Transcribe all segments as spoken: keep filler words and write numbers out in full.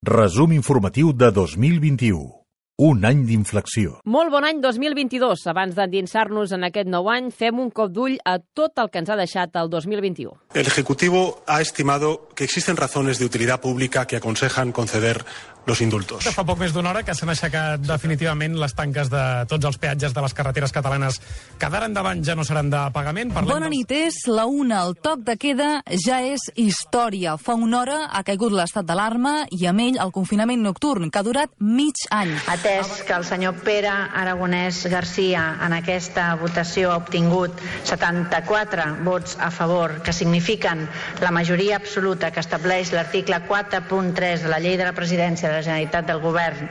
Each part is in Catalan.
Resum informatiu de dos mil vint-i-u. Un any d'inflexió. Molt bon any dos mil vint-i-dos. Abans d'endinsar-nos en aquest nou any, fem un cop d'ull a tot el que ens ha deixat el dos mil vint-i-u. El Ejecutivo ha estimado que existen razones de utilidad pública que aconsejan conceder los indultos. Fa poc més d'una hora que s'han aixecat definitivament les tanques de tots els peatges de les carreteres catalanes que d'ara endavant ja no seran de pagament. Parlem Bona nit, és la una. El toc de queda ja és història. Fa una hora ha caigut l'estat d'alarma i amb ell el confinament nocturn, que ha durat mig any. Atès que el senyor Pere Aragonès Garcia en aquesta votació ha obtingut setanta-quatre vots a favor, que signifiquen la majoria absoluta que estableix l'article quatre punt tres de la Llei de la Presidència de la Generalitat del Govern,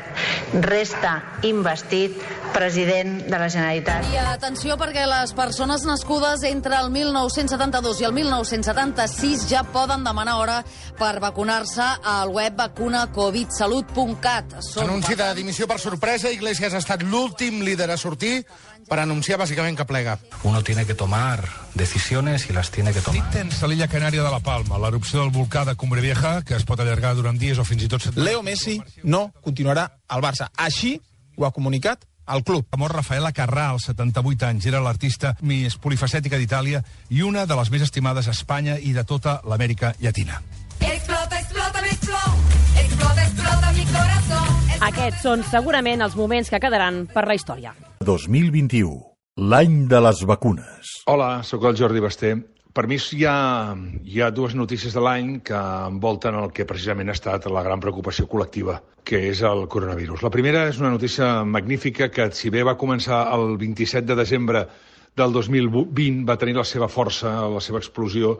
resta investit president de la Generalitat. I atenció, perquè les persones nascudes entre el mil nou-cents setanta-dos i el mil nou-cents setanta-sis ja poden demanar hora per vacunar-se al web vacuna covid salut punt cat. Anunci de dimissió per sorpresa. Iglesias ha estat l'últim líder a sortir per anunciar bàsicament que plega. Uno tiene que tomar decisiones y las tiene que tomar. Tens a l'illa Canària de la Palma, l'erupció del volcà de Cumbre Vieja, que es pot allargar durant dies o fins i tot setmanes. Leo Messi no continuarà al Barça. Així ho ha comunicat el club. Ha mort Rafaela Carrà, als setanta-vuit anys. Era l'artista més polifacètica d'Itàlia i una de les més estimades a Espanya i de tota l'Amèrica Llatina. Explota, explota, mi flow. Explota, explota mi corazón. Aquests són segurament els moments que quedaran per la història. dos mil vint-i-u. L'any de les vacunes. Hola, sóc el Jordi Basté. Per mi hi ha, hi ha dues notícies de l'any que envolten el que precisament ha estat la gran preocupació col·lectiva, que és el coronavirus. La primera és una notícia magnífica que, si bé va començar el vint-i-set de desembre del dos mil vint, va tenir la seva força, la seva explosió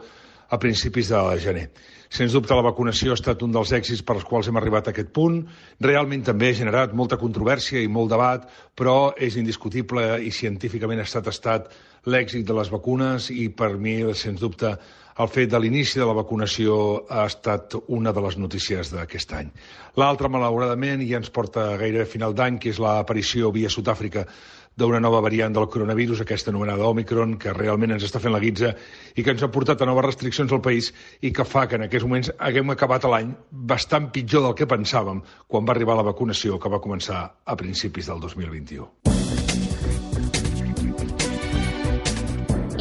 a principis de gener. Sens dubte, la vacunació ha estat un dels èxits per als quals hem arribat a aquest punt. Realment també ha generat molta controvèrsia i molt debat, però és indiscutible i científicament ha estat estat l'èxit de les vacunes i, per mi, sens dubte, el fet de l'inici de la vacunació ha estat una de les notícies d'aquest any. L'altra, malauradament, ja ens porta gairebé a final d'any, que és l'aparició via Sud-àfrica d'una nova variant del coronavirus, aquesta anomenada Omicron, que realment ens està fent la guitza i que ens ha portat a noves restriccions al país i que fa que en aquests moments haguem acabat l'any bastant pitjor del que pensàvem quan va arribar la vacunació, que va començar a principis del dos mil vint-i-u.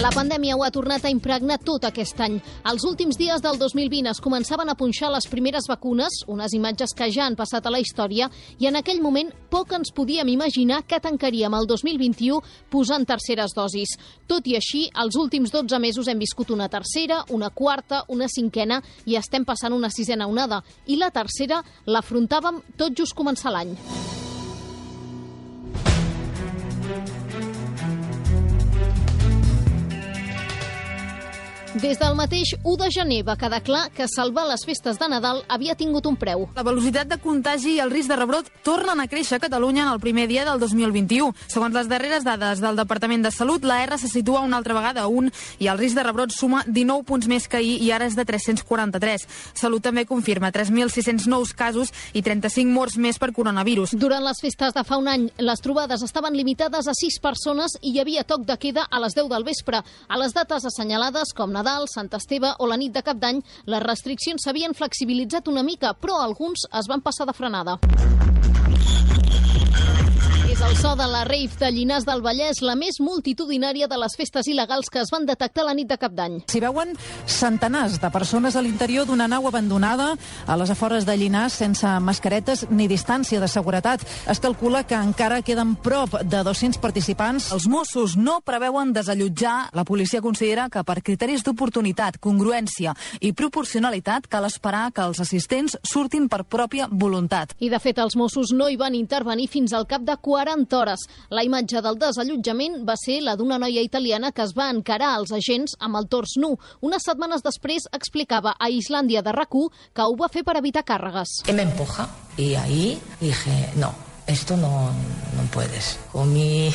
La pandèmia ho ha tornat a impregnar tot aquest any. Els últims dies del dos mil vint es començaven a punxar les primeres vacunes, unes imatges que ja han passat a la història, i en aquell moment poc ens podíem imaginar que tancaríem el dos mil vint-i-u posant terceres dosis. Tot i així, els últims dotze mesos hem viscut una tercera, una quarta, una cinquena i estem passant una sisena onada. I la tercera l'afrontàvem tot just començar l'any. Des del mateix u de gener va quedar clar que salvar les festes de Nadal havia tingut un preu. La velocitat de contagi i el risc de rebrot tornen a créixer a Catalunya en el primer dia del dos mil vint-i-u. Segons les darreres dades del Departament de Salut, la R se situa una altra vegada a un i el risc de rebrot suma dinou punts més que ahir i ara és de tres-cents quaranta-tres. Salut també confirma tres mil sis-cents nous casos i trenta-cinc morts més per coronavirus. Durant les festes de fa un any, les trobades estaven limitades a sis persones i hi havia toc de queda a les deu del vespre. A les dates assenyalades, com Nadal, Sant Esteve o la nit de Cap d'Any, les restriccions s'havien flexibilitzat una mica, però alguns es van passar de frenada. És el so de la rave de Llinars del Vallès, la més multitudinària de les festes il·legals que es van detectar la nit de Cap d'Any. S'hi veuen centenars de persones a l'interior d'una nau abandonada a les afores de Llinars sense mascaretes ni distància de seguretat. Es calcula que encara queden prop de dos-cents participants. Els Mossos no preveuen desallotjar. La policia considera que per criteris d'oportunitat, congruència i proporcionalitat cal esperar que els assistents surtin per pròpia voluntat. I, de fet, els Mossos no hi van intervenir fins al cap de quaranta hores. La imatge del desallotjament va ser la d'una noia italiana que es va encarar als agents amb el tors nu. Unes setmanes després explicava a Islàndia de RAC u que ho va fer per evitar càrregues. Me empuja y ahí dije, no, esto no, no puedes. Con mi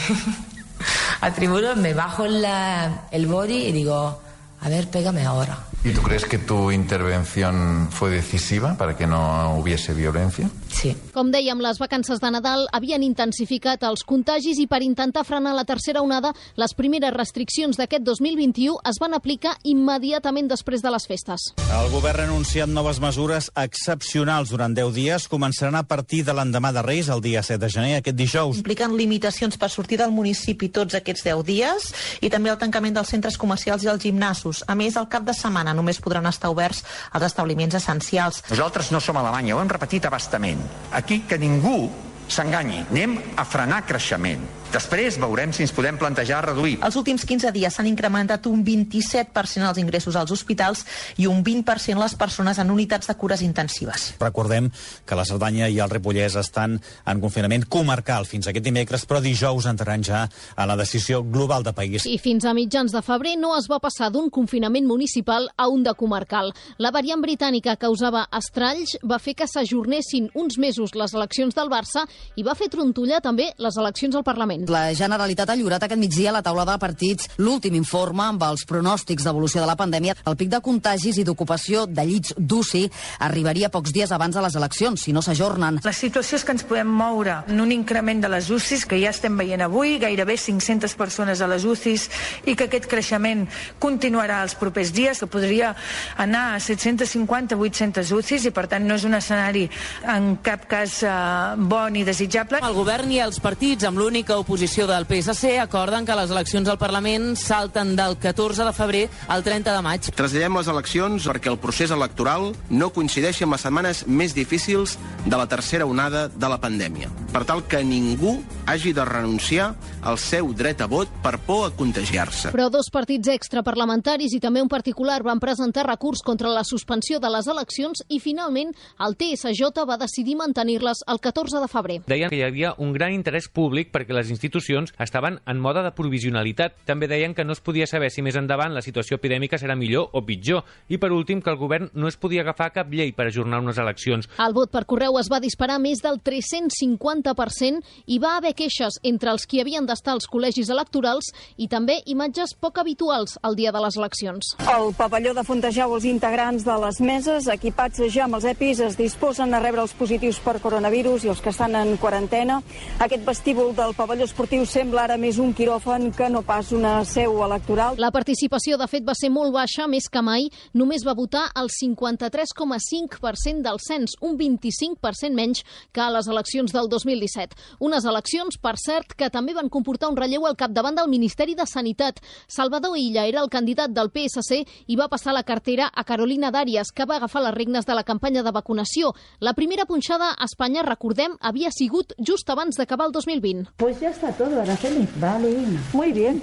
atributo me bajo la, el body y digo, a ver, pégame ahora. ¿Y tú crees que tu intervención fue decisiva para que no hubiese violencia? Sí. Com dèiem, les vacances de Nadal havien intensificat els contagis i per intentar frenar la tercera onada, les primeres restriccions d'aquest dos mil vint-i-u es van aplicar immediatament després de les festes. El govern ha anunciat noves mesures excepcionals durant deu dies. Començaran a partir de l'endemà de Reis, el dia set de gener, aquest dijous. Impliquen limitacions per sortir del municipi tots aquests deu dies i també el tancament dels centres comercials i els gimnasos. A més, al cap de setmana només podran estar oberts els establiments essencials. Nosaltres no som Alemanya, ho hem repetit a bastament. Aquí que ningú s'enganyi. Anem a frenar creixement. Després veurem si ens podem plantejar reduir. Els últims quinze dies s'han incrementat un vint-i-set per cent els ingressos als hospitals i un vint per cent les persones en unitats de cures intensives. Recordem que la Cerdanya i el Ripollès estan en confinament comarcal fins aquest dimecres, però dijous entraran ja a la decisió global de país. I fins a mitjans de febrer no es va passar d'un confinament municipal a un de comarcal. La variant britànica causava estralls, va fer que s'ajornessin uns mesos les eleccions del Barça i va fer trontollar també les eleccions al Parlament. La Generalitat ha lliurat aquest migdia a la taula de partits l'últim informe amb els pronòstics d'evolució de la pandèmia. El pic de contagis i d'ocupació de llits d'U C I arribaria pocs dies abans de les eleccions, si no s'ajornen. La situació és que ens podem moure en un increment de les U C Is, que ja estem veient avui, gairebé cinc-centes persones a les U C Is, i que aquest creixement continuarà els propers dies, que podria anar a set-cents cinquanta a vuit-centes U C Is, i per tant no és un escenari en cap cas eh, bo ni desitjable. El govern i els partits, amb l'única oposició del P S C, acorden que les eleccions al Parlament salten del catorze de febrer al trenta de maig. Traslladem les eleccions perquè el procés electoral no coincideixi amb les setmanes més difícils de la tercera onada de la pandèmia, per tal que ningú hagi de renunciar al seu dret a vot per por a contagiar-se. Però dos partits extraparlamentaris i també un particular van presentar recurs contra la suspensió de les eleccions i finalment el T S J va decidir mantenir-les el catorze de febrer. Deien que hi havia un gran interès públic perquè les institucions estaven en mode de provisionalitat. També deien que no es podia saber si més endavant la situació epidèmica serà millor o pitjor. I per últim, que el govern no es podia agafar cap llei per ajornar unes eleccions. El vot per correu es va disparar més del tres-cents cinquanta per cent i va haver queixes entre els qui havien d'estar als col·legis electorals i també imatges poc habituals el dia de les eleccions. El pavelló de Fontejau, els integrants de les meses, equipats ja amb els EPIs, es disposen a rebre els positius per coronavirus i els que estan en quarantena. Aquest vestíbul del pavelló esportiu sembla ara més un quiròfan que no pas una seu electoral. La participació, de fet, va ser molt baixa, més que mai. Només va votar el cinquanta-tres coma cinc per cent del cens, un vint-i-cinc per cent menys que a les eleccions del dos mil disset. Unes eleccions, per cert, que també van comportar un relleu al capdavant del Ministeri de Sanitat. Salvador Illa era el candidat del P S C i va passar la cartera a Carolina Darias, que va agafar les regnes de la campanya de vacunació. La primera punxada a Espanya, recordem, havia sigut just abans d'acabar el dos mil vint. Pues ya está todo, Araceli. Vale, muy bien.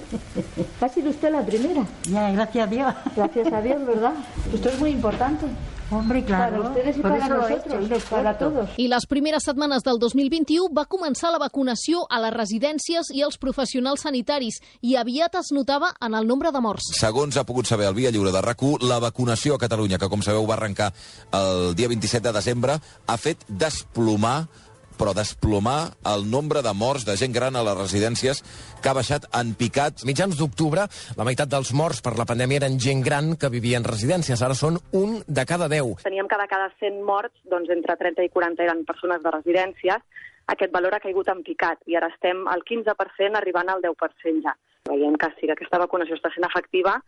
Ha sido usted la primera. Ya, gracias a Dios. Gracias a Dios, ¿verdad? Esto es muy importante. Hombre, claro. Para ustedes y Por para nosotros, hecho, para todos. I les primeres setmanes del dos mil vint-i-u va començar la vacunació a les residències i als professionals sanitaris i aviat es notava en el nombre de morts. Segons ha pogut saber el Via Lliure de RAC u, la vacunació a Catalunya, que com sabeu va arrencar el dia vint-i-set de desembre, ha fet desplomar però desplomar el nombre de morts de gent gran a les residències, que ha baixat en picat. Mitjans d'octubre, la meitat dels morts per la pandèmia eren gent gran que vivia en residències. Ara són un de cada deu. Teníem que de cada cent morts, doncs entre trenta i quaranta eren persones de residències. Aquest valor ha caigut en picat i ara estem al quinze per cent, arribant al deu per cent ja. Veiem que sí que aquesta vacunació està sent efectiva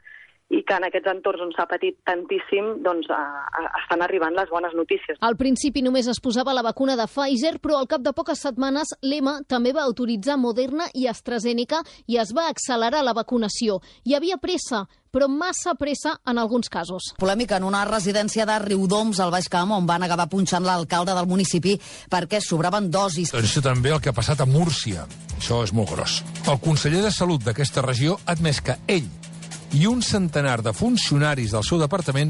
i que en aquests entorns on s'ha patit tantíssim, doncs a, a, estan arribant les bones notícies. Al principi només es posava la vacuna de Pfizer, però al cap de poques setmanes l'E M A també va autoritzar Moderna i AstraZeneca i es va accelerar la vacunació. Hi havia pressa, però massa pressa en alguns casos. Polèmica en una residència de Riudoms, al Baix Camp, on van acabar punxant l'alcalde del municipi perquè sobraven dosis. Això també el que ha passat a Múrcia. Això és molt gros. El conseller de Salut d'aquesta regió ha admès que ell i un centenar de funcionaris del seu departament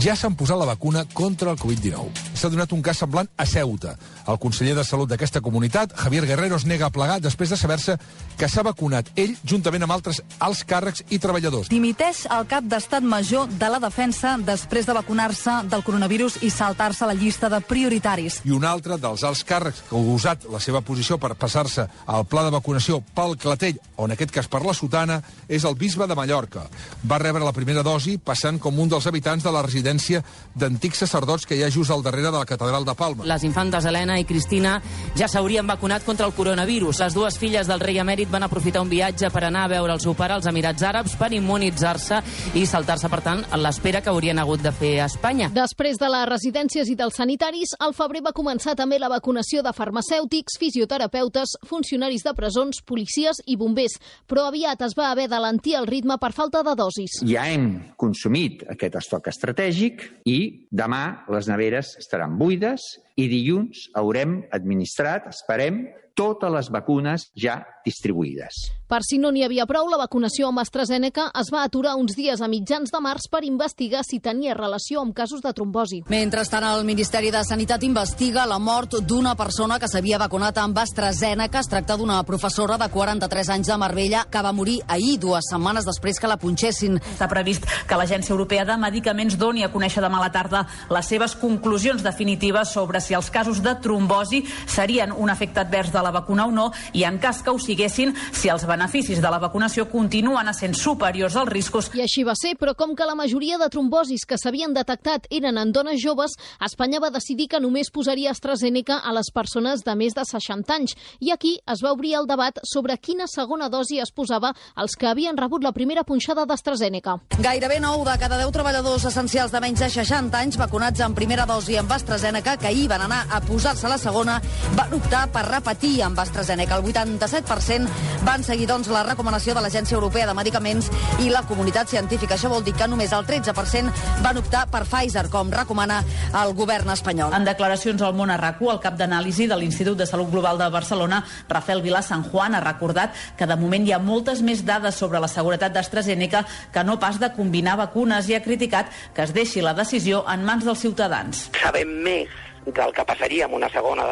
ja s'han posat la vacuna contra el covid dinou. S'ha donat un cas semblant a Ceuta. El conseller de Salut d'aquesta comunitat, Javier Guerrero, es nega a plegar després de saber-se que s'ha vacunat ell juntament amb altres alts càrrecs i treballadors. Dimiteix el cap d'Estat Major de la Defensa després de vacunar-se del coronavirus i saltar-se la llista de prioritaris. I un altre dels alts càrrecs que ha usat la seva posició per passar-se al pla de vacunació pel Clatell, o en aquest cas per la Sotana, és el bisbe de Mallorca. Va rebre la primera dosi passant com un dels habitants de la residència d'antics sacerdots que hi ha just al darrere de la catedral de Palma. Les infantes Helena i Cristina ja s'haurien vacunat contra el coronavirus. Les dues filles del rei emèrit van aprofitar un viatge per anar a veure el seu pare als Emirats Àrabs per immunitzar-se i saltar-se, per tant, en l'espera que haurien hagut de fer a Espanya. Després de les residències i dels sanitaris, al febrer va començar també la vacunació de farmacèutics, fisioterapeutes, funcionaris de presons, policies i bombers. Però aviat es va haver d'alentir el ritme per falta de dosis. Ja hem consumit aquest estoc estratègic i demà les neveres estaran buides i dilluns haurem administrat, esperem, totes les vacunes ja distribuïdes. Per si no n'hi havia prou, la vacunació amb AstraZeneca es va aturar uns dies a mitjans de març per investigar si tenia relació amb casos de trombosi. Mentrestant, el Ministeri de Sanitat investiga la mort d'una persona que s'havia vacunat amb AstraZeneca. Es tracta d'una professora de quaranta-tres anys de Marbella que va morir ahir, dues setmanes després que la punxessin. Està previst que l'Agència Europea de Medicaments doni a conèixer demà a la tarda les seves conclusions definitives sobre si els casos de trombosi serien un efecte advers de la vacuna o no, i en cas que ho siguessin, si els beneficis de la vacunació continuen essent superiors als riscos. I així va ser, però com que la majoria de trombosis que s'havien detectat eren en dones joves, Espanya va decidir que només posaria AstraZeneca a les persones de més de seixanta anys. I aquí es va obrir el debat sobre quina segona dosi es posava als que havien rebut la primera punxada d'AstraZeneca. Gairebé nou de cada deu treballadors essencials de menys de seixanta anys vacunats en primera dosi amb AstraZeneca, que ahir van anar a posar-se la segona, van optar per repetir amb AstraZeneca. El vuitanta-set per cent van seguir, doncs, la recomanació de l'Agència Europea de Medicaments i la comunitat científica. Això vol dir que només el tretze per cent van optar per Pfizer, com recomana el govern espanyol. En declaracions al Món a RAC u, el cap d'anàlisi de l'Institut de Salut Global de Barcelona, Rafael Vilà San Juan, ha recordat que de moment hi ha moltes més dades sobre la seguretat d'AstraZeneca que no pas de combinar vacunes, i ha criticat que es deixi la decisió en mans dels ciutadans. Sabem més del que passaria amb una segona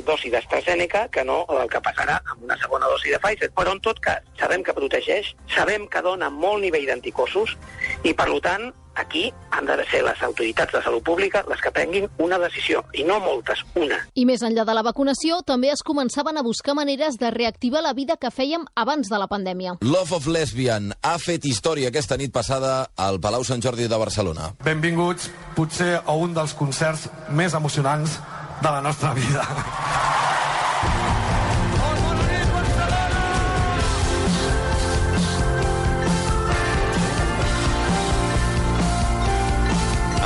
dosi d'AstraZeneca que no del que passarà amb una segona dosi de Pfizer. Però, en tot cas, sabem que protegeix, sabem que dona molt nivell d'anticossos i, per tant, aquí han de ser les autoritats de salut pública les que prenguin una decisió, i no moltes, una. I més enllà de la vacunació, també es començaven a buscar maneres de reactivar la vida que fèiem abans de la pandèmia. Love of Lesbian ha fet història aquesta nit passada al Palau Sant Jordi de Barcelona. Benvinguts, potser a un dels concerts més emocionants de la nostra vida.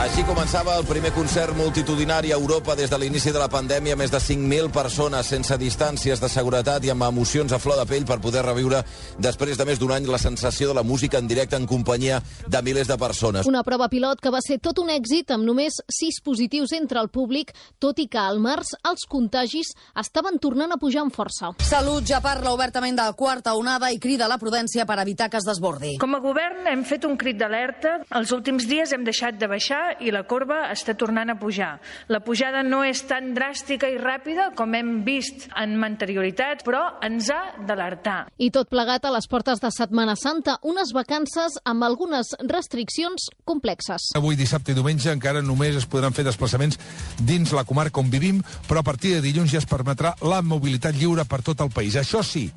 Així començava el primer concert multitudinari a Europa des de l'inici de la pandèmia. Més de cinc mil persones sense distàncies de seguretat i amb emocions a flor de pell per poder reviure després de més d'un any la sensació de la música en directe en companyia de milers de persones. Una prova pilot que va ser tot un èxit amb només sis positius entre el públic, tot i que al març els contagis estaven tornant a pujar amb força. Salut ja parla obertament de quarta onada i crida a la prudència per evitar que es desbordi. Com a govern hem fet un crit d'alerta. Els últims dies hem deixat de baixar i la corba està tornant a pujar. La pujada no és tan dràstica i ràpida com hem vist en anterioritat, però ens ha d'alertar. I tot plegat a les portes de Setmana Santa, unes vacances amb algunes restriccions complexes. Avui, dissabte i diumenge, encara només es podran fer desplaçaments dins la comarca on vivim, però a partir de dilluns ja es permetrà la mobilitat lliure per tot el país. Això sí,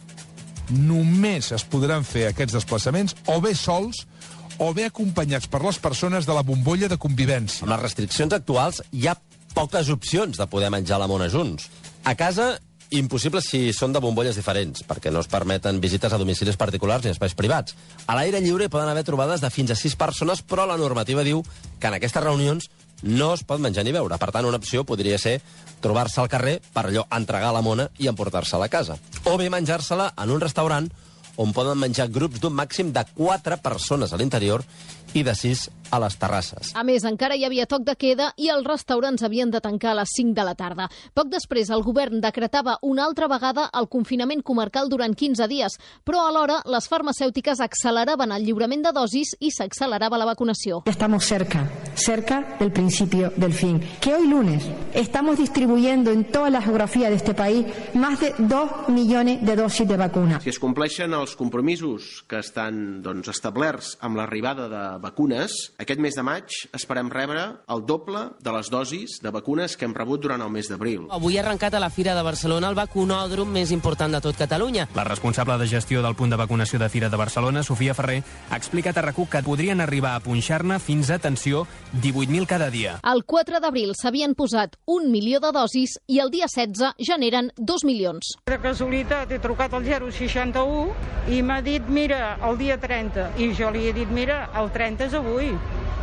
només es podran fer aquests desplaçaments o bé sols o bé acompanyats per les persones de la bombolla de convivència. Amb les restriccions actuals hi ha poques opcions de poder menjar la mona junts. A casa, impossible si són de bombolles diferents, perquè no es permeten visites a domicilis particulars ni espais privats. A l'aire lliure hi poden haver trobades de fins a sis persones, però la normativa diu que en aquestes reunions no es pot menjar ni beure. Per tant, una opció podria ser trobar-se al carrer per allò entregar la mona i emportar-se-la a casa. O bé menjar-se-la en un restaurant on poden menjar grups d'un màxim de quatre persones a l'interior i de sis a les terrasses. A més, encara hi havia toc de queda i els restaurants havien de tancar a les cinc de la tarda. Poc després, el govern decretava una altra vegada el confinament comarcal durant quinze dies, però alhora les farmacèutiques acceleraven el lliurament de dosis i s'accelerava la vacunació. Estamos cerca, cerca del principio del fin. Que hoy lunes estamos distribuyendo en toda la geografía de este país más de dos millones de dosis de vacuna. Si es compleixen els compromisos que estan doncs, establerts amb l'arribada de vacunes, aquest mes de maig esperem rebre el doble de les dosis de vacunes que hem rebut durant el mes d'abril. Avui ha arrencat a la Fira de Barcelona el vacunòdrom més important de tot Catalunya. La responsable de gestió del punt de vacunació de Fira de Barcelona, Sofia Ferrer, ha explicat a RAC1 que podrien arribar a punxar-ne fins a, atenció, divuit mil cada dia. El quatre d'abril s'havien posat un milió de dosis i el dia setze ja n'eren dos milions. De casualitat he trucat al zero seixanta u i m'ha dit, mira, el dia trenta. I jo li he dit, mira, el trenta és avui.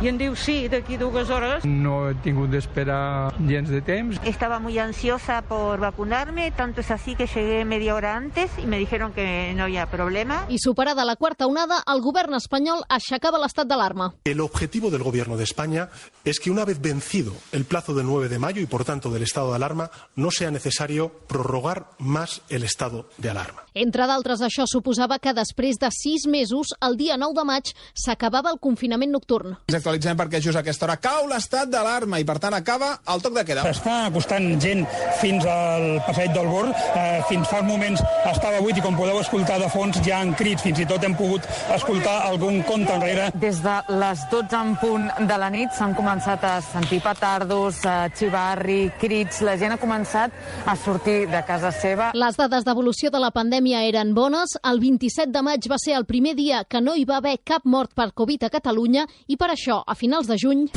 I em diu, sí, d'aquí dues hores. No he tingut d'esperar gens de temps. Estaba muy ansiosa por vacunarme, tanto es así que llegué media hora antes y me dijeron que no había problema. I superada la quarta onada, el govern espanyol aixecava l'estat d'alarma. El objetivo del gobierno de España es que una vez vencido el plazo del nueve de mayo y por tanto del estado de alarma, no sea necesario prorrogar más el estado de alarma. Entre d'altres, això suposava que després de sis mesos, el dia nou de maig, s'acabava el confinament nocturn. Ens actualitzem perquè just a aquesta hora cau l'estat d'alarma i, per tant, acaba el toc de queda. Està acostant gent fins al passeig del Born. Eh, fins fa uns moments estava buit i, com podeu escoltar de fons, ja han crits. Fins i tot hem pogut escoltar algun conte enrere. Des de les dotze en punt de la nit s'han començat a sentir petardos, xivarri, crits. La gent ha començat a sortir de casa seva. Les dades d'evolució de la pandèmia eren bones. El vint-i-set de maig va ser el primer dia que no hi va haver cap mort per Covid a Catalunya i per això, a finals de juny...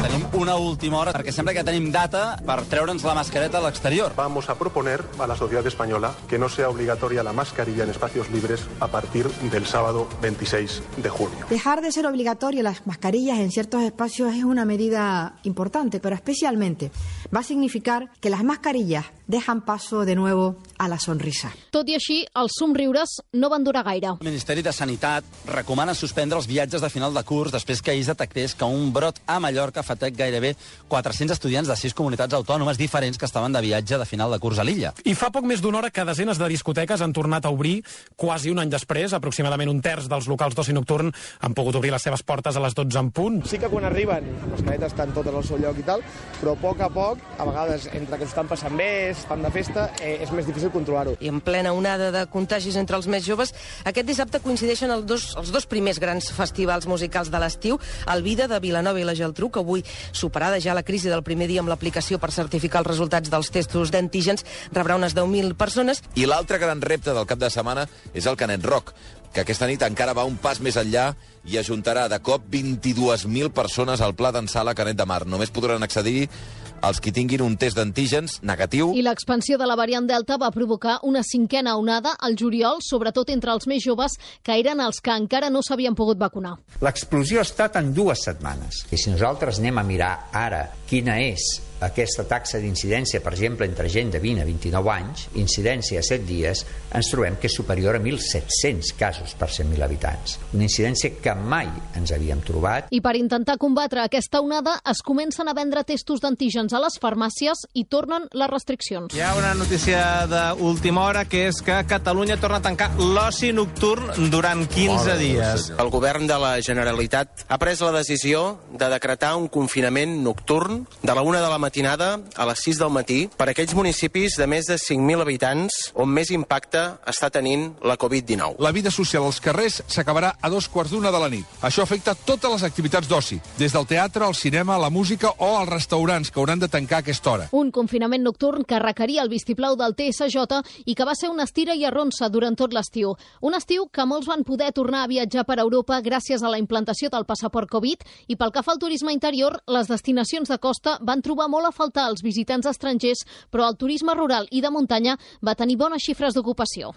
Tenim una última hora, perquè sembla que tenim data per treure'ns la mascareta a l'exterior. Vamos a proponer a la sociedad española que no sea obligatoria la mascarilla en espacios libres a partir del sábado veintiséis de junio. Dejar de ser obligatorio las mascarillas en ciertos espacios es una medida importante, pero especialmente va a significar que las mascarillas dejan paso de nuevo a la sonrisa. Tot i així, els somriures no van durar gaire. El Ministeri de Sanitat recomana suspendre els viatges de final de curs després que ahir es detectés que un brot a Mallorca afectat gairebé quatre-cents estudiants de sis comunitats autònomes diferents que estaven de viatge de final de curs a l'illa. I fa poc més d'una hora que desenes de discoteques han tornat a obrir, quasi un any després, aproximadament un terç dels locals d'oci nocturn han pogut obrir les seves portes a les dotze en punt. Sí que quan arriben, les cadetes estan totes al seu lloc i tal, però a poc a poc, a vegades, entre que s'estan passant bé, estan de festa, eh, és més difícil controlar-ho. I en plena onada de contagis entre els més joves, aquest dissabte coincideixen els dos, els dos primers grans festivals musicals de l'estiu, el Vida de Vilanova i la Geltrú, que avui, superada ja la crisi del primer dia amb l'aplicació per certificar els resultats dels testos d'antígens, rebrà unes deu mil persones. I l'altre gran repte del cap de setmana és el Canet Rock, que aquesta nit encara va un pas més enllà i ajuntarà de cop vint-i-dues mil persones al Pla d'en Sala Canet de Mar. Només podran accedir els qui tinguin un test d'antígens negatiu. I l'expansió de la variant Delta va provocar una cinquena onada al juliol, sobretot entre els més joves, que eren els que encara no s'havien pogut vacunar. L'explosió ha estat en dues setmanes. I si nosaltres anem a mirar ara quina és aquesta taxa d'incidència, per exemple, entre gent de vint a vint-i-nou anys, incidència a set dies, ens trobem que és superior a mil set-cents casos per cent mil habitants. Una incidència que mai ens havíem trobat. I per intentar combatre aquesta onada, es comencen a vendre testos d'antígens a les farmàcies i tornen les restriccions. Hi ha una notícia d'última hora, que és que Catalunya torna a tancar l'oci nocturn durant quinze dies. El govern de la Generalitat ha pres la decisió de decretar un confinament nocturn de la una de la matinada a les sis del matí per a aquells municipis de més de cinc mil habitants on més impacte està tenint la Covid dinou. La vida social als carrers s'acabarà a dos quarts d'una de la nit. Això afecta totes les activitats d'oci, des del teatre, al cinema, la música o els restaurants, que hauran de tancar a aquesta hora. Un confinament nocturn que requeria el vistiplau del T S J i que va ser una estira i arronsa durant tot l'estiu. Un estiu que molts van poder tornar a viatjar per Europa gràcies a la implantació del passaport Covid i pel que fa al turisme interior, les destinacions de costa van trobar molt a faltar els visitants estrangers, però el turisme rural i de muntanya va tenir bones xifres d'ocupació.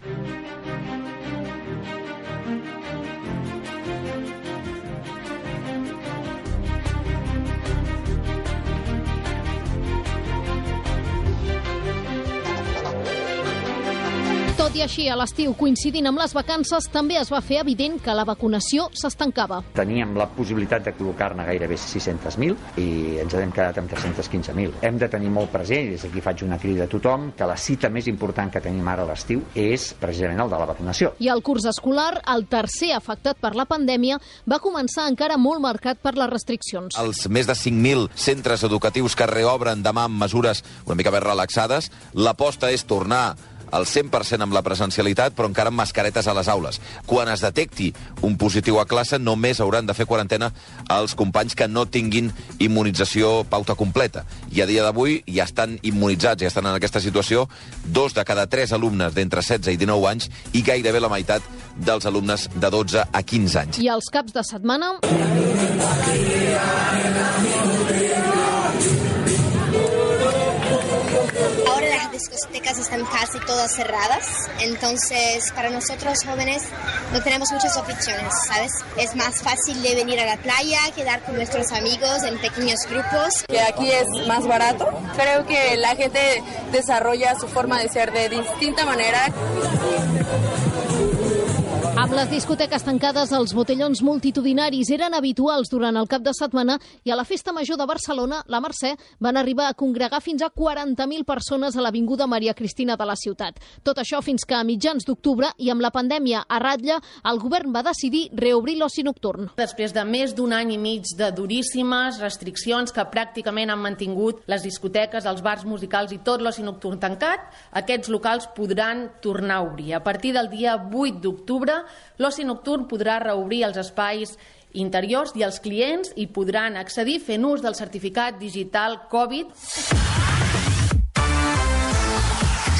Tot Tot i així, a l'estiu, coincidint amb les vacances, també es va fer evident que la vacunació s'estancava. Teníem la possibilitat de col·locar-ne gairebé sis-cents mil i ens hem quedat amb tres-cents quinze mil. Hem de tenir molt present, i des d'aquí faig una crida a tothom, que la cita més important que tenim ara a l'estiu és precisament el de la vacunació. I el curs escolar, el tercer afectat per la pandèmia, va començar encara molt marcat per les restriccions. Els més de cinc mil centres educatius que reobren demà amb mesures una mica més relaxades, l'aposta és tornar al cent per cent amb la presencialitat, però encara amb mascaretes a les aules. Quan es detecti un positiu a classe, només hauran de fer quarantena els companys que no tinguin immunització pauta completa. I a dia d'avui ja estan immunitzats, ja estan en aquesta situació, dos de cada tres alumnes d'entre setze i dinou anys i gairebé la meitat dels alumnes de dotze a quinze anys. I els caps de setmana... Ahora las discotecas están casi todas cerradas, entonces para nosotros jóvenes no tenemos muchas opciones, ¿sabes? Es más fácil de venir a la playa, quedar con nuestros amigos en pequeños grupos. Que aquí es más barato. Creo que la gente desarrolla su forma de ser de distinta manera. Amb les discoteques tancades, els botellons multitudinaris eren habituals durant el cap de setmana i a la Festa Major de Barcelona, la Mercè, van arribar a congregar fins a quaranta mil persones a l'Avinguda Maria Cristina de la ciutat. Tot això fins que a mitjans d'octubre i amb la pandèmia a ratlla, el govern va decidir reobrir l'oci nocturn. Després de més d'un any i mig de duríssimes restriccions que pràcticament han mantingut les discoteques, els bars musicals i tot l'oci nocturn tancat, aquests locals podran tornar a obrir. A partir del dia vuit d'octubre, l'oci nocturn podrà reobrir els espais interiors i els clients hi podran accedir fent ús del certificat digital Covid.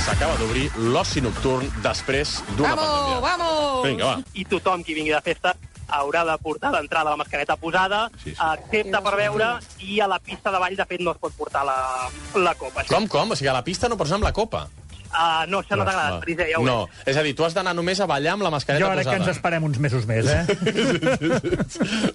S'acaba d'obrir l'oci nocturn després d'una pandèmia. Vamos! Vinga, va. I tothom qui vingui de festa haurà de portar d'entrada la mascareta posada, sí, sí. excepte per beure, i a la pista de ball, de fet, no es pot portar la, la copa. Com, com? O sigui, a la pista no pots anar amb la copa? Uh, no, això no t'ha agradat, Marisa, ja ho No, és a dir, tu has d'anar només a ballar amb la mascareta posada. Jo posada. crec que ens esperem uns mesos més, eh?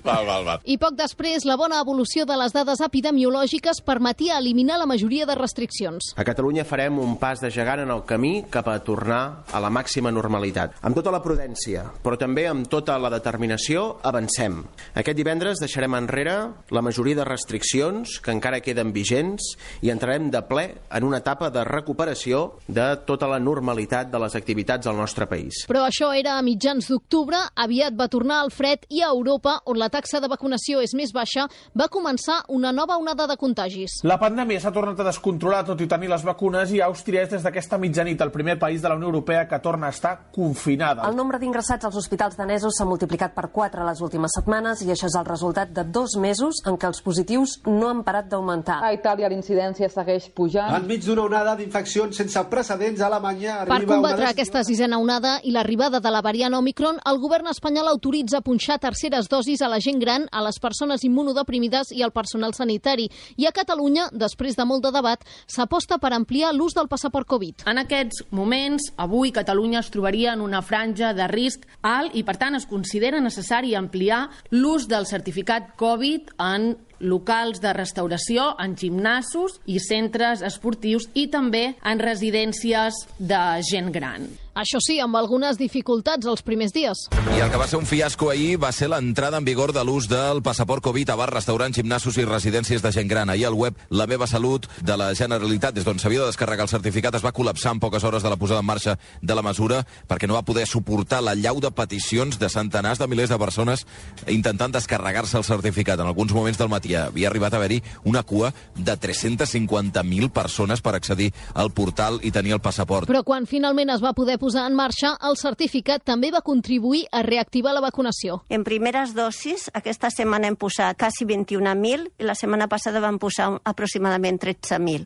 Val, val, val. I poc després, la bona evolució de les dades epidemiològiques permetia eliminar la majoria de restriccions. A Catalunya farem un pas de gegant en el camí cap a tornar a la màxima normalitat. Amb tota la prudència, però també amb tota la determinació, avancem. Aquest divendres deixarem enrere la majoria de restriccions que encara queden vigents i entrarem de ple en una etapa de recuperació de tota la normalitat de les activitats al nostre país. Però això era a mitjans d'octubre, aviat va tornar al fred i a Europa, on la taxa de vacunació és més baixa, va començar una nova onada de contagis. La pandèmia s'ha tornat a descontrolar tot i tenir les vacunes i Àustria és des d'aquesta mitjanit el primer país de la Unió Europea que torna a estar confinada. El nombre d'ingressats als hospitals danesos s'ha multiplicat per quatre les últimes setmanes i això és el resultat de dos mesos en què els positius no han parat d'augmentar. A Itàlia l'incidència segueix pujant. Enmig d'una onada d'infeccions sense precedents, Alemanya per combatre de... aquesta sisena onada i l'arribada de la variant Omicron, el govern espanyol autoritza punxar terceres dosis a la gent gran, a les persones immunodeprimides i al personal sanitari. I a Catalunya, després de molt de debat, s'aposta per ampliar l'ús del passaport Covid. En aquests moments, avui Catalunya es trobaria en una franja de risc alt i, per tant, es considera necessari ampliar l'ús del certificat Covid en locals de restauració, en gimnasos i centres esportius i també en residències de gent gran. Això sí, amb algunes dificultats els primers dies. I el que va ser un fiasco ahir va ser l'entrada en vigor de l'ús del passaport Covid a bars, restaurants, gimnasos i residències de gent gran. Ahir al web La meva salut de la Generalitat, des d'on s'havia de descarregar el certificat, es va col·lapsar en poques hores de la posada en marxa de la mesura perquè no va poder suportar la llau de peticions de centenars de milers de persones intentant descarregar-se el certificat. En alguns moments del matí havia arribat a haver-hi una cua de tres-cents cinquanta mil persones per accedir al portal i tenir el passaport. Però quan finalment es va poder posar en marxa, el certificat també va contribuir a reactivar la vacunació. En primeres dosis, aquesta setmana hem posat quasi vint-i-un mil i la setmana passada vam posar aproximadament tretze mil.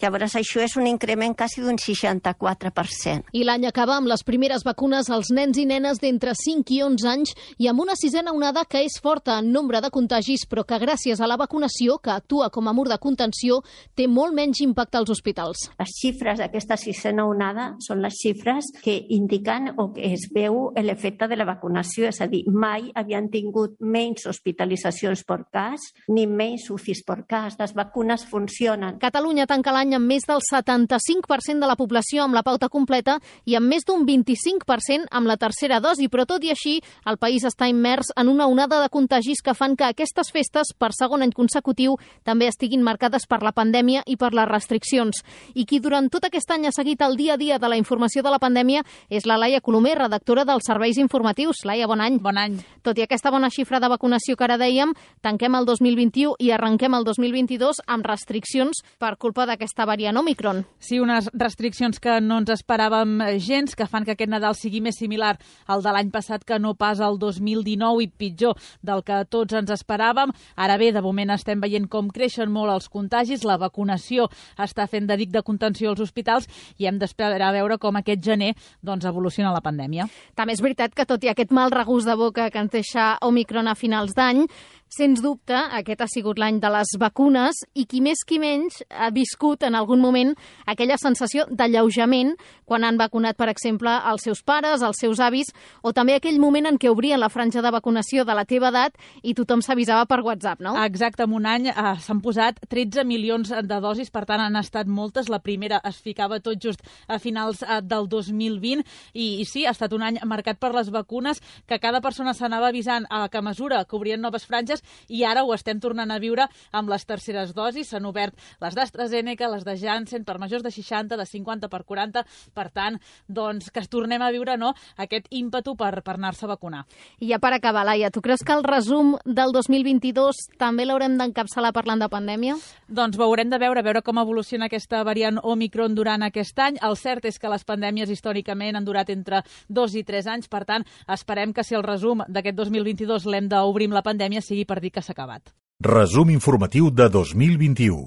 Llavors, això és un increment quasi d'un seixanta-quatre per cent. I l'any acaba amb les primeres vacunes als nens i nenes d'entre cinc i onze anys i amb una sisena onada que és forta en nombre de contagis, però que gràcies a la vacunació, que actua com a mur de contenció, té molt menys impacte als hospitals. Les xifres d'aquesta sisena onada són les xifres que indiquen o que es veu l'efecte de la vacunació, és a dir, mai havien tingut menys hospitalitzacions per cas ni menys U C Is per cas. Les vacunes funcionen. Catalunya tanca l'any amb més del setanta-cinc per cent de la població amb la pauta completa i amb més d'un vint-i-cinc per cent amb la tercera dosi, però tot i així el país està immers en una onada de contagis que fan que aquestes festes, per segon any consecutiu, també estiguin marcades per la pandèmia i per les restriccions. I qui durant tot aquest any ha seguit el dia a dia de la informació de la pandèmia és la Laia Colomer, redactora dels serveis informatius. Laia, bon any. Bon any. Tot i aquesta bona xifra de vacunació que ara dèiem, tanquem el dos mil vint-i-u i arrenquem el dos mil vint-i-dos amb restriccions per culpa d'aquesta variant Omicron. Sí, unes restriccions que no ens esperàvem gens, que fan que aquest Nadal sigui més similar al de l'any passat que no pas al dos mil dinou i pitjor del que tots ens esperàvem. Ara bé, de moment estem veient com creixen molt els contagis, la vacunació està fent de dic de contenció als hospitals i hem d'esperar a veure com aquest gener doncs, evoluciona la pandèmia. També és veritat que tot i aquest mal regust de boca que ens deixa Omicron a finals d'any, sens dubte, aquest ha sigut l'any de les vacunes i qui més qui menys ha viscut en algun moment aquella sensació d'alleujament quan han vacunat, per exemple, els seus pares, els seus avis, o també aquell moment en què obrien la franja de vacunació de la teva edat i tothom s'avisava per WhatsApp, no? Exacte, en un any eh, s'han posat tretze milions de dosis, per tant han estat moltes. La primera es ficava tot just a finals eh, del dos mil vint i, i sí, ha estat un any marcat per les vacunes, que cada persona s'anava avisant a que a mesura que obrien noves franges i ara ho estem tornant a viure amb les terceres dosis. S'han obert les d'AstraZeneca, les de Janssen, per majors de seixanta, de cinquanta per quaranta. Per tant, doncs, que es tornem a viure no, aquest ímpetu per, per anar-se a vacunar. I ja per acabar, Laia, tu creus que el resum del dos mil vint-i-dos també l'haurem d'encapçalar parlant de pandèmia? Doncs ho haurem de veure, a veure com evoluciona aquesta variant Omicron durant aquest any. El cert és que les pandèmies històricament han durat entre dos i tres anys, per tant, esperem que si el resum d'aquest dos mil vint-i-dos l'hem d'obrir amb la pandèmia sigui per dir que s'ha acabat. Resum informatiu de dos mil vint-i-u.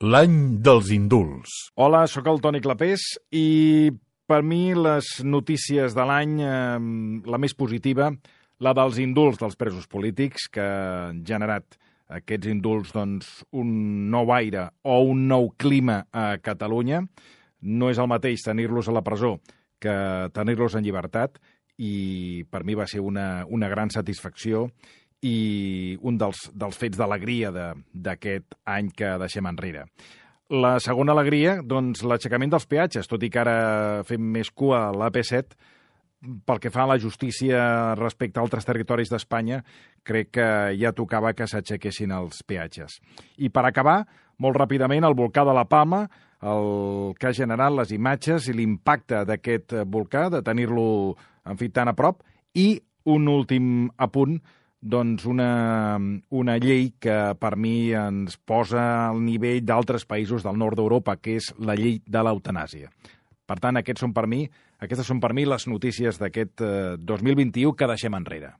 L'any dels indults. Hola, sóc el Toni Clapés i per mi les notícies de l'any, eh, la més positiva, la dels indults dels presos polítics, que han generat aquests indults doncs, un nou aire o un nou clima a Catalunya. No és el mateix tenir-los a la presó que tenir-los en llibertat i per mi va ser una, una gran satisfacció i un dels, dels fets d'alegria d'aquest any que deixem enrere. La segona alegria, doncs, l'aixecament dels peatges, tot i que ara fem més cua a l'A P set, pel que fa a la justícia respecte a altres territoris d'Espanya, crec que ja tocava que s'aixequessin els peatges. I per acabar, molt ràpidament, el volcà de la Palma, el que ha generat les imatges i l'impacte d'aquest volcà, de tenir-lo, en fi, tan a prop, i un últim apunt, doncs una, una llei que per mi ens posa al nivell d'altres països del nord d'Europa, que és la llei de l'eutanàsia. Per tant, aquests són per mi, aquestes són per mi les notícies d'aquest eh, dos mil vint-i-u que deixem enrere.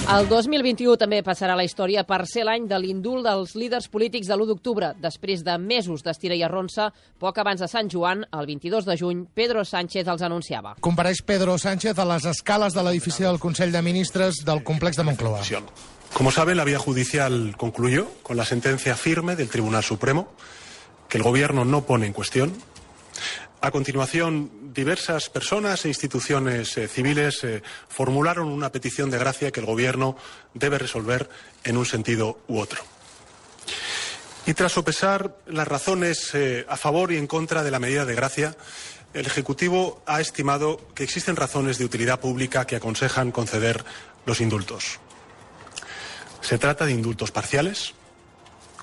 El dos mil vint-i-u també passarà a la història per ser l'any de l'indult dels líders polítics de l'u d'octubre. Després de mesos d'estira i arronsa, poc abans de Sant Joan, el vint-i-dos de juny, Pedro Sánchez els anunciava. Compareix Pedro Sánchez a les escales de l'edifici del Consell de Ministres del complex de Moncloa. Como saben, la vía judicial concluyó con la sentencia firme del Tribunal Supremo, que el Gobierno no pone en cuestión. A continuación, diversas personas e instituciones eh, civiles eh, formularon una petición de gracia que el Gobierno debe resolver en un sentido u otro. Y tras sopesar las razones eh, a favor y en contra de la medida de gracia, el Ejecutivo ha estimado que existen razones de utilidad pública que aconsejan conceder los indultos. Se trata de indultos parciales.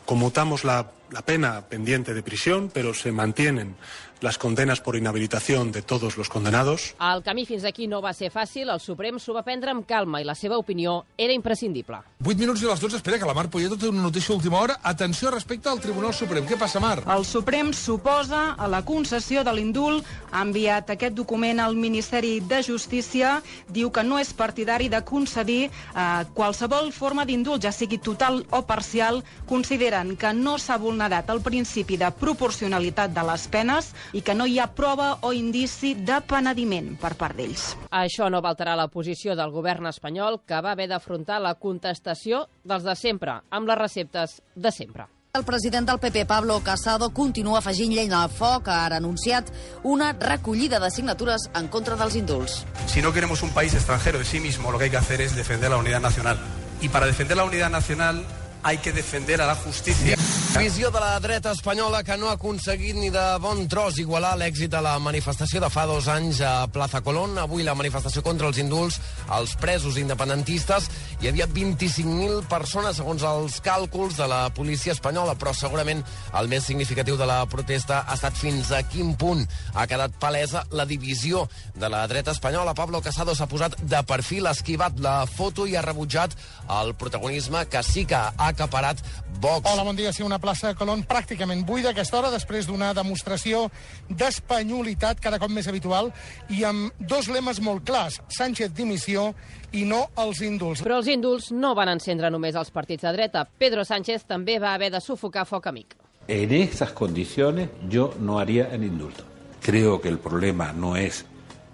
Conmutamos la, la pena pendiente de prisión, pero se mantienen les condenes per inhabilitació de tots els condenados. El camí fins aquí no va ser fàcil, el Suprem s'ho va prendre amb calma i la seva opinió era imprescindible. vuit minuts i les dotze, espera, que la Mar Polleto té una notícia a última hora. Atenció respecte al Tribunal Suprem. Què passa, Mar? El Suprem s'oposa a la concessió de l'indult, ha enviat aquest document al Ministeri de Justícia, diu que no és partidari de concedir eh, qualsevol forma d'indult, ja sigui total o parcial, consideren que no s'ha vulnerat el principi de proporcionalitat de les penes i que no hi ha prova o indici de penediment per part d'ells. Això no va alterar la posició del govern espanyol, que va haver d'afrontar la contestació dels de sempre, amb les receptes de sempre. El president del P P, Pablo Casado, continua afegint llenya al foc. Ha ara anunciat una recollida de signatures en contra dels indults. Si no queremos un país extranjero de sí mismo, lo que hay que hacer es defender la unidad nacional. Y para defender la unidad nacional hay que defender a la justicia. Visió de la dreta espanyola que no ha aconseguit ni de bon tros igualar l'èxit de la manifestació de fa dos anys a Plaza Colón. Avui la manifestació contra els indults als presos independentistes. Hi havia vint-i-cinc mil persones, segons els càlculs de la policia espanyola, però segurament el més significatiu de la protesta ha estat fins a quin punt ha quedat palesa la divisió de la dreta espanyola. Pablo Casado s'ha posat de perfil, ha esquivat la foto i ha rebutjat el protagonisme que sí que ha acaparat Vox. Hola, bon dia. Sí, una plaça de Colón pràcticament buida a aquesta hora, després d'una demostració d'espanyolitat cada cop més habitual i amb dos lemes molt clars: Sánchez dimissió i no als indults. Però els indults no van encendre només els partits de dreta. Pedro Sánchez també va haver de sufocar foc amic. En estas condiciones yo no haría el indulto. Creo que el problema no es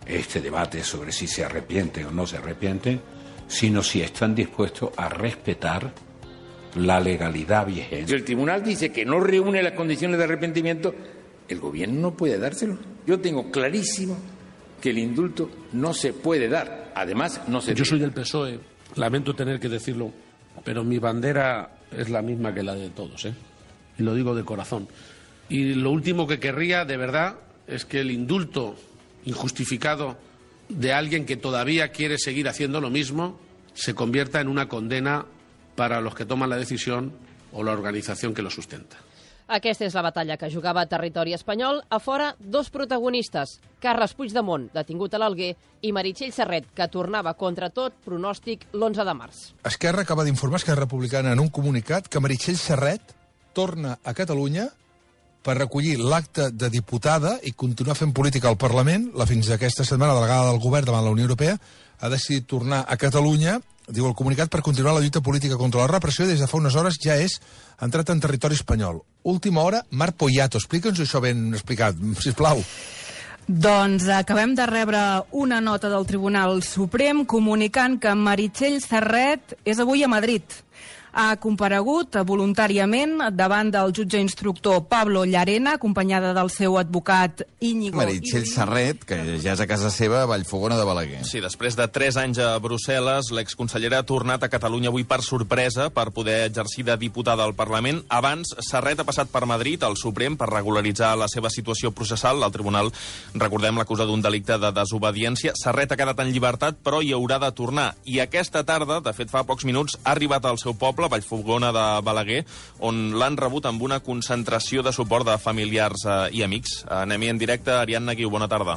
este debate sobre si se arrepienten o no se arrepienten, sino si están dispuestos a respetar la legalidad vigente. Si el tribunal dice que no reúne las condiciones de arrepentimiento, el gobierno no puede dárselo. Yo tengo clarísimo que el indulto no se puede dar. Además, no se... Yo soy del P S O E, lamento tener que decirlo, pero mi bandera es la misma que la de todos, ¿eh? Y lo digo de corazón. Y lo último que querría, de verdad, es que el indulto injustificado de alguien que todavía quiere seguir haciendo lo mismo se convierta en una condena para los que toman la decisión o la organización que lo sustenta. Aquesta és la batalla que jugava a territori espanyol. A fora, dos protagonistes. Carles Puigdemont, detingut a l'Alguer, i Meritxell Serret, que tornava contra tot pronòstic l'onze de març. Esquerra acaba d'informar, Esquerra Republicana, en un comunicat, que Meritxell Serret torna a Catalunya per recollir l'acte de diputada i continuar fent política al Parlament. La fins aquesta setmana delegada del govern davant la Unió Europea ha decidit tornar a Catalunya, diu el comunicat, per continuar la lluita política contra la repressió i des de fa unes hores ja és entrat en territori espanyol. Última hora, Marc Poyato. Explica'ns això ben explicat, sisplau. Doncs acabem de rebre una nota del Tribunal Suprem comunicant que Meritxell Serret és avui a Madrid. Ha comparegut voluntàriament davant del jutge instructor Pablo Llarena, acompanyada del seu advocat Íñigo... Meritxell Serret, que ja és a casa seva a Vallfogona de Balaguer. Sí, després de tres anys a Brussel·les, l'exconsellera ha tornat a Catalunya avui per sorpresa per poder exercir de diputada al Parlament. Abans, Serret ha passat per Madrid, al Suprem, per regularitzar la seva situació processal. El tribunal, recordem, l'acusa d'un delicte de desobediència. Serret ha quedat en llibertat, però hi haurà de tornar. I aquesta tarda, de fet fa pocs minuts, ha arribat al seu poble, Vallfogona de Balaguer, on l'han rebut amb una concentració de suport de familiars eh, i amics. Anem-hi en directe. Ariadna Guiu, bona tarda.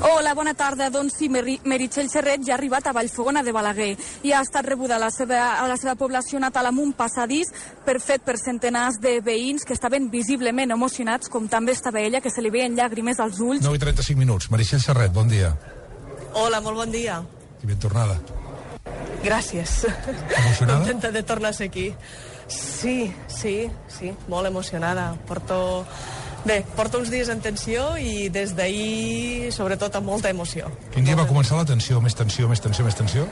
Hola, bona tarda. Doncs sí, Meritxell Serret ja ha arribat a Vallfogona de Balaguer i ha estat rebuda a la seva, a la seva població natal amb un passadís per fet per centenars de veïns que estaven visiblement emocionats, com també estava ella, que se li veien llàgrimes als ulls. nou i trenta-cinc minuts. Meritxell Serret, bon dia. Hola, molt bon dia. I ben tornada. Gràcies. Emocionada? Contenta de tornar a ser aquí. Sí, sí, sí, molt emocionada. Porto... Bé, porto uns dies en tensió i des d'ahir, sobretot, amb molta emoció. Quin dia va començar la tensió? Més tensió, més tensió, més tensió?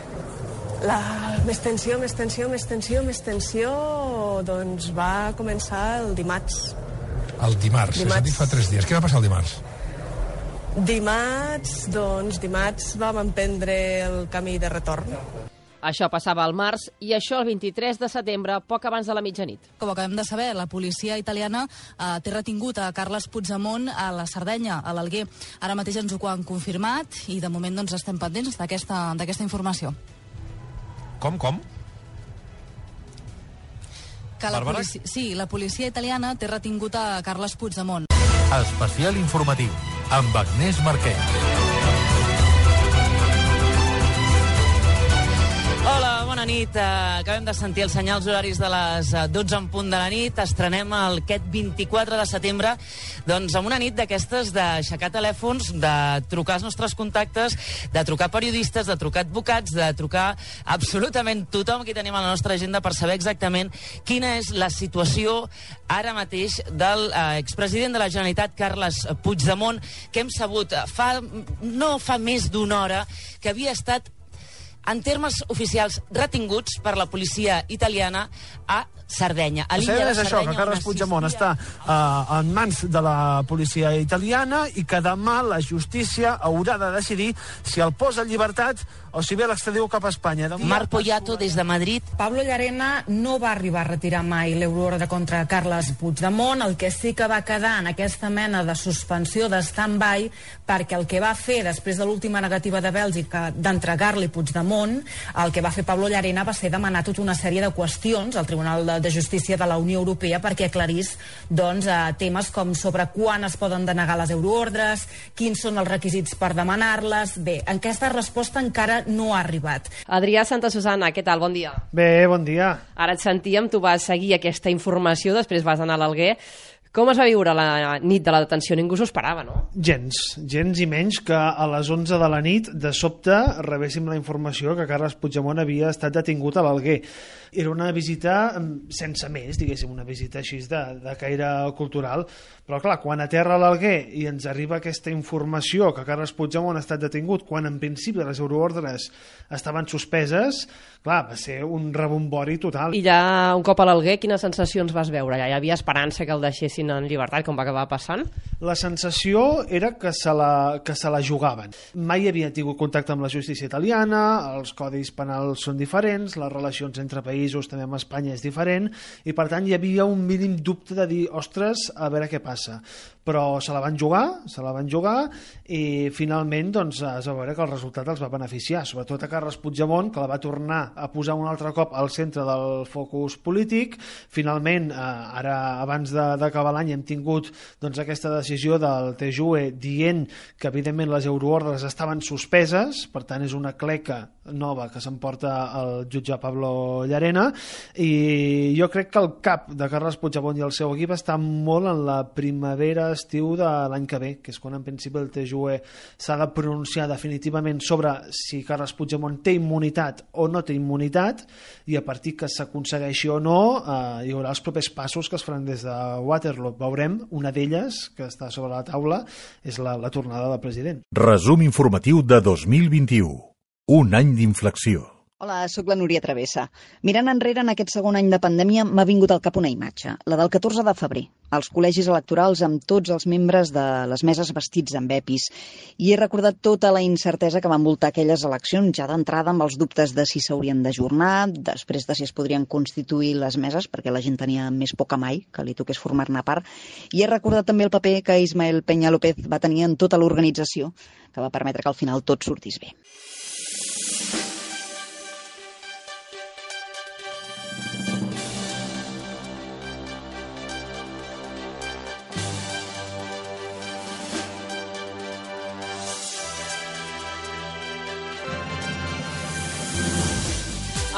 La més tensió, més tensió, més tensió, més tensió, doncs va començar el dimarts. El dimarts, dimarts. És a dir, fa tres dies. Què va passar el dimarts? Dimarts, doncs, dimarts vam emprendre el camí de retorn. Això passava al març i això el vint-i-tres de setembre, poc abans de la mitjanit. Com acabem de saber, la policia italiana eh, té retingut a Carles Puigdemont a la Sardenya, a l'Alguer. Ara mateix ens ho han confirmat i de moment doncs, estem pendents d'aquesta d'aquesta informació. Com, com? Que la policia, sí, la policia italiana té retingut a Carles Puigdemont. Especial informatiu, amb Agnès Marquès. Hola, bona nit. Acabem de sentir els senyals horaris de les dotze en punt de la nit. Estrenem el aquest vint-i-quatre de setembre doncs amb una nit d'aquestes d'aixecar telèfons, de trucar als nostres contactes, de trucar periodistes, de trucar advocats, de trucar absolutament tothom que tenim a la nostra agenda per saber exactament quina és la situació ara mateix del eh, expresident de la Generalitat, Carles Puigdemont, que hem sabut fa, no fa més d'una hora que havia estat en termes oficials retinguts per la policia italiana a Sardenya. A El l'illa cert de és això, Sardenya, que Carles on Puigdemont està uh, en mans de la policia italiana i que demà la justícia haurà de decidir si el posa en llibertat o si ve l'extradiu cap a Espanya. Demà... Marc Poyato, des de Madrid. Pablo Llarena no va arribar a retirar mai l'euroordre contra Carles Puigdemont, el que sí que va quedar en aquesta mena de suspensió de stand-by, perquè el que va fer després de l'última negativa de Bèlgica d'entregar-li Puigdemont, el que va fer Pablo Llarena va ser demanar tota una sèrie de qüestions al Tribunal de, de Justícia de la Unió Europea perquè aclarís doncs, eh, temes com sobre quan es poden denegar les euroordres, quins són els requisits per demanar-les. Bé, aquesta resposta encara no ha arribat. Adrià Santa Susana, què tal? Bon dia. Bé, bon dia. Ara et sentíem, tu vas seguir aquesta informació, després vas anar a l'Alguer. Com es va viure la nit de la detenció? Ningú s'ho esperava, no? Gens, gens i menys que a les onze de la nit, de sobte, rebéssim la informació que Carles Puigdemont havia estat detingut a l'Alguer. Era una visita sense més, diguéssim, una visita així de, de caire cultural, però clar, quan aterra a l'Alguer i ens arriba aquesta informació que Carles Puigdemont ha estat detingut, quan en principi les euroordres estaven suspeses, clar, va ser un rebombori total. I ja un cop a l'Alguer, quines sensacions vas veure? Ja hi havia esperança que el deixessin en llibertat, com va acabar passant? La sensació era que se la, que se la jugaven. Mai havia tingut contacte amb la justícia italiana, els codis penals són diferents, les relacions entre països també amb Espanya és diferent, i per tant hi havia un mínim dubte de dir, ostres, a veure què passa. Però se la van jugar, se la van jugar, i finalment doncs, es va veure que el resultat els va beneficiar, sobretot a Carles Puigdemont, que la va tornar a posar un altre cop al centre del focus polític. Finalment, eh, ara abans d'acabar l'any hem tingut doncs, aquesta decisió del T J U E dient que evidentment les euroordres estaven suspeses, per tant és una cleca nova que s'emporta el jutge Pablo Llarena, i jo crec que el cap de Carles Puigdemont i el seu equip està molt en la primavera estiu de l'any que ve, que és quan en principi el T J U E s'ha de pronunciar definitivament sobre si Carles Puigdemont té immunitat o no té immunitat, i a partir que s'aconsegueixi o no eh, hi haurà els propers passos que es faran des de Waterloo. Veurem, una d'elles que està sobre la taula és la, la tornada del president. Resum informatiu de dos mil vint-i-u. Un any d'inflexió. Hola, sóc la Núria Travessa. Mirant enrere en aquest segon any de pandèmia m'ha vingut al cap una imatge, la del catorze de febrer, als col·legis electorals amb tots els membres de les meses vestits amb epis, i he recordat tota la incertesa que va envoltar aquelles eleccions, ja d'entrada amb els dubtes de si s'haurien d'ajornar, després de si es podrien constituir les meses, perquè la gent tenia més por que mai que li toqués formar-ne part, i he recordat també el paper que Ismael Peña López va tenir en tota l'organització, que va permetre que al final tot sortís bé.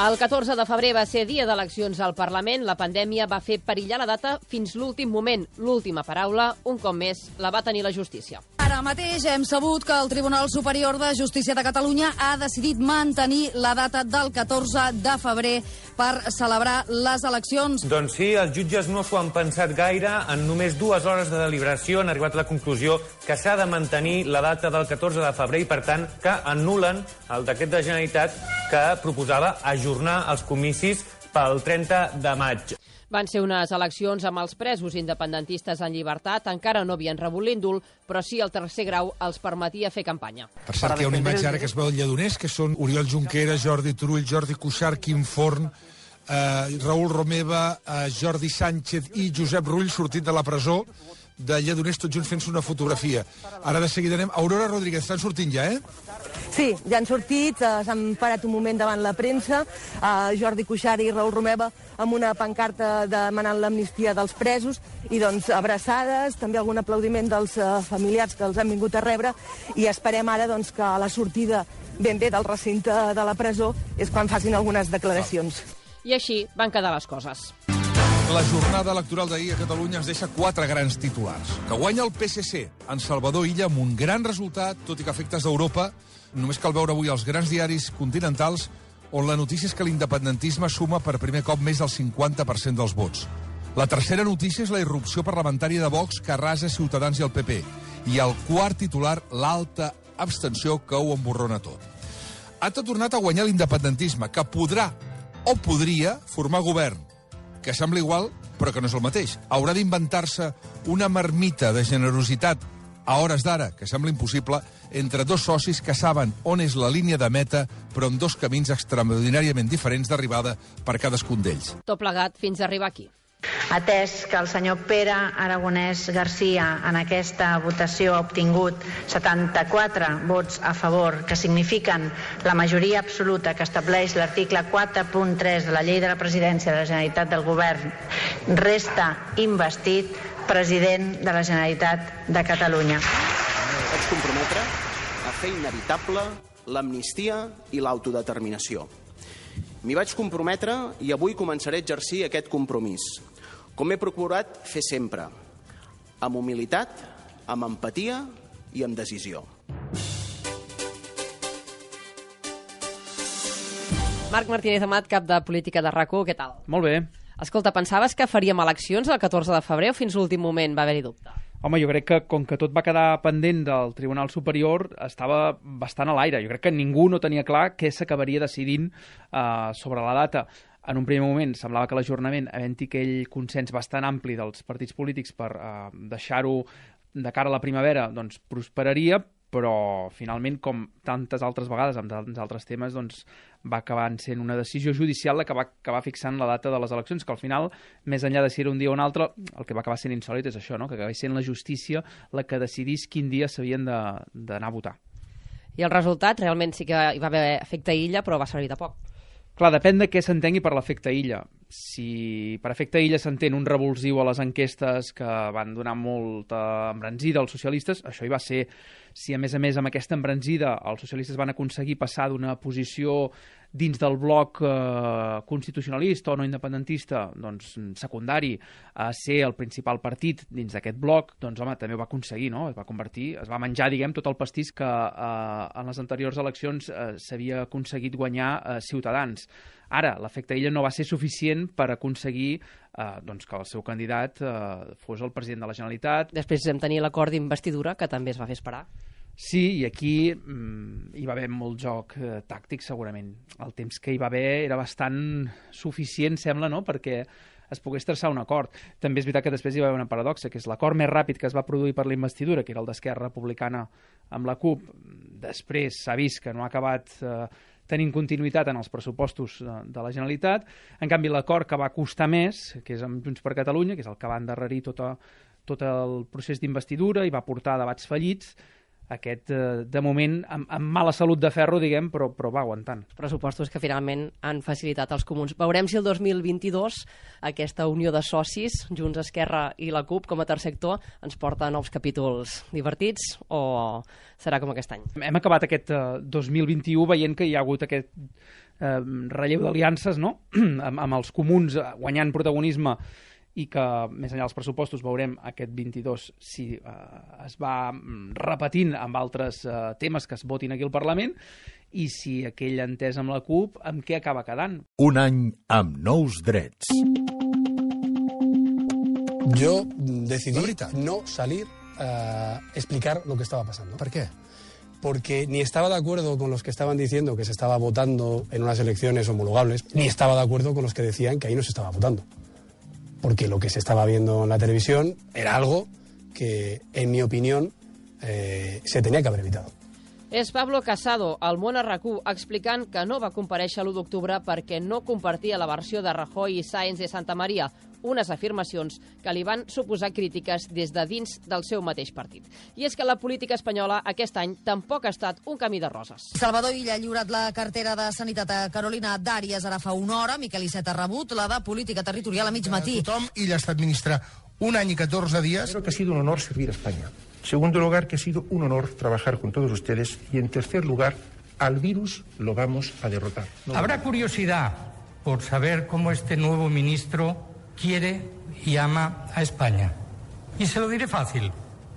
El catorze de febrer va ser dia d'eleccions al Parlament. La pandèmia va fer perillar la data fins l'últim moment. L'última paraula, un cop més, la va tenir la justícia. Ara mateix hem sabut que el Tribunal Superior de Justícia de Catalunya ha decidit mantenir la data del catorze de febrer per celebrar les eleccions. Doncs sí, els jutges no s'ho han pensat gaire. En només dues hores de deliberació han arribat a la conclusió que s'ha de mantenir la data del catorze de febrer i, per tant, que anul·len el decret de Generalitat que proposava ajornar els comicis pel trenta de maig. Van ser unes eleccions amb els presos independentistes en llibertat. Encara no havien rebut l'indult, però sí el tercer grau els permetia fer campanya. Per cert, hi ha una imatge ara que es veu al Lledoners, que són Oriol Junqueras, Jordi Turull, Jordi Cuixart, Quim Forn, eh, Raül Romeva, eh, Jordi Sánchez i Josep Rull sortint de la presó de Lledoners, tots junts fent-se una fotografia. Ara de seguida anem... Aurora Rodríguez, estan sortint ja, eh? Sí, ja han sortit, eh, s'han parat un moment davant la premsa, eh, Jordi Cuixart i Raül Romeva amb una pancarta demanant l'amnistia dels presos i doncs abraçades, també algun aplaudiment dels eh, familiars que els han vingut a rebre, i esperem ara doncs, que a la sortida ben bé del recinte de la presó és quan facin algunes declaracions. I així van quedar les coses. La jornada electoral d'ahir a Catalunya ens deixa quatre grans titulars. Que guanya el P S C en Salvador Illa amb un gran resultat, tot i que efectes d'Europa. Només cal veure avui els grans diaris continentals on la notícia és que l'independentisme suma per primer cop més del cinquanta per cent dels vots. La tercera notícia és la irrupció parlamentària de Vox que arrasa Ciutadans i el P P. I el quart titular, l'alta abstenció que ho emborrona tot. Ha tornat a guanyar l'independentisme, que podrà o podria formar govern. que sembla igual, però que no és el mateix. Haurà d'inventar-se una marmita de generositat a hores d'ara, que sembla impossible, entre dos socis que saben on és la línia de meta, però amb dos camins extraordinàriament diferents d'arribada per cadascun d'ells. Tot plegat fins a arribar aquí. Atès que el senyor Pere Aragonès Garcia en aquesta votació ha obtingut setanta-quatre vots a favor, que signifiquen la majoria absoluta que estableix l'article quatre punt tres de la Llei de la Presidència de la Generalitat del Govern, resta investit president de la Generalitat de Catalunya. Vaig comprometre a fer inevitable l'amnistia i l'autodeterminació. M'hi vaig comprometre i avui començaré a exercir aquest compromís, com he procurat fer sempre, amb humilitat, amb empatia i amb decisió. Marc Martínez Amat, cap de Política de R A C u, què tal? Molt bé. Escolta, pensaves que faríem eleccions el catorze de febrer o fins l'últim moment va haver-hi dubte? Home, jo crec que com que tot va quedar pendent del Tribunal Superior, estava bastant a l'aire. Jo crec que ningú no tenia clar què s'acabaria decidint uh, sobre la data. En un primer moment semblava que l'ajornament, havent-hi aquell consens bastant ampli dels partits polítics per uh, deixar-ho de cara a la primavera, doncs prosperaria, però finalment, com tantes altres vegades amb altres temes, doncs va acabar sent una decisió judicial la que va acabar fixant la data de les eleccions, que al final, més enllà de si era un dia o un altre, el que va acabar sent insòlit és això, no? Que acabés sent la justícia la que decidís quin dia s'havien d'anar a votar. I el resultat realment sí que hi va haver efecte illa, però va servir de poc. Clar, depèn de què s'entengui per l'efecte illa. Si per efecte illa s'entén un revulsiu a les enquestes que van donar molta embranzida als socialistes, això hi va ser. Si, a més a més, amb aquesta embranzida els socialistes van aconseguir passar d'una posició dins del bloc eh, constitucionalista o no independentista, doncs secundari, a ser el principal partit dins d'aquest bloc, doncs home, també ho va aconseguir, no? Es va convertir, es va menjar, diguem, tot el pastís que eh, en les anteriors eleccions eh, s'havia aconseguit guanyar eh, Ciutadans. Ara, l'efecte illa no va ser suficient per aconseguir eh, doncs que el seu candidat eh, fos el president de la Generalitat. Després vam tenir l'acord d'investidura, que també es va fer esperar. Sí, i aquí mm, hi va haver molt joc eh, tàctic, segurament. El temps que hi va haver era bastant suficient, sembla, no?, perquè es pogués traçar un acord. També és veritat que després hi va haver una paradoxa, que és l'acord més ràpid que es va produir per la investidura, que era el d'Esquerra Republicana amb la CUP. Després s'ha vist que no ha acabat eh, tenint continuïtat en els pressupostos de, de la Generalitat. En canvi, l'acord que va costar més, que és amb Junts per Catalunya, que és el que va endarrerir tot, a, tot el procés d'investidura i va portar a debats fallits, aquest, eh, de moment, amb, amb mala salut de ferro, diguem, però, però va aguantant. Pressupostos que finalment han facilitat els comuns. Veurem si el dos mil vint-i-dos aquesta unió de socis, Junts, Esquerra i la CUP, com a tercer sector, ens porta a nous capítols divertits o serà com aquest any? Hem acabat aquest eh, dos mil vint-i-u veient que hi ha hagut aquest eh, relleu d'aliances, no?, amb, amb els comuns guanyant protagonisme, i que, més enllà dels pressupostos, veurem aquest vint-i-dos si eh, es va repetint amb altres eh, temes que es votin aquí al Parlament, i si aquell entès amb la CUP, amb què acaba quedant. Un any amb nous drets. Yo decidí no salir a explicar lo que estaba pasando. ¿Por qué? Porque ni estaba de acuerdo con los que estaban diciendo que se estaba votando en unas elecciones homologables, ni estaba de acuerdo con los que decían que ahí no se estaba votando. Porque lo que se estaba viendo en la televisión era algo que, en mi opinión, eh, se tenía que haber evitado. És Pablo Casado, al Món a R A C u, explicant que no va comparèixer l'u d'octubre perquè no compartia la versió de Rajoy i Sáenz de Santa María, unes afirmacions que li van suposar crítiques des de dins del seu mateix partit. I és que la política espanyola aquest any tampoc ha estat un camí de roses. Salvador Illa ha lliurat la cartera de Sanitat a Carolina Dàries ara fa una hora. Miquel Iceta ha rebut la de Política Territorial a mig matí. Tothom, Illa ha estat ministre un any i catorze dies. Creo que ha sido un honor servir a España. En segundo lugar, que ha sido un honor trabajar con todos ustedes. Y en tercer lugar, al virus lo vamos a derrotar. No Habrá lo... curiosidad por saber cómo este nuevo ministro quiere y ama a España. Y se lo diré fácil.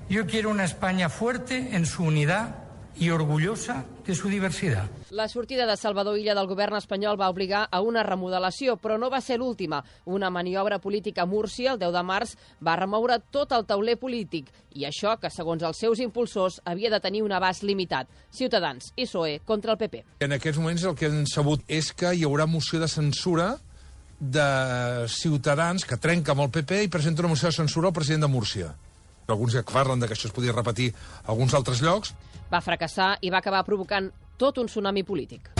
Yo quiero una España fuerte en su unidad y orgullosa de su diversidad. La sortida de Salvador Illa del govern espanyol va obligar a una remodelació, però no va ser l'última. Una maniobra política a Múrcia, el deu de març, va remoure tot el tauler polític. I això, que segons els seus impulsors, havia de tenir un abast limitat. Ciutadans i P S O E contra el P P. En aquests moments el que han sabut és que hi haurà moció de censura de Ciutadans que trenca amb el P P i presenta una moció de censura al president de Múrcia. Alguns que parlen de que això es podia repetir a alguns altres llocs. Va fracassar i va acabar provocant tot un tsunami polític.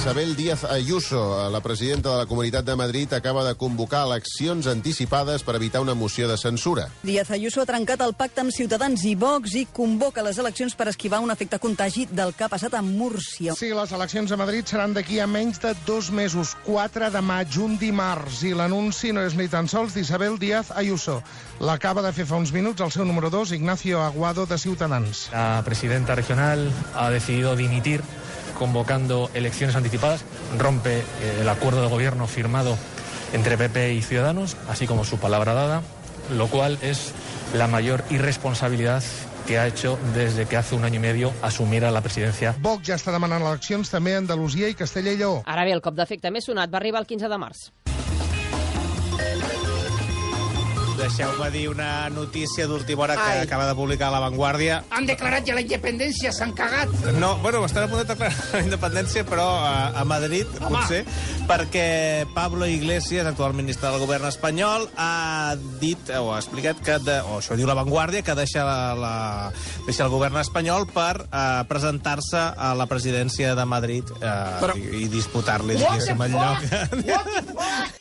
Isabel Díaz Ayuso, la presidenta de la Comunitat de Madrid, acaba de convocar eleccions anticipades per evitar una moció de censura. Díaz Ayuso ha trencat el pacte amb Ciutadans i Vox i convoca les eleccions per esquivar un efecte contagi del que ha passat a Múrcia. Sí, les eleccions a Madrid seran d'aquí a menys de dos mesos, quatre de maig, un dimarts, i l'anunci no és ni tan sols d'Isabel Díaz Ayuso. L'acaba de fer fa uns minuts el seu número dos, Ignacio Aguado, de Ciutadans. La presidenta regional ha decidido dimitir convocando elecciones anticipadas, rompe eh, el acuerdo de gobierno firmado entre P P y Ciudadanos, así como su palabra dada, lo cual es la mayor irresponsabilidad que ha hecho desde que hace un año y medio asumiera la presidencia. Vox ja està demanant eleccions també a Andalusia i Castella i Lleó. Ara bé, el cop d'efecte més sonat va arribar el quinze de març. Deixeu-me dir una notícia d'última hora que Ai. acaba de publicar La Vanguardia. Han declarat ja la independència, s'han cagat. No, bueno, estan a punt de declarar la independència, però a, a Madrid, Home. potser, perquè Pablo Iglesias, actual ministre del govern espanyol, ha dit, o ha explicat, que de, o això diu La Vanguardia, que deixa, la, la, deixa el govern espanyol per uh, presentar-se a la presidència de Madrid uh, però... i, i disputar-li, diguéssim, el lloc. What the fuck?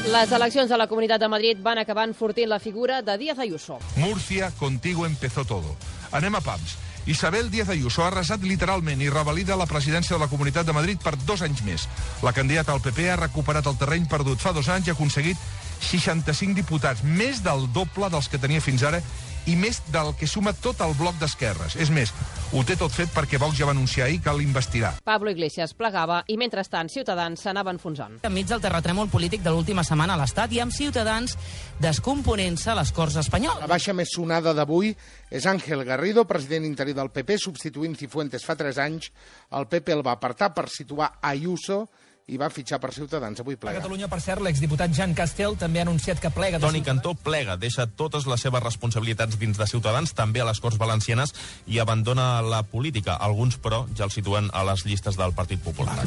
Les eleccions a la Comunitat de Madrid van acabar enfortint la figura de Díaz Ayuso. Murcia, contigo empezó todo. Anem a pams. Isabel Díaz Ayuso ha arrasat literalment i revalida la presidència de la Comunitat de Madrid per dos anys més. La candidata al P P ha recuperat el terreny perdut fa dos anys i ha aconseguit seixanta-cinc diputats, més del doble dels que tenia fins ara i més del que suma tot el bloc d'esquerres. És més, ho té tot fet perquè Vox ja va anunciar ahir que l'investirà. Pablo Iglesias plegava i, mentrestant, Ciutadans s'anava enfonsant. Enmig del terratrèmol polític de l'última setmana a l'Estat i amb Ciutadans descomponent-se a les Corts espanyoles. La baixa més sonada d'avui és Ángel Garrido, president interí del P P, substituint Cifuentes fa tres anys. El P P el va apartar per situar Ayuso i va fitxar per Ciutadans. Avui plega. A Catalunya, per cert, l'exdiputat Jean Castel també ha anunciat que plega... Toni Cantó plega, deixa totes les seves responsabilitats dins de Ciutadans, també a les Corts Valencianes, i abandona la política. Alguns, però, ja el situen a les llistes del Partit Popular.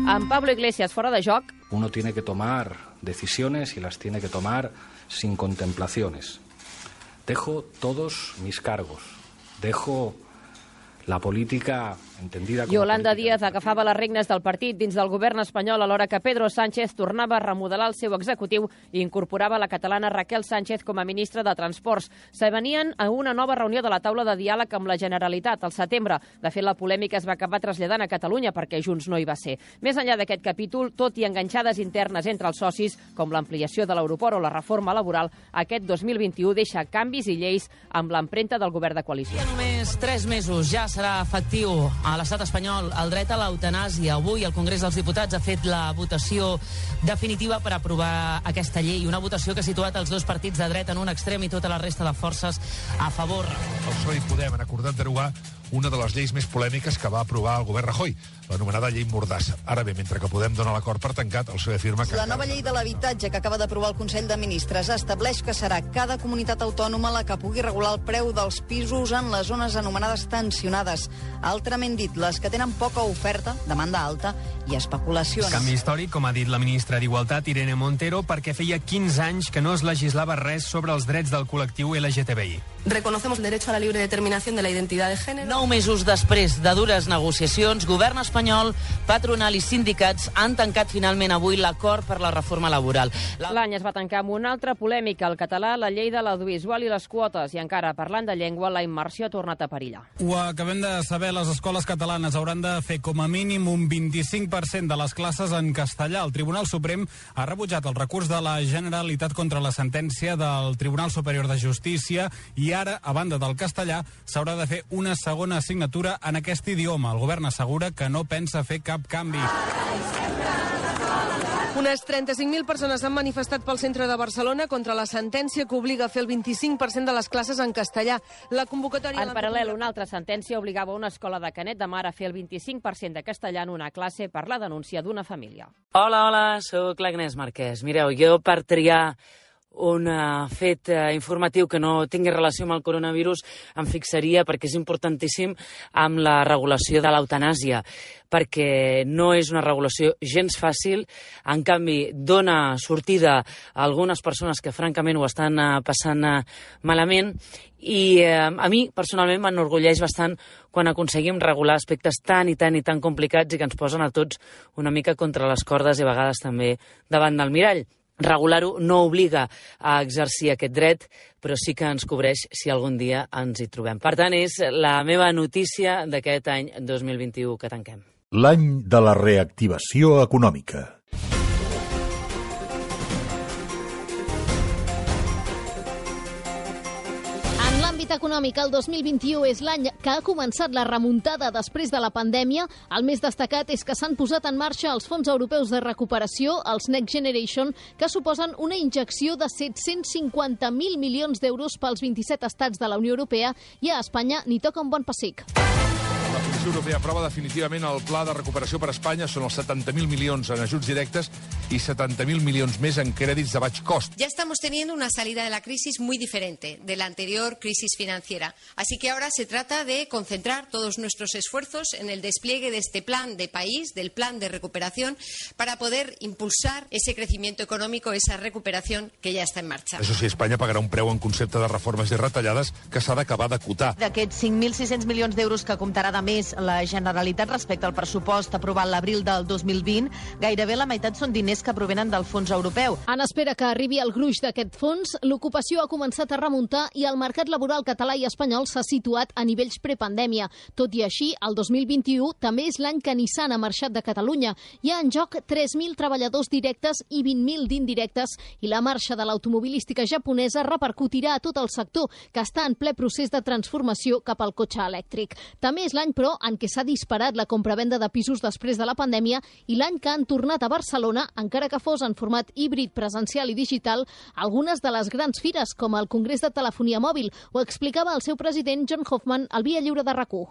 Amb Pablo Iglesias fora de joc... Uno tiene que tomar decisiones y las tiene que tomar sin contemplaciones. Dejo todos mis cargos. Dejo la política entendida com Yolanda política. Díaz agafava les regnes del partit dins del govern espanyol alhora que Pedro Sánchez tornava a remodelar el seu executiu i incorporava la catalana Raquel Sánchez com a ministra de Transports. Se venien a una nova reunió de la taula de diàleg amb la Generalitat al setembre. De fet, la polèmica es va acabar traslladant a Catalunya perquè Junts no hi va ser. Més enllà d'aquest capítol, tot i enganxades internes entre els socis, com l'ampliació de l'aeroport o la reforma laboral, aquest dos mil vint-i-u deixa canvis i lleis amb l'empremta del govern de coalició. I només tres mesos ja serà efectiu a l'estat espanyol el dret a l'eutanàsia. Avui el Congrés dels Diputats ha fet la votació definitiva per aprovar aquesta llei, una votació que ha situat els dos partits de dret en un extrem i tota la resta de forces a favor. El P S O E i Podem han acordat derogar una de les lleis més polèmiques que va aprovar el govern Rajoy, l'anomenada llei Mordassa. Ara bé, mentre que Podem dona l'acord per tancat, el P S O E afirma que... La nova llei de l'habitatge que acaba d'aprovar el Consell de Ministres estableix que serà cada comunitat autònoma la que pugui regular el preu dels pisos en les zones anomenades tensionades. Altrament dit, les que tenen poca oferta, demanda alta i especulacions. Canvi històric, com ha dit la ministra d'Igualtat, Irene Montero, perquè feia quinze anys que no es legislava res sobre els drets del col·lectiu L G T B I. Reconocemos el derecho a la libre determinación de la identidad de género. Nou mesos després de dures negociacions, govern espanyol, patronal i sindicats han tancat finalment avui l'acord per la reforma laboral. L'any es va tancar amb una altra polèmica, el català, la llei de l'audiovisual i les quotes, i encara parlant de llengua, la immersió ha tornat a perillar. Ho acabem de saber, les escoles catalanes hauran de fer com a mínim un vint-i-cinc per cent de les classes en castellà. El Tribunal Suprem ha rebutjat el recurs de la Generalitat contra la sentència del Tribunal Superior de Justícia i ara, a banda del castellà, s'haurà de fer una segona assignatura en aquest idioma. El govern assegura que no pensa fer cap canvi. Unes trenta-cinc mil persones han manifestat pel centre de Barcelona contra la sentència que obliga a fer el vint-i-cinc per cent de les classes en castellà. La convocatòria... En paral·lel, una altra sentència obligava una escola de Canet de Mar a fer el vint-i-cinc per cent de castellà en una classe per la denúncia d'una família. Hola, hola, sóc l'Agnès Marquès. Mireu, jo per triar un uh, fet uh, informatiu que no tingui relació amb el coronavirus em fixaria, perquè és importantíssim, amb la regulació de l'eutanàsia, perquè no és una regulació gens fàcil, en canvi dona sortida a algunes persones que francament ho estan uh, passant uh, malament, i uh, a mi personalment m'enorgulleix bastant quan aconseguim regular aspectes tan i tan i tan complicats i que ens posen a tots una mica contra les cordes i a vegades també davant del mirall. Regular-ho no obliga a exercir aquest dret, però sí que ens cobreix si algun dia ens hi trobem. Per tant, és la meva notícia d'aquest any dos mil vint-i-u que tanquem. L'any de la reactivació econòmica. Econòmic, el dos mil vint-i-u és l'any que ha començat la remuntada després de la pandèmia. El més destacat és que s'han posat en marxa els fons europeus de recuperació, els Next Generation, que suposen una injecció de set-cents cinquanta mil milions d'euros pels vint-i-set estats de la Unió Europea, i a Espanya n'hi toca un bon pessic. La Comissió Europea aprova definitivament el pla de recuperació per a Espanya. Són els setanta mil milions en ajuts directes y setenta mil millones més en crèdits de baix cost. Ya estamos teniendo una salida de la crisis muy diferente de la anterior crisis financiera. Así que ahora se trata de concentrar todos nuestros esfuerzos en el despliegue de este plan de país, del plan de recuperación, para poder impulsar ese crecimiento económico, esa recuperación que ya está en marcha. Això sí, Espanya pagarà un preu en concepte de reformes i retallades que s'ha d'acabar d'acotar. D'aquests cinc mil sis-cents milions d'euros que comptarà de més la Generalitat respecte al pressupost aprovat l'abril del dos mil vint, gairebé la meitat són diners que provenen del fons europeu. En espera que arribi el gruix d'aquest fons, l'ocupació ha començat a remuntar i el mercat laboral català i espanyol s'ha situat a nivells prepandèmia. Tot i així, el dos mil vint-i-u també és l'any que Nissan ha marxat de Catalunya. Hi ha en joc tres mil treballadors directes i vint mil d'indirectes, i la marxa de l'automobilística japonesa repercutirà a tot el sector, que està en ple procés de transformació cap al cotxe elèctric. També és l'any, però, en què s'ha disparat la compravenda de pisos després de la pandèmia i l'any que han tornat a Barcelona, encara que fos en format híbrid, presencial i digital, algunes de les grans fires, com el Congrés de Telefonia Mòbil. Ho explicava el seu president, John Hoffman, al Via Lliure de RAC u.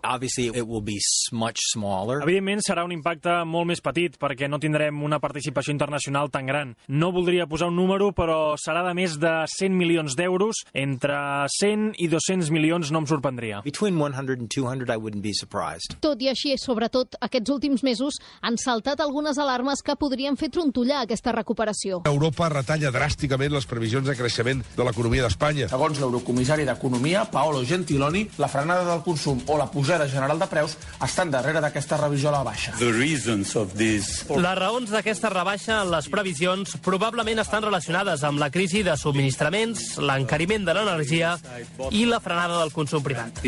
Evidentment serà un impacte molt més petit, perquè no tindrem una participació internacional tan gran. No voldria posar un número, però serà de més de cent milions d'euros. Entre cent i dos-cents milions no em sorprendria. Between one hundred and two hundred, I wouldn't be surprised. Tot i així, sobretot aquests últims mesos, han saltat algunes alarmes que podrien fer trontollar aquesta recuperació. Europa retalla dràsticament les previsions de creixement de l'economia d'Espanya. Segons l'eurocomissari d'Economia, Paolo Gentiloni, la frenada del consum o la pujada general de preus estan darrere d'aquesta revisió a la baixa. Les raons d'aquesta rebaixa en les previsions probablement estan relacionades amb la crisi de subministraments, l'encariment de l'energia i la frenada del consum privat.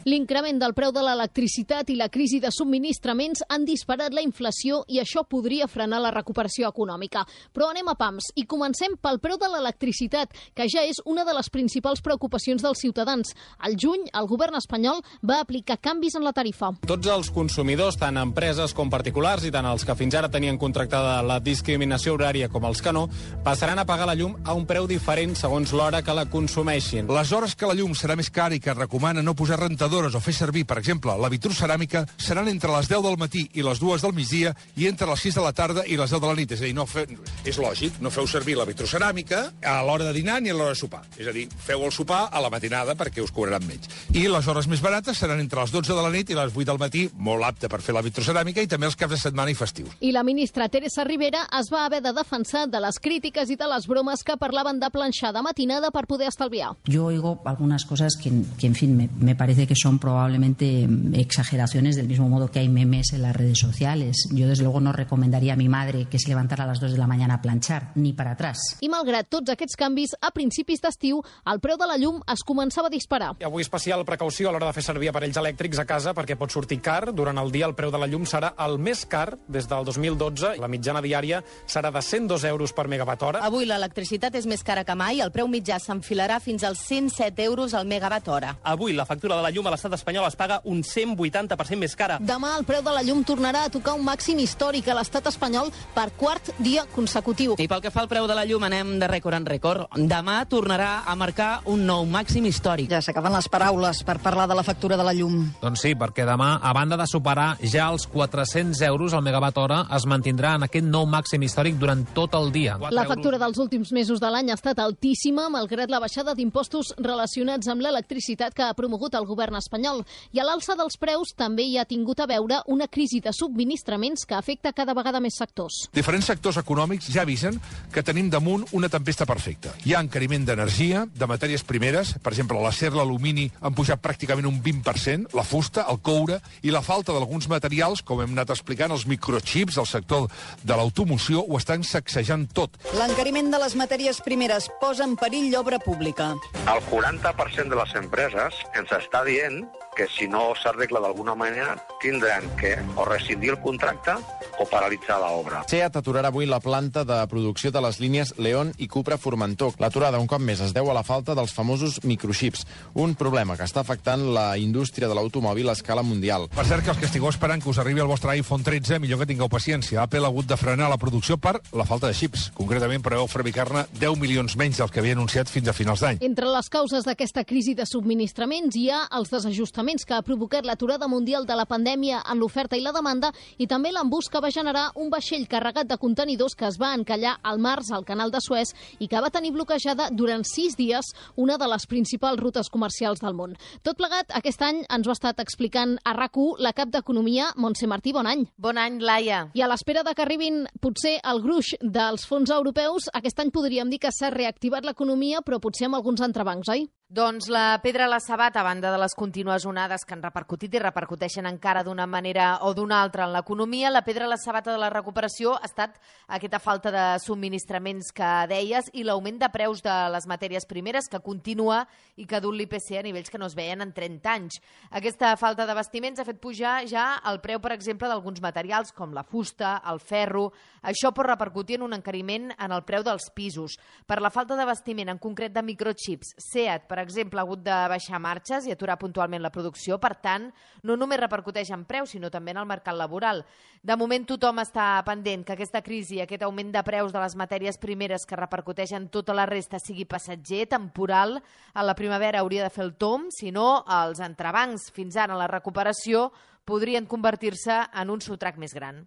L'increment del preu de l'electricitat i la crisi de subministraments han disparat la inflació i això podria frenar la recuperació econòmica. Però anem a pams i comencem pel preu de l'electricitat, que ja és una de les principals preocupacions dels ciutadans. Al juny, el govern espanyol va aplicar canvis en la tarifa. Tots els consumidors, tant empreses com particulars, i tant els que fins ara tenien contractada la discriminació horària com els que no, passaran a pagar la llum a un preu diferent segons l'hora que la consumeixin. Les hores que la llum serà més cara i que es recomana no posar rentadores o fer servir, per exemple, la vitroceràmica, seran entre les deu del matí i les dues del migdia i entre les sis de la tarda i les deu de la nit. És a dir, no fe... és lògic, no feu servir la vitroceràmica a l'hora de dinar ni a l'hora de sopar. És a dir, feu el sopar a la matinada perquè us cobraran menys. I les hores més barates seran entre les dotze de la nit i les vuit del matí, molt apte per fer la vitroceràmica, i també els caps de setmana i festius. I la ministra Teresa Rivera es va haver de defensar de les crítiques i de les bromes que parlaven de planxar de matinada per poder estalviar. Yo oigo algunas cosas que, que en fin, me, me parece que son probablemente exageraciones, del mismo modo que hay memes en las redes sociales. Yo, desde luego, no recomendaría a mi madre que se levantara a las dos de la mañana a planchar, ni para atrás. I malgrat tots aquests canvis, a principis d'estiu, el preu de la llum es començava a disparar. Avui especial precaució a l'hora de fer servir aparells elèctrics a casa perquè pot sortir car. Durant el dia el preu de la llum serà el més car des del dos mil dotze. La mitjana diària serà de cent dos euros per megawatt hora. Avui l'electricitat és més cara que mai. El preu mitjà s'enfilarà fins als cent set euros al megawatt hora. Avui la factura de la llum a l'estat espanyol es paga un cent vuitanta per cent més cara. Demà el preu de la llum tornarà a tocar un màxim històric a l'estat espanyol per quart dia consecutiu. I pel que fa al preu de la llum anem de rècord en rècord. Demà tornarà a marcar un nou màxim històric. Ja s'acaben les paraules per parlar de la factura de la llum. Doncs sí, perquè demà, a banda de superar ja els quatre-cents euros al megawatt hora, es mantindrà en aquest nou màxim històric durant tot el dia. La factura dels últims mesos de l'any ha estat altíssima, malgrat la baixada d'impostos relacionats amb l'electricitat que ha promogut el govern espanyol. I a l'alça dels preus també hi ha tingut a veure una crisi de subministraments que afecta cada vegada més sectors. Diferents sectors econòmics ja avisen que tenim damunt una tempesta perfecta. Hi ha encariment d'energia, de matèries primeres, per exemple, l'acer, l'alumini han pujat pràcticament un vint per cent, la fusta, el coure, i la falta d'alguns materials, com hem anat explicant, els microchips del sector de l'automoció, ho estan sacsejant tot. L'encariment de les matèries primeres posa en perill l'obra pública. El quaranta per cent de les empreses ens està dient que si no s'arregla d'alguna manera tindran que o rescindir el contracte o paralitzar l'obra. SEAT aturarà avui la planta de producció de les línies León i Cupra-Formentor. L'aturada un cop més es deu a la falta dels famosos microchips, un problema que està afectant la indústria de l'automòbil a escala mundial. Per cert, que els que estigueu esperant que us arribi el vostre iPhone tretze, millor que tingueu paciència. Apple ha hagut de frenar la producció per la falta de xips. Concretament, preveu fabricar-ne deu milions menys del que havia anunciat fins a finals d'any. Entre les causes d'aquesta crisi de subministraments hi ha els desajustaments que ha provocat l'aturada mundial de la pandèmia en l'oferta i la demanda i també l'embús que va generar un vaixell carregat de contenidors que es va encallar al març al canal de Suez i que va tenir bloquejada durant sis dies una de les principals rutes comercials del món. Tot plegat, aquest any ens ho ha estat explicant a RAC u la cap d'Economia, Montse Martí. Bon any. Bon any, Laia. I a l'espera de que arribin potser el gruix dels fons europeus, aquest any podríem dir que s'ha reactivat l'economia, però potser amb alguns entrebancs, oi? Doncs la pedra a la sabata, a banda de les contínues onades que han repercutit i repercuteixen encara d'una manera o d'una altra en l'economia, la pedra a la sabata de la recuperació ha estat aquesta falta de subministraments que deies i l'augment de preus de les matèries primeres que continua i que ha dut l'I P C a nivells que no es veien en trenta anys. Aquesta falta d'abastiments ha fet pujar ja el preu, per exemple, d'alguns materials com la fusta, el ferro. Això pot repercutir en un encariment en el preu dels pisos. Per la falta d'abastiment, en concret de microchips, SEAT, per exemple, ha hagut de baixar marxes i aturar puntualment la producció. Per tant, no només repercuteix en preus, sinó també en el mercat laboral. De moment, tothom està pendent que aquesta crisi, aquest augment de preus de les matèries primeres que repercuteix en tota la resta sigui passatger, temporal. A la primavera hauria de fer el tomb, si no, els entrebancs fins ara en la recuperació podrien convertir-se en un sotrac més gran.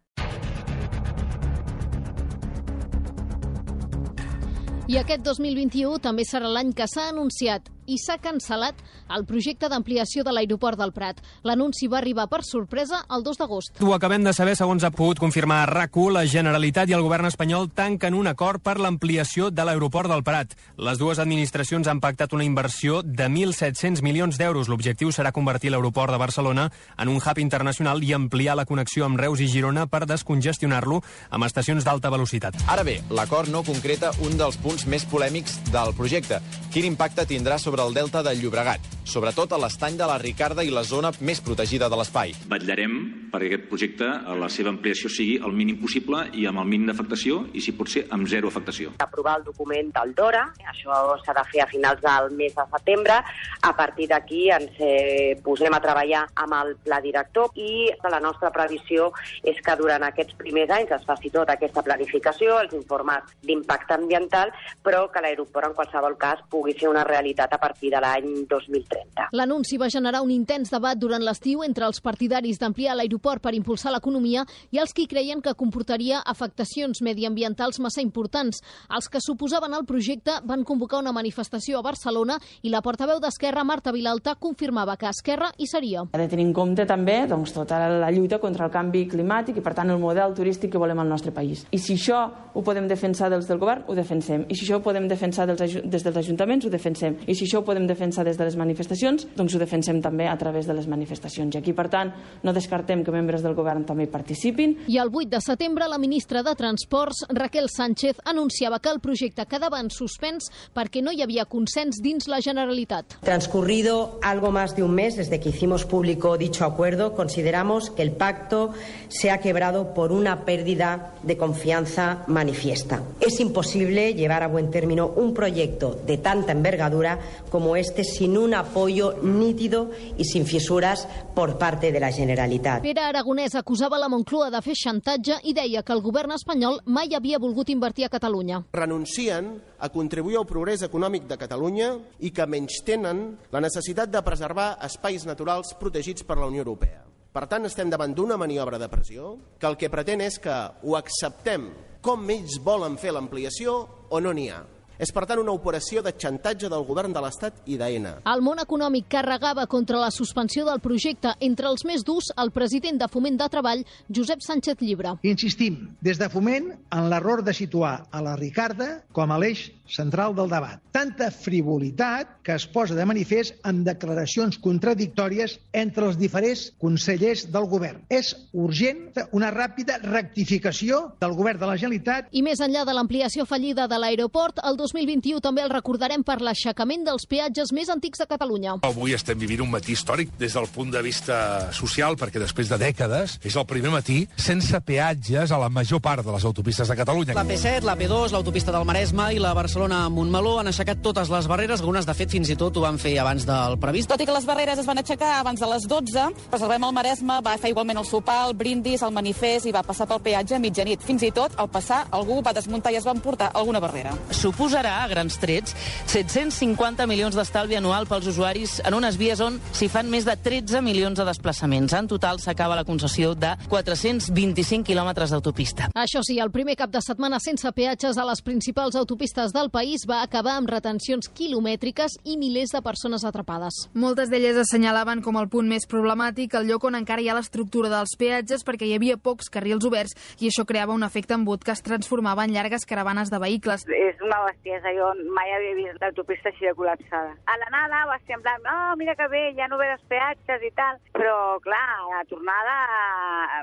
I aquest dos mil vint-i-u també serà l'any que s'ha anunciat i s'ha cancel·lat el projecte d'ampliació de l'aeroport del Prat. L'anunci va arribar per sorpresa el dos d'agost. Ho acabem de saber, segons ha pogut confirmar RAC u, la Generalitat i el govern espanyol tanquen un acord per l'ampliació de l'aeroport del Prat. Les dues administracions han pactat una inversió de mil set-cents milions d'euros. L'objectiu serà convertir l'aeroport de Barcelona en un hub internacional i ampliar la connexió amb Reus i Girona per descongestionar-lo amb estacions d'alta velocitat. Ara bé, l'acord no concreta un dels punts més polèmics del projecte. Quin impacte tindrà sobre el delta del Llobregat, sobretot a l'estany de la Ricarda i la zona més protegida de l'espai. Vetllarem perquè aquest projecte, la seva ampliació sigui el mínim possible i amb el mínim d'afectació i, si pot ser, amb zero afectació. Aprovar el document del DORA, això s'ha de fer a finals del mes de setembre. A partir d'aquí ens eh, posem a treballar amb el pla director i la nostra previsió és que durant aquests primers anys es faci tota aquesta planificació, els informes d'impacte ambiental, però que l'aeroport en qualsevol cas pugui ser una realitat a partir de l'any dos mil trenta. L'anunci va generar un intens debat durant l'estiu entre els partidaris d'ampliar l'aeroport per impulsar l'economia i els qui creien que comportaria afectacions mediambientals massa importants. Els que s'oposaven al projecte van convocar una manifestació a Barcelona i la portaveu d'Esquerra, Marta Vilalta, confirmava que Esquerra hi seria. Ha de tenir en compte també doncs, tota la lluita contra el canvi climàtic i, per tant, el model turístic que volem al nostre país. I si això ho podem defensar des del govern, ho defensem. I si això ho podem defensar dels, des dels ajuntaments, ho defensem. I si això ho podem defensar des de les manifestacions, doncs ho defensem també a través de les manifestacions. I aquí, per tant, no descartem que membres del govern també hi participin. I el vuit de setembre, la ministra de Transports, Raquel Sánchez, anunciava que el projecte quedava en suspens perquè no hi havia consens dins la Generalitat. Transcurrido algo más de un mes desde que hicimos público dicho acuerdo, consideramos que el pacto se ha quebrado por una pérdida de confianza manifiesta. Es imposible llevar a buen término un proyecto de tanta envergadura como este sin una apoyo nítido y sin fisuras por parte de la Generalitat. Pere Aragonès acusava la Moncloa de fer xantatge i deia que el govern espanyol mai havia volgut invertir a Catalunya. Renuncien a contribuir al progrés econòmic de Catalunya i que menystenen la necessitat de preservar espais naturals protegits per la Unió Europea. Per tant, estem davant d'una maniobra de pressió que el que pretén és que ho acceptem com ells volen fer l'ampliació o no n'hi ha. És, per tant, una operació de xantatge del govern de l'Estat i d'Aena. El món econòmic carregava contra la suspensió del projecte. Entre els més durs, el president de Foment de Treball, Josep Sánchez Llibre. Insistim, des de Foment, en l'error de situar a la Ricarda com a l'eix central del debat. Tanta frivolitat que es posa de manifest en declaracions contradictòries entre els diferents consellers del govern. És urgent una ràpida rectificació del govern de la Generalitat. I més enllà de l'ampliació fallida de l'aeroport, el dos mil vint-i-u també el recordarem per l'aixecament dels peatges més antics de Catalunya. Avui estem vivint un matí històric des del punt de vista social, perquè després de dècades és el primer matí sense peatges a la major part de les autopistes de Catalunya. La P set, la P dos, l'autopista del Maresme i la Barcelona-Montmeló han aixecat totes les barreres, algunes de fet fins i tot ho van fer abans del previst. Tot i que les barreres es van aixecar abans de les dotze, Preservem el Maresme va fer igualment el sopar, el brindis, el manifest i va passar pel peatge a mitjanit. Fins i tot, al passar, algú va desmuntar i es va emportar alguna barrera. Suposarà, a grans trets, set-cents cinquanta milions d'estalvi anual pels usuaris en unes vies on s'hi fan més de tretze milions de desplaçaments. En total s'acaba la concessió de quatre-cents vint-i-cinc quilòmetres d'autopista. Això sí, el primer cap de setmana sense peatges a les principals autopistes del país va acabar amb retencions quilomètriques i milers de persones atrapades. Moltes d'elles assenyalaven com el punt més problemàtic el lloc on encara hi ha l'estructura dels peatges perquè hi havia pocs carrils oberts i això creava un efecte embut que es transformava en llargues caravanes de vehicles. És una bestiesa, jo mai havia vist l'autopista així de col·lapsada. A l'anada va ser en plan, oh, mira que bé, ja no ve els peatges i tal, però clar, a la tornada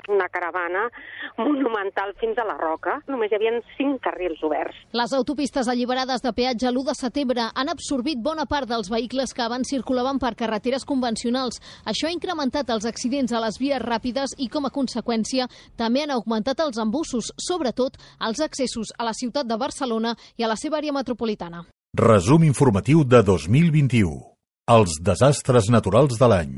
una caravana monumental fins a la Roca, només hi havia cinc carrils oberts. Les autopistes alliberades de peatge l'u de setembre han absorbit bona part dels vehicles que abans circulaven per carreteres convencionals. Això ha incrementat els accidents a les vies ràpides i, com a conseqüència, també han augmentat els embussos, sobretot els accessos a la ciutat de Barcelona i a la seva àrea metropolitana. Resum informatiu de dos mil vint-i-u. Els desastres naturals de l'any.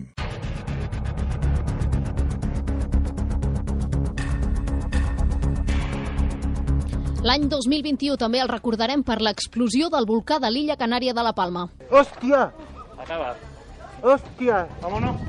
L'any dos mil vint-i-u també el recordarem per l'explosió del volcà de l'illa Canària de la Palma. ¡Hostia! Acaba. ¡Hostia! Vámonos.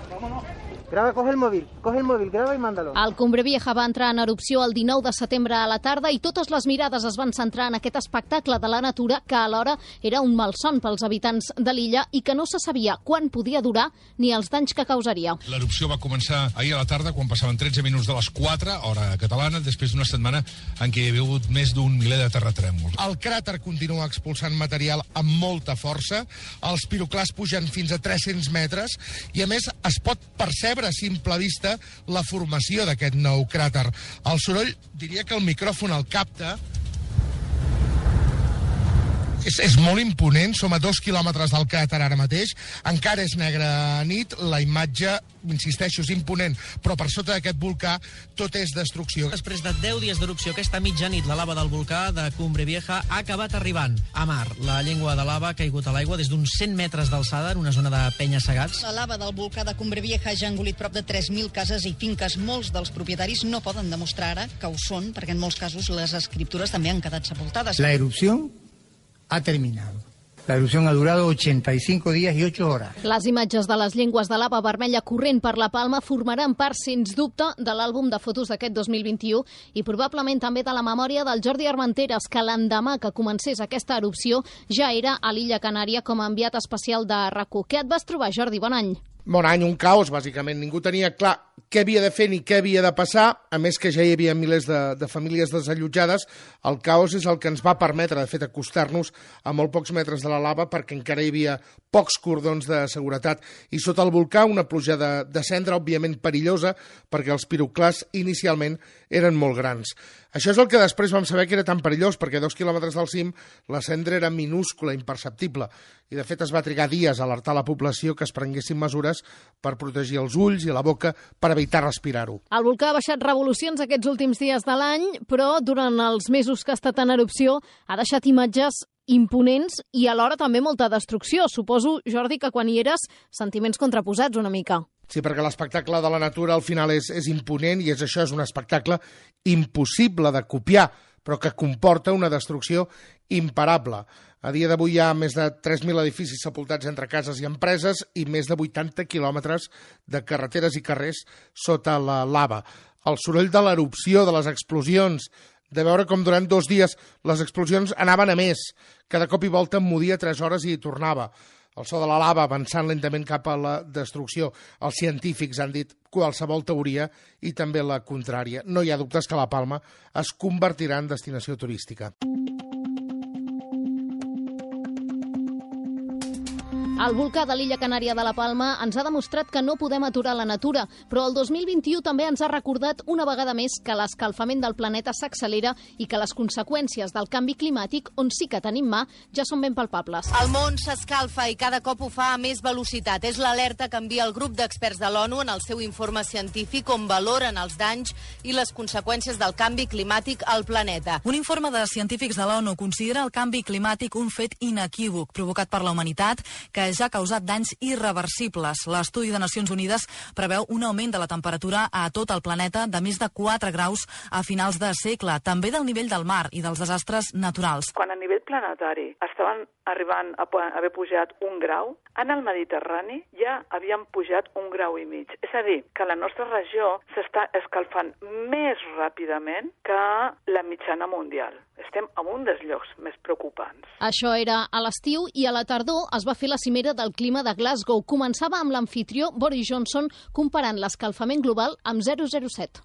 Vámonos. Graba, coge el móvil, coge el móvil, graba i mándalo. El Cumbre Vieja va entrar en erupció el dinou de setembre a la tarda i totes les mirades es van centrar en aquest espectacle de la natura que alhora era un malson pels habitants de l'illa i que no se sabia quan podia durar ni els danys que causaria. L'erupció va començar ahir a la tarda quan passaven tretze minuts de les quatre, hora catalana, després d'una setmana en què hi havia hagut més d'un miler de terratrèmols. El cràter continua expulsant material amb molta força, els piroclars pugen fins a tres-cents metres i a més es pot percebre a simple vista la formació d'aquest nou cràter. El soroll, diria que el micròfon el capta. És, és molt imponent, som a dos quilòmetres del cràter ara mateix, encara és negra nit, la imatge, insisteixo, és imponent, però per sota d'aquest volcà tot és destrucció. Després de deu dies d'erupció, aquesta mitjanit, la lava del volcà de Cumbre Vieja ha acabat arribant a mar. La llengua de lava ha caigut a l'aigua des d'uns cent metres d'alçada en una zona de penya-segats. La lava del volcà de Cumbre Vieja ja ha engolit prop de tres mil cases i finques. Molts dels propietaris no poden demostrar ara que ho són, perquè en molts casos les escriptures també han quedat sepultades. La erupción ha terminado. La erupción ha durado ochenta y cinco días y ocho horas. Les imatges de les llengües de lava vermella corrent per la Palma formaran part, sens dubte, de l'àlbum de fotos d'aquest dos mil vint-i-u i probablement també de la memòria del Jordi Armenteres, que l'endemà que comencés aquesta erupció ja era a l'illa Canària com a enviat especial de R A C u. Què et vas trobar, Jordi? Bon any. Bon any, un caos, bàsicament. Ningú tenia clar què havia de fer ni què havia de passar, a més que ja hi havia milers de, de famílies desallotjades. El caos és el que ens va permetre, de fet, acostar-nos a molt pocs metres de la lava perquè encara hi havia pocs cordons de seguretat. I sota el volcà una pluja de, de cendra, òbviament perillosa, perquè els piroclars inicialment eren molt grans. Això és el que després vam saber que era tan perillós, perquè a dos quilòmetres del cim la cendra era minúscula, imperceptible, i de fet es va trigar dies a alertar la població que es prenguessin mesures per protegir els ulls i la boca per evitar respirar-ho. El volcà ha baixat revolucions aquests últims dies de l'any, però durant els mesos que ha estat en erupció ha deixat imatges imponents i alhora també molta destrucció. Suposo, Jordi, que quan hi eres, sentiments contraposats una mica. Sí, perquè l'espectacle de la natura al final és, és imponent i és això, és un espectacle impossible de copiar, però que comporta una destrucció imparable. A dia d'avui hi ha més de tres mil edificis sepultats entre cases i empreses i més de vuitanta quilòmetres de carreteres i carrers sota la lava. El soroll de l'erupció, de les explosions, de veure com durant dos dies les explosions anaven a més. Cada cop i volta emmudia tres hores i tornava. El so de la lava avançant lentament cap a la destrucció. Els científics han dit qualsevol teoria i també la contrària. No hi ha dubtes que la Palma es convertirà en destinació turística. El volcà de l'illa Canària de la Palma ens ha demostrat que no podem aturar la natura, però el dos mil vint-i-u també ens ha recordat una vegada més que l'escalfament del planeta s'accelera i que les conseqüències del canvi climàtic, on sí que tenim mà, ja són ben palpables. El món s'escalfa i cada cop ho fa a més velocitat. És l'alerta que envia el grup d'experts de l'ONU en el seu informe científic on valoren els danys i les conseqüències del canvi climàtic al planeta. Un informe de científics de l'ONU considera el canvi climàtic un fet inequívoc provocat per la humanitat que ja ha causat danys irreversibles. L'estudi de Nacions Unides preveu un augment de la temperatura a tot el planeta de més de quatre graus a finals de segle, també del nivell del mar i dels desastres naturals. Quan a nivell planetari estaven arribant a haver pujat un grau, en el Mediterrani ja havien pujat un grau i mig. És a dir, que la nostra regió s'està escalfant més ràpidament que la mitjana mundial. Estem en un dels llocs més preocupants. Això era a l'estiu i a la tardor es va fer la cimera del clima de Glasgow. Començava amb l'amfitrió Boris Johnson comparant l'escalfament global amb zero coma zero set.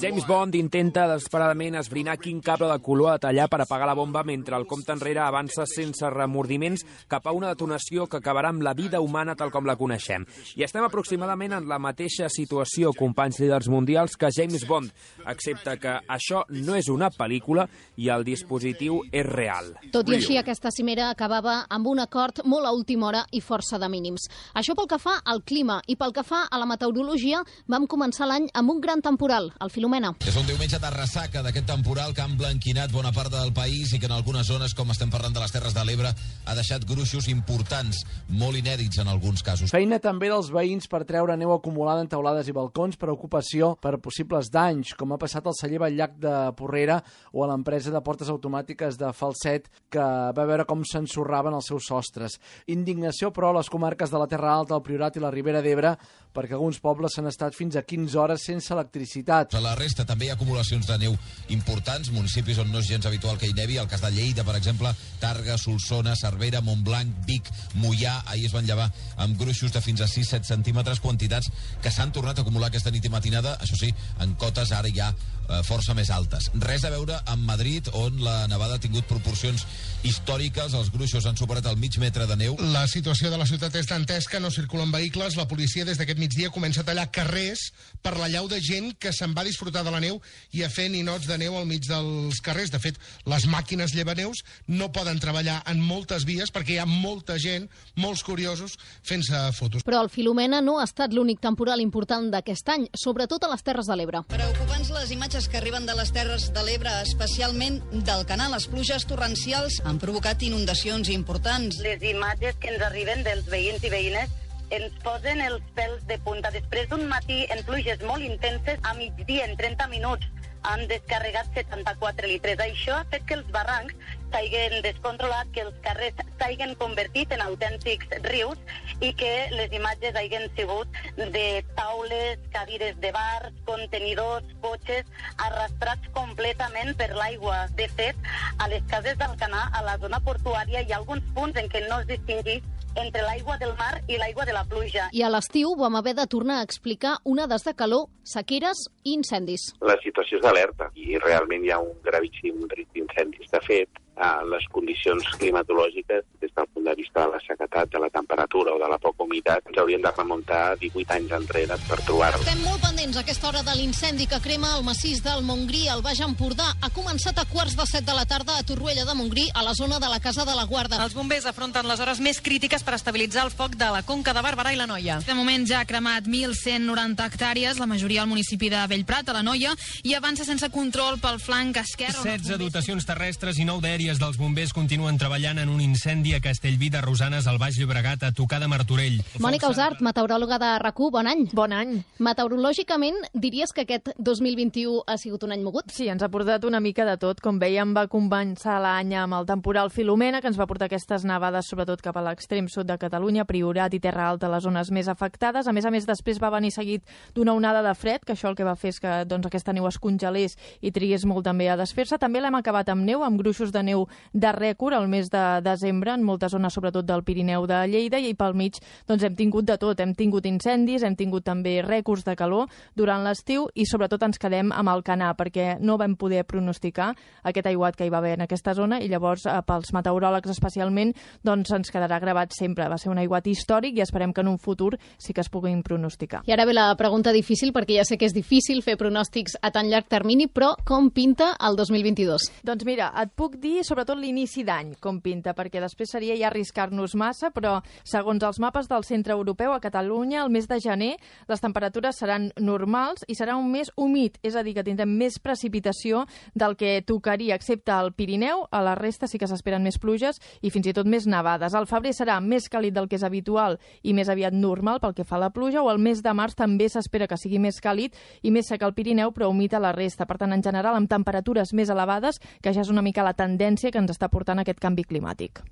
James Bond intenta desesperadament esbrinar quin cable de color a tallar per apagar la bomba mentre el compte enrere avança sense remordiments cap a una detonació que acabarà amb la vida humana tal com la coneixem. I estem aproximadament en la mateixa situació, companys líders mundials, que James Bond, excepte que això no és una pel·lícula i el dispositiu és real. Tot i així, aquesta cimera acabava amb un acord molt a última hora i força de mínims. Això pel que fa al clima i pel que fa a la meteorologia, vam començar l'any amb un gran temporal, el Filomena. És un diumenge de ressaca d'aquest temporal que ha emblanquinat bona part del país i que en algunes zones, com estem parlant de les Terres de l'Ebre, ha deixat gruixos importants, molt inèdits en alguns casos. Feina també dels veïns per treure neu acumulada en teulades i balcons, preocupació per possibles danys, com ha passat al celler Batllac de Porrera o a l'empresa de portes automàtiques de Falset, que va veure com s'ensorraven els seus sostres. Indignació, però, a les comarques de la Terra Alta, el Priorat i la Ribera d'Ebre, perquè alguns pobles s'han estat fins a quinze hores sense electricitat. A la resta també hi ha acumulacions de neu importants, municipis on no és gens habitual que hi nevi, el cas de Lleida, per exemple, Targa, Solsona, Cervera, Montblanc, Vic, Moià, ahir es van llevar amb gruixos de fins a sis a set centímetres, quantitats que s'han tornat a acumular aquesta nit i matinada, això sí, en cotes ara ja eh, força més altes. Res a veure amb Madrid, on la nevada ha tingut proporcions històriques, els gruixos han superat el mig metre de neu. La situació de la ciutat és dantesca, no circulen vehicles, la policia des d'aquest migdia comença a tallar carrers per la llau de gent que se'n va disfrutar de la neu i a fer ninots de neu al mig dels carrers. De fet, les màquines llevaneus no poden treballar en moltes vies perquè hi ha molta gent, molts curiosos, fent-se fotos. Però el Filomena no ha estat l'únic temporal important d'aquest any, sobretot a les Terres de l'Ebre. Preocupants les imatges que arriben de les Terres de l'Ebre, especialment del canal. Les pluges torrencials han provocat inundacions importants. Les imatges que ens arriben dels veïns i veïnes ens posen els pèls de punta. Després d'un matí en pluges molt intenses, a migdia, en trenta minuts, han descarregat setanta-quatre litres. Això ha fet que els barrancs s'hagin descontrolat, que els carrers s'hagin convertit en autèntics rius i que les imatges hagin sigut de taules, cadires de bars, contenidors, cotxes, arrastrats completament per l'aigua. De fet, a les cases d'Alcanar, a la zona portuària, hi ha alguns punts en què no es distingeix entre l'aigua del mar i l'aigua de la pluja. I a l'estiu vam haver de tornar a explicar onades de calor, sequeres i incendis. La situació és d'alerta i realment hi ha un gravíssim risc d'incendis. De fet, eh, les condicions climatològiques des del punt de vista de la sequedat, de la temperatura o de la poca humitat, ens hauríem de remuntar divuit anys enrere per trobar-ho. Estem molt pendents a aquesta hora de l'incendi que crema el massís del Montgrí, al Baix Empordà. Ha començat a quarts de set de la tarda a Torroella de Montgrí, a la zona de la Casa de la Guarda. Els bombers afronten les hores més crítiques per estabilitzar el foc de la Conca de Barberà i la Noia. De moment ja ha cremat mil cent noranta hectàrees, la majoria al municipi de Bellprat, a la Noia, i avança sense control pel flanc esquerre. setze dotacions terrestres i nou d'aèries dels bombers continuen treballant en un incendi a Castellví de Rosanes, al Baix Llobregat, a tocar de Martorell. Mònica Usart, meteoròloga de RAC u, bon any. Bon any. Meteorològicament, diries que aquest dos mil vint-i-u ha sigut un any mogut? Sí, ens ha portat una mica de tot. Com veiem, va començar l'any amb el temporal Filomena, que ens va portar aquestes nevades, sobretot cap a l'extrem sud de Catalunya, Priorat i Terra Alta, les zones més afectades. A més a més, després va venir seguit d'una onada de fred, que això el que va fer és que doncs, aquesta neu es congelés i trigués molt també a desfer-se. També l'hem acabat amb neu, amb gruixos de neu de rècord al mes de desembre, en moltes zones, sobretot del Pirineu de Lleida, i pel mig doncs, hem tingut de tot. Hem tingut incendis, hem tingut també rècords de calor durant l'estiu i sobretot ens quedem amb el Canà, perquè no vam poder pronosticar aquest aiguat que hi va haver en aquesta zona i llavors eh, pels meteoròlegs especialment doncs ens quedarà gravat sempre. Va ser un aiguat històric i esperem que en un futur sí que es puguin pronosticar. I ara ve la pregunta difícil, perquè ja sé que és difícil fer pronòstics a tan llarg termini, però com pinta el dos mil vint-i-dos? Doncs mira, et puc dir sobretot l'inici d'any com pinta, perquè després seria ja arriscar-nos massa, però segons els mapes del Centre Europeu, a Catalunya, el mes de gener, les temperatures seran normals i serà un mes humit, és a dir, que tindrem més precipitació del que tocaria, excepte al Pirineu. A la resta sí que s'esperen més pluges i fins i tot més nevades. El febrer serà més càlid del que és habitual i més aviat normal pel que fa a la pluja, o el mes de març també s'espera que sigui més càlid i més sec al Pirineu, però humit a la resta. Per tant, en general, amb temperatures més elevades, que ja és una mica la tendència que ens està portant aquest canvi climàtic.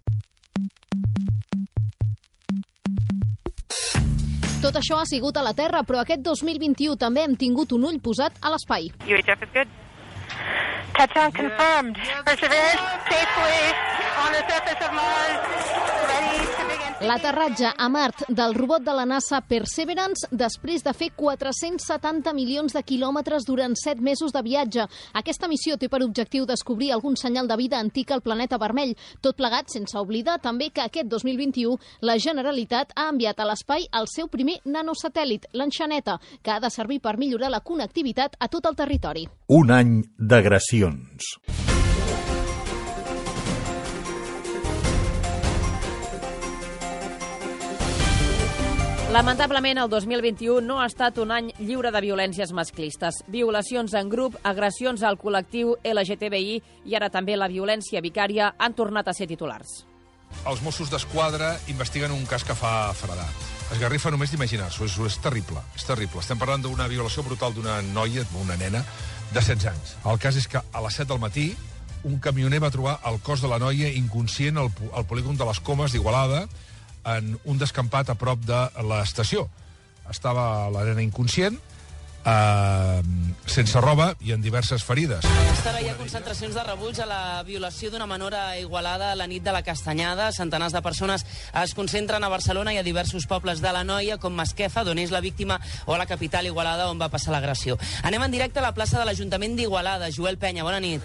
Tot això ha sigut a la Terra, però aquest dos mil vint-i-u també hem tingut un ull posat a l'espai. U H F is good. Touchdown confirmed. Perseverance safely on the surface of Mars. Ready to begin. L'aterratge a Mart del robot de la NASA Perseverance després de fer quatre-cents setanta milions de quilòmetres durant set mesos de viatge. Aquesta missió té per objectiu descobrir algun senyal de vida antic al planeta vermell. Tot plegat sense oblidar també que aquest dos mil vint-i-u la Generalitat ha enviat a l'espai el seu primer nanosatèl·lit, l'Enxaneta, que ha de servir per millorar la connectivitat a tot el territori. Un any d'agressions. Lamentablement, el dos mil vint-i-u no ha estat un any lliure de violències masclistes. Violacions en grup, agressions al col·lectiu L G T B I i ara també la violència vicària han tornat a ser titulars. Els Mossos d'Esquadra investiguen un cas que fa fredat. Esgarrifa només d'imaginar-s'ho, és, és terrible, és terrible. Estem parlant d'una violació brutal d'una noia, una nena, de setze anys. El cas és que a les set del matí un camioner va trobar el cos de la noia inconscient al, al polígon de les Comes d'Igualada, en un descampat a prop de l'estació. Estava la nena inconscient, eh, sense roba i en diverses ferides. Aquesta hora hi ha concentracions de rebuig a la violació d'una menor a Igualada a la nit de la Castanyada. Centenars de persones es concentren a Barcelona i a diversos pobles de la Noia, com Masquefa, d'on és la víctima, o a la capital Igualada, on va passar l'agressió. Anem en directe a la plaça de l'Ajuntament d'Igualada. Joel Penya, bona nit.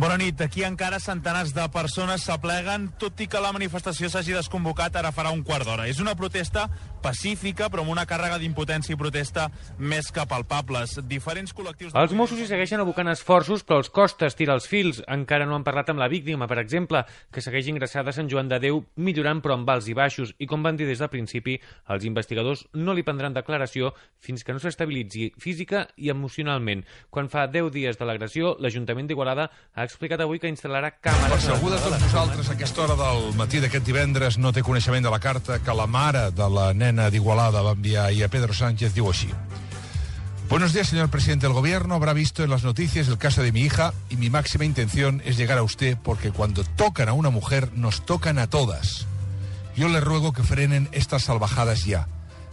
Bona nit. Aquí encara centenars de persones s'apleguen, tot i que la manifestació s'hagi desconvocat ara farà un quart d'hora. És una protesta pacífica, però amb una càrrega d'impotència i protesta més que palpables. Diferents col·lectius... Els Mossos hi segueixen abocant esforços, però els costa estirar els fils. Encara no han parlat amb la víctima, per exemple, que segueix ingressada a Sant Joan de Déu, millorant però amb alts i baixos. I com van dir des del principi, els investigadors no li prendran declaració fins que no s'estabilitzi física i emocionalment. Quan fa deu dies de l'agressió, l'Ajuntament d'Igualada ha explicat avui que instal·larà càmeres... Per si algú de tots vosaltres a aquesta hora del matí d'aquest divendres no té coneixement de la carta que la mare de la nena d'Igualada va enviar ahir a Pedro Sánchez, diu així. Buenos días, señor presidente del gobierno. Habrá visto en las noticias el caso de mi hija y mi máxima intención es llegar a usted porque cuando tocan a una mujer nos tocan a todas. Yo les ruego que frenen estas salvajadas ya,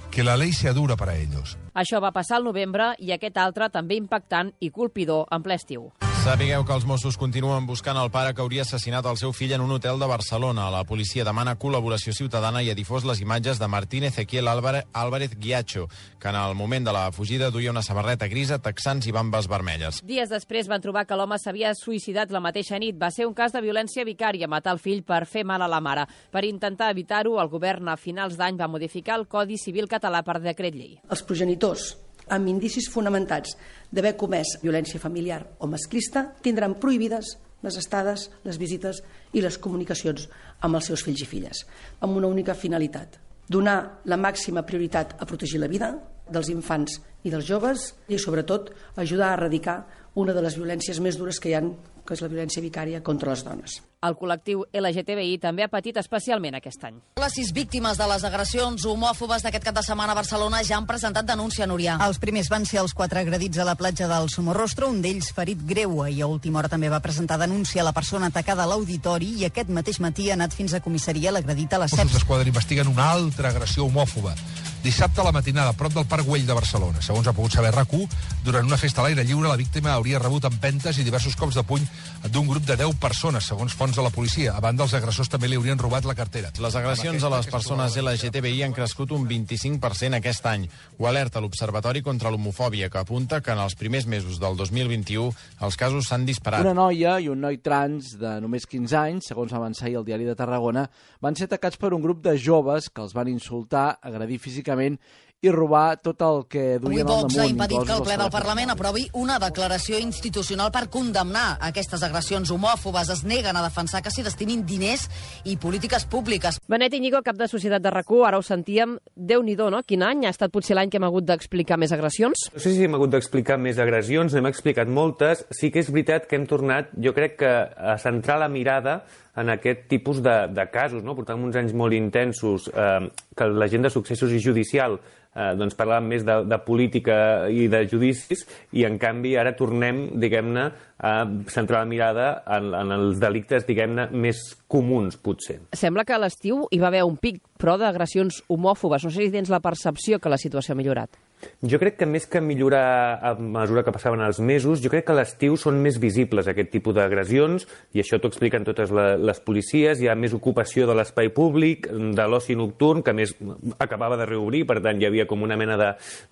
que la ley sea dura para ellos. Això va passar al novembre i aquest altre també impactant i colpidor en ple estiu. Sapigueu que els Mossos continuen buscant el pare que hauria assassinat el seu fill en un hotel de Barcelona. La policia demana col·laboració ciutadana i ha difós les imatges de Martín Ezequiel Álvarez Guiacho, que en el moment de la fugida duia una samarreta grisa, texans i bambes vermelles. Dies després van trobar que l'home s'havia suïcidat la mateixa nit. Va ser un cas de violència vicària, matar el fill per fer mal a la mare. Per intentar evitar-ho, el govern a finals d'any va modificar el Codi Civil català per decret llei. Els progenitors amb indicis fonamentats d'haver comès violència familiar o masclista tindran prohibides les estades, les visites i les comunicacions amb els seus fills i filles, amb una única finalitat: donar la màxima prioritat a protegir la vida dels infants i dels joves i, sobretot, ajudar a erradicar una de les violències més dures que hi ha, que és la violència vicària contra les dones. El col·lectiu L G T B I també ha patit especialment aquest any. Les sis víctimes de les agressions homòfobes d'aquest cap de setmana a Barcelona ja han presentat denúncia, Núria. Els primers van ser els quatre agredits a la platja del Somorrostro, un d'ells ferit greu, i a última hora també va presentar denúncia a la persona atacada a l'auditori, i aquest mateix matí ha anat fins a comissaria l'agredit a la C E P. Els d'Esquadra investiguen una altra agressió homòfoba. Dissabte a la matinada, a prop del Parc Güell de Barcelona. Segons ha pogut saber R A C u, durant una festa a l'aire lliure, la víctima hauria rebut empentes i diversos cops de puny d'un grup de deu persones, segons fonts de la policia. A banda, els agressors també li haurien robat la cartera. Les agressions a les persones L G T B I han crescut un vint-i-cinc per cent aquest any. Ho alerta l'Observatori contra l'Homofòbia, que apunta que en els primers mesos del dos mil vint-i-u els casos s'han disparat. Una noia i un noi trans de només quinze anys, segons va avançar ahir el Diari de Tarragona, van ser atacats per un grup de joves que els van insultar, agredir físicament i robar tot el que duien al damunt. Avui Vox ha impedit que el ple del Parlament aprovi una declaració institucional per condemnar aquestes agressions homòfobes. Es neguen a defensar que s'hi destinin diners i polítiques públiques. Benet Íñigo, cap de Societat de R A C u, ara ho sentíem, Déu-n'hi-do, no? Quin any? Ha estat potser l'any que hem hagut d'explicar més agressions? No sé si hem hagut d'explicar més agressions, n'hem explicat moltes. Sí que és veritat que hem tornat, jo crec que a centrar la mirada en aquest tipus de, de casos, no? Portàvem uns anys molt intensos, eh, que la gent de successos i judicial eh, doncs parlàvem més de, de política i de judicis, i en canvi ara tornem, diguem-ne, a centrar la mirada en, en els delictes, diguem-ne, més comuns, potser. Sembla que a l'estiu hi va haver un pic, però d'agressions homòfobes. No sé si tens la percepció que la situació ha millorat. Jo crec que més que millorar a mesura que passaven els mesos, jo crec que a l'estiu són més visibles aquest tipus d'agressions, i això t'ho expliquen totes les policies. Hi ha més ocupació de l'espai públic, de l'oci nocturn, que més acabava de reobrir, per tant hi havia com una mena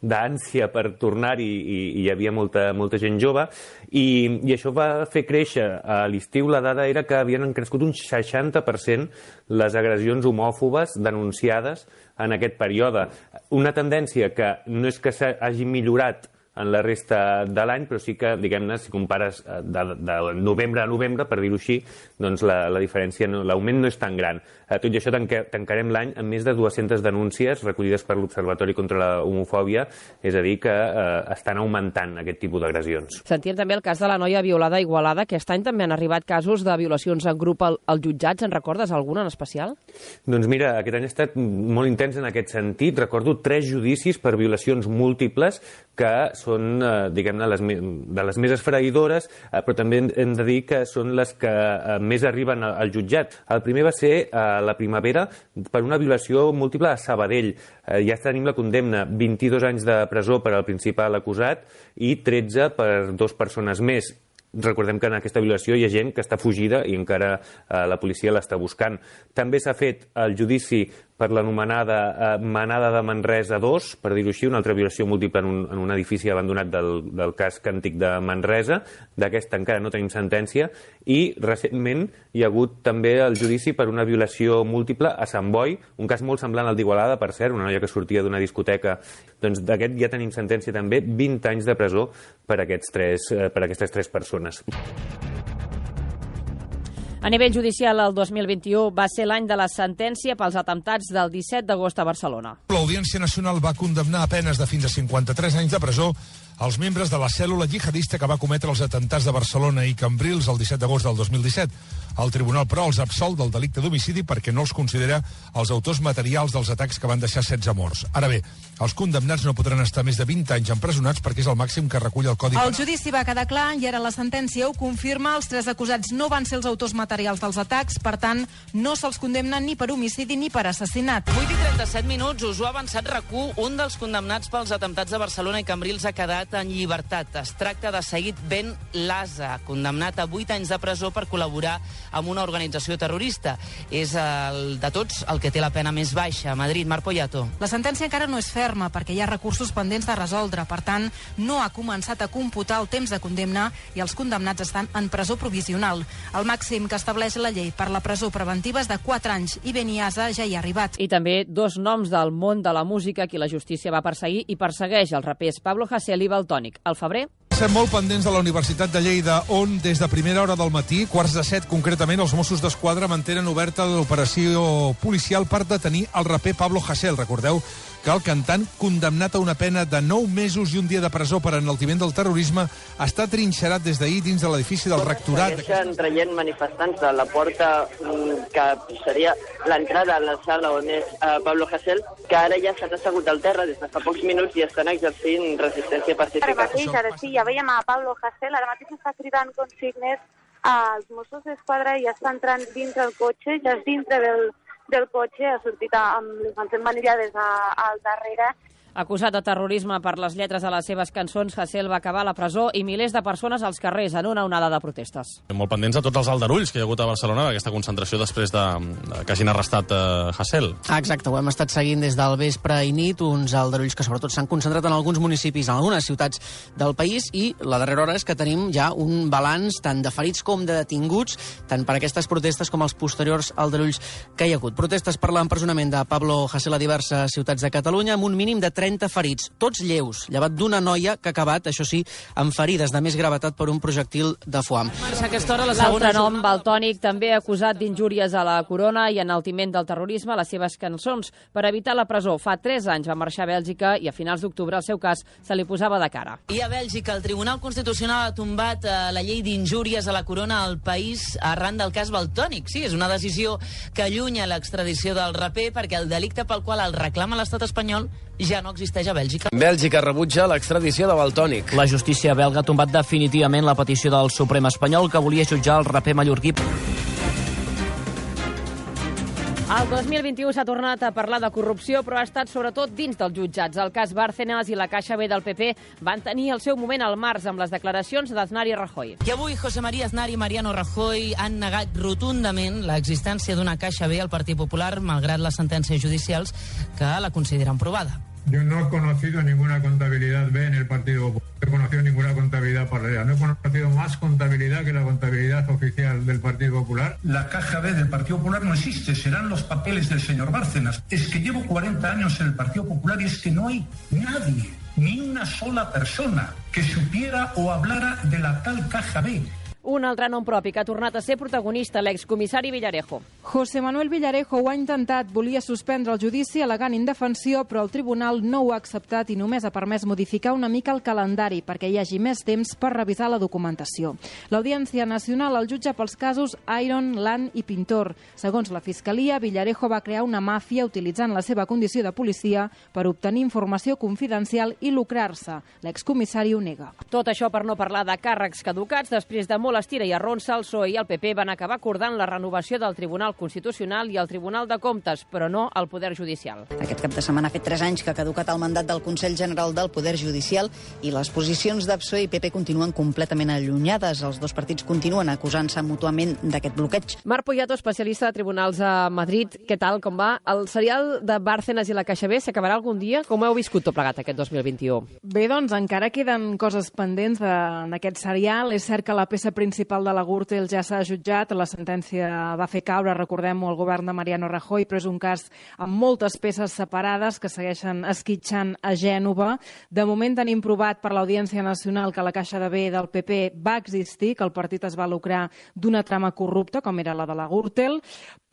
d'ànsia per tornar-hi, i, i hi havia molta, molta gent jove, i, i això va fer créixer. A l'estiu la dada era que havien crescut un seixanta per cent les agressions homòfobes denunciades en aquest període. Una tendència que no és que s'hagi millorat en la resta de l'any, però sí que, diguem-ne, si compares de, de novembre a novembre, per dir-ho així, doncs la, la diferència, no, l'augment no és tan gran. Eh, tot i això tanque, tancarem l'any amb més de dues-centes denúncies recollides per l'Observatori contra la Homofòbia, és a dir, que eh, estan augmentant aquest tipus d'agressions. Sentíem també el cas de la noia violada a Igualada. Aquest any també han arribat casos de violacions en grup al, als jutjats. En recordes alguna en especial? Doncs mira, aquest any ha estat molt intens en aquest sentit. Recordo tres judicis per violacions múltiples que són, eh, diguem-ne, les, de les més esfereïdores, eh, però també hem de dir que són les que eh, més arriben al jutjat. El primer va ser a eh, la primavera per una violació múltiple a Sabadell. Eh, ja tenim la condemna, vint-i-dos anys de presó per al principal acusat i tretze per dues persones més. Recordem que en aquesta violació hi ha gent que està fugida i encara eh, la policia l'està buscant. També s'ha fet el judici per l'anomenada eh, Manada de Manresa dos, per dir-ho així, una altra violació múltiple en un, en un edifici abandonat del, del casc antic de Manresa. D'aquesta encara no tenim sentència. I recentment hi ha hagut també el judici per una violació múltiple a Sant Boi, un cas molt semblant al d'Igualada, per cert, una noia que sortia d'una discoteca. Doncs d'aquest ja tenim sentència també, vint anys de presó per, aquests tres, eh, per aquestes tres persones. A nivell judicial, el dos mil vint-i-u va ser l'any de la sentència pels atemptats del disset d'agost a Barcelona. L'Audiència Nacional va condemnar a penes de fins a cinquanta-tres anys de presó els membres de la cèl·lula jihadista que va cometre els atemptats de Barcelona i Cambrils el disset d'agost del dos mil disset. El tribunal, però, els absol del delicte d'homicidi perquè no els considera els autors materials dels atacs que van deixar setze morts. Ara bé, els condemnats no podran estar més de vint anys empresonats perquè és el màxim que recull el Codi Penal. El judici va quedar clar i ara la sentència ho confirma. Els tres acusats no van ser els autors materials dels atacs, per tant, no se'ls condemna ni per homicidi ni per assassinat. vuit i trenta-set minuts, us ho ha avançat R A C u. Un dels condemnats pels atemptats de Barcelona i Cambrils ha quedat posat en llibertat. Es tracta de Said Ben Laza, condemnat a vuit anys de presó per col·laborar amb una organització terrorista. És el de tots el que té la pena més baixa. A Madrid, Marc Poyato. La sentència encara no és ferma perquè hi ha recursos pendents de resoldre. Per tant, no ha començat a computar el temps de condemna i els condemnats estan en presó provisional. El màxim que estableix la llei per la presó preventiva és de quatre anys i Ben Laza ja hi ha arribat. I també dos noms del món de la música que la justícia va perseguir i persegueix els rapers Pablo Hasél i Valtònyc. Al febrer... Estem molt pendents de la Universitat de Lleida, on des de primera hora del matí, quarts de set concretament, els Mossos d'Esquadra mantenen oberta l'operació policial per detenir el raper Pablo Hasél. Recordeu que el cantant, condemnat a una pena de nou mesos i un dia de presó per enaltiment del terrorisme, està trinxerat des d'ahir dins de l'edifici del rectorat. Segueixen traient manifestants de la porta que seria l'entrada a la sala on és uh, Pablo Hasél, que ara ja s'han assegut al terra des de fa pocs minuts i estan exercint resistència pacífica. Ara mateix, ara sí, ja veiem a Pablo Hasél, ara mateix està cridant consignes als Mossos d'Esquadra i està entrant dintre el cotxe, ja és dintre del del cotxe, ha sortit amb les mans emmanillades al darrere. Acusat de terrorisme per les lletres de les seves cançons, Hasél va acabar a la presó i milers de persones als carrers en una onada de protestes. Molt pendents de tots els aldarulls que hi ha hagut a Barcelona d'aquesta concentració després de, de que hagin arrestat uh, Hasél. Exacte, ho hem estat seguint des del vespre i nit, uns aldarulls que sobretot s'han concentrat en alguns municipis, en algunes ciutats del país, i la darrera hora és que tenim ja un balanç tant de ferits com de detinguts, tant per aquestes protestes com els posteriors aldarulls que hi ha hagut. Protestes per l'empresonament de Pablo Hasél a diverses ciutats de Catalunya, amb un mínim de trenta ferits, tots lleus, llevat d'una noia que ha acabat, això sí, amb ferides de més gravetat per un projectil de foam. L'altre nom, Valtònyc, també acusat d'injúries a la corona i enaltiment del terrorisme a les seves cançons. Per evitar la presó, fa tres anys va marxar a Bèlgica i a finals d'octubre el seu cas se li posava de cara. I a Bèlgica, el Tribunal Constitucional ha tombat eh, la llei d'injúries a la corona al país arran del cas Valtònyc. Sí, és una decisió que allunya l'extradició del raper perquè el delicte pel qual el reclama l'estat espanyol ja no existeix a Bèlgica. Bèlgica rebutja l'extradició de Valtònyc. La justícia belga ha tombat definitivament la petició del Suprem espanyol que volia jutjar el raper mallorquí. El dos mil vint-i-u s'ha tornat a parlar de corrupció, però ha estat sobretot dins dels jutjats. El cas Bárcenas i la Caixa B del P P van tenir el seu moment al març amb les declaracions d'Aznar i Rajoy. I avui José María Aznar i Mariano Rajoy han negat rotundament l'existència d'una Caixa B al Partit Popular, malgrat les sentències judicials que la consideren provada. Yo no he conocido ninguna contabilidad B en el Partido Popular. No he conocido ninguna contabilidad paralela. No he conocido más contabilidad que la contabilidad oficial del Partido Popular. La caja B del Partido Popular no existe. Serán los papeles del señor Bárcenas. Es que llevo cuarenta años en el Partido Popular y es que no hay nadie, ni una sola persona, que supiera o hablara de la tal caja B. Un altre nom propi que ha tornat a ser protagonista, l'excomissari Villarejo. José Manuel Villarejo ho ha intentat, volia suspendre el judici al·legant indefensió, però el tribunal no ho ha acceptat i només ha permès modificar una mica el calendari perquè hi hagi més temps per revisar la documentació. L'Audiència Nacional el jutja pels casos Iron, Land i Pintor. Segons la Fiscalia, Villarejo va crear una màfia utilitzant la seva condició de policia per obtenir informació confidencial i lucrar-se. L'excomissari ho nega. Tot això per no parlar de càrrecs caducats. Després de molt estira i arronsa, el P S O E i el P P van acabar acordant la renovació del Tribunal Constitucional i el Tribunal de Comptes, però no el Poder Judicial. Aquest cap de setmana ha fet tres anys que ha caducat el mandat del Consell General del Poder Judicial i les posicions de P S O E i P P continuen completament allunyades. Els dos partits continuen acusant-se mútuament d'aquest bloqueig. Marc Poyato, especialista de tribunals a Madrid. Què tal, com va? El serial de Bárcenas i la Caixa B s'acabarà algun dia? Com heu viscut tot plegat aquest dos mil vint-i-u? Bé, doncs encara queden coses pendents d'aquest serial. És cert que la peça principal de la Gürtel ja s'ha jutjat, la sentència va fer caure, recordem-ho, el govern de Mariano Rajoy, però és un cas amb moltes peces separades que segueixen esquitxant a Gènova. De moment tenim provat per l'Audiència Nacional que la Caixa de B del P P va existir, que el partit es va lucrar d'una trama corrupta, com era la de la Gürtel,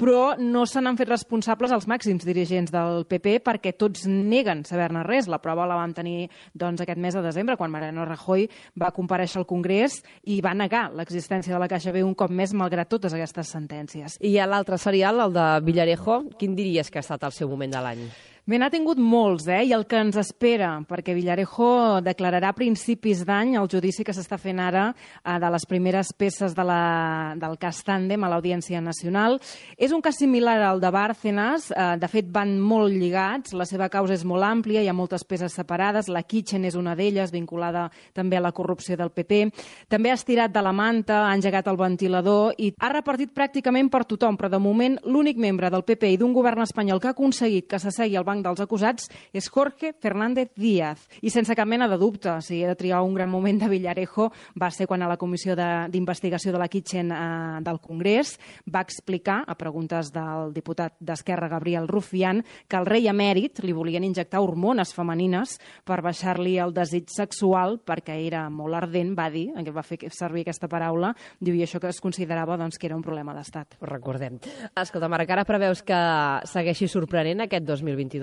però no se n'han fet responsables els màxims dirigents del P P perquè tots neguen saber-ne res. La prova la vam tenir doncs, aquest mes de desembre, quan Mariano Rajoy va comparèixer al Congrés i va negar l'existència de la Caixa B un cop més, malgrat totes aquestes sentències. I a l'altre serial, el de Villarejo, quin diries que ha estat el seu moment de l'any? Bé, n'ha tingut molts, eh? I el que ens espera, perquè Villarejo declararà a principis d'any el judici que s'està fent ara eh, de les primeres peces de la, del cas Tàndem a l'Audiència Nacional. És un cas similar al de Bárcenas, eh, de fet van molt lligats, la seva causa és molt àmplia, hi ha moltes peces separades, la Kitchen és una d'elles, vinculada també a la corrupció del P P. També ha estirat de la manta, ha engegat el ventilador i ha repartit pràcticament per tothom, però de moment l'únic membre del P P i d'un govern espanyol que ha aconseguit que s'assegui al banc dels acusats és Jorge Fernández Díaz. I sense cap mena de dubte, si he de triar un gran moment de Villarejo, va ser quan a la comissió d'investigació de, de la Kitchen eh, del Congrés va explicar, a preguntes del diputat d'Esquerra Gabriel Rufián, que al rei emèrit li volien injectar hormones femenines per baixar-li el desig sexual perquè era molt ardent, va dir, en què va fer servir aquesta paraula, diu, i això que es considerava doncs, que era un problema d'estat. Ho recordem. Escolta, Marc, ara preveus que segueixi sorprenent aquest dos mil vint-i-dos?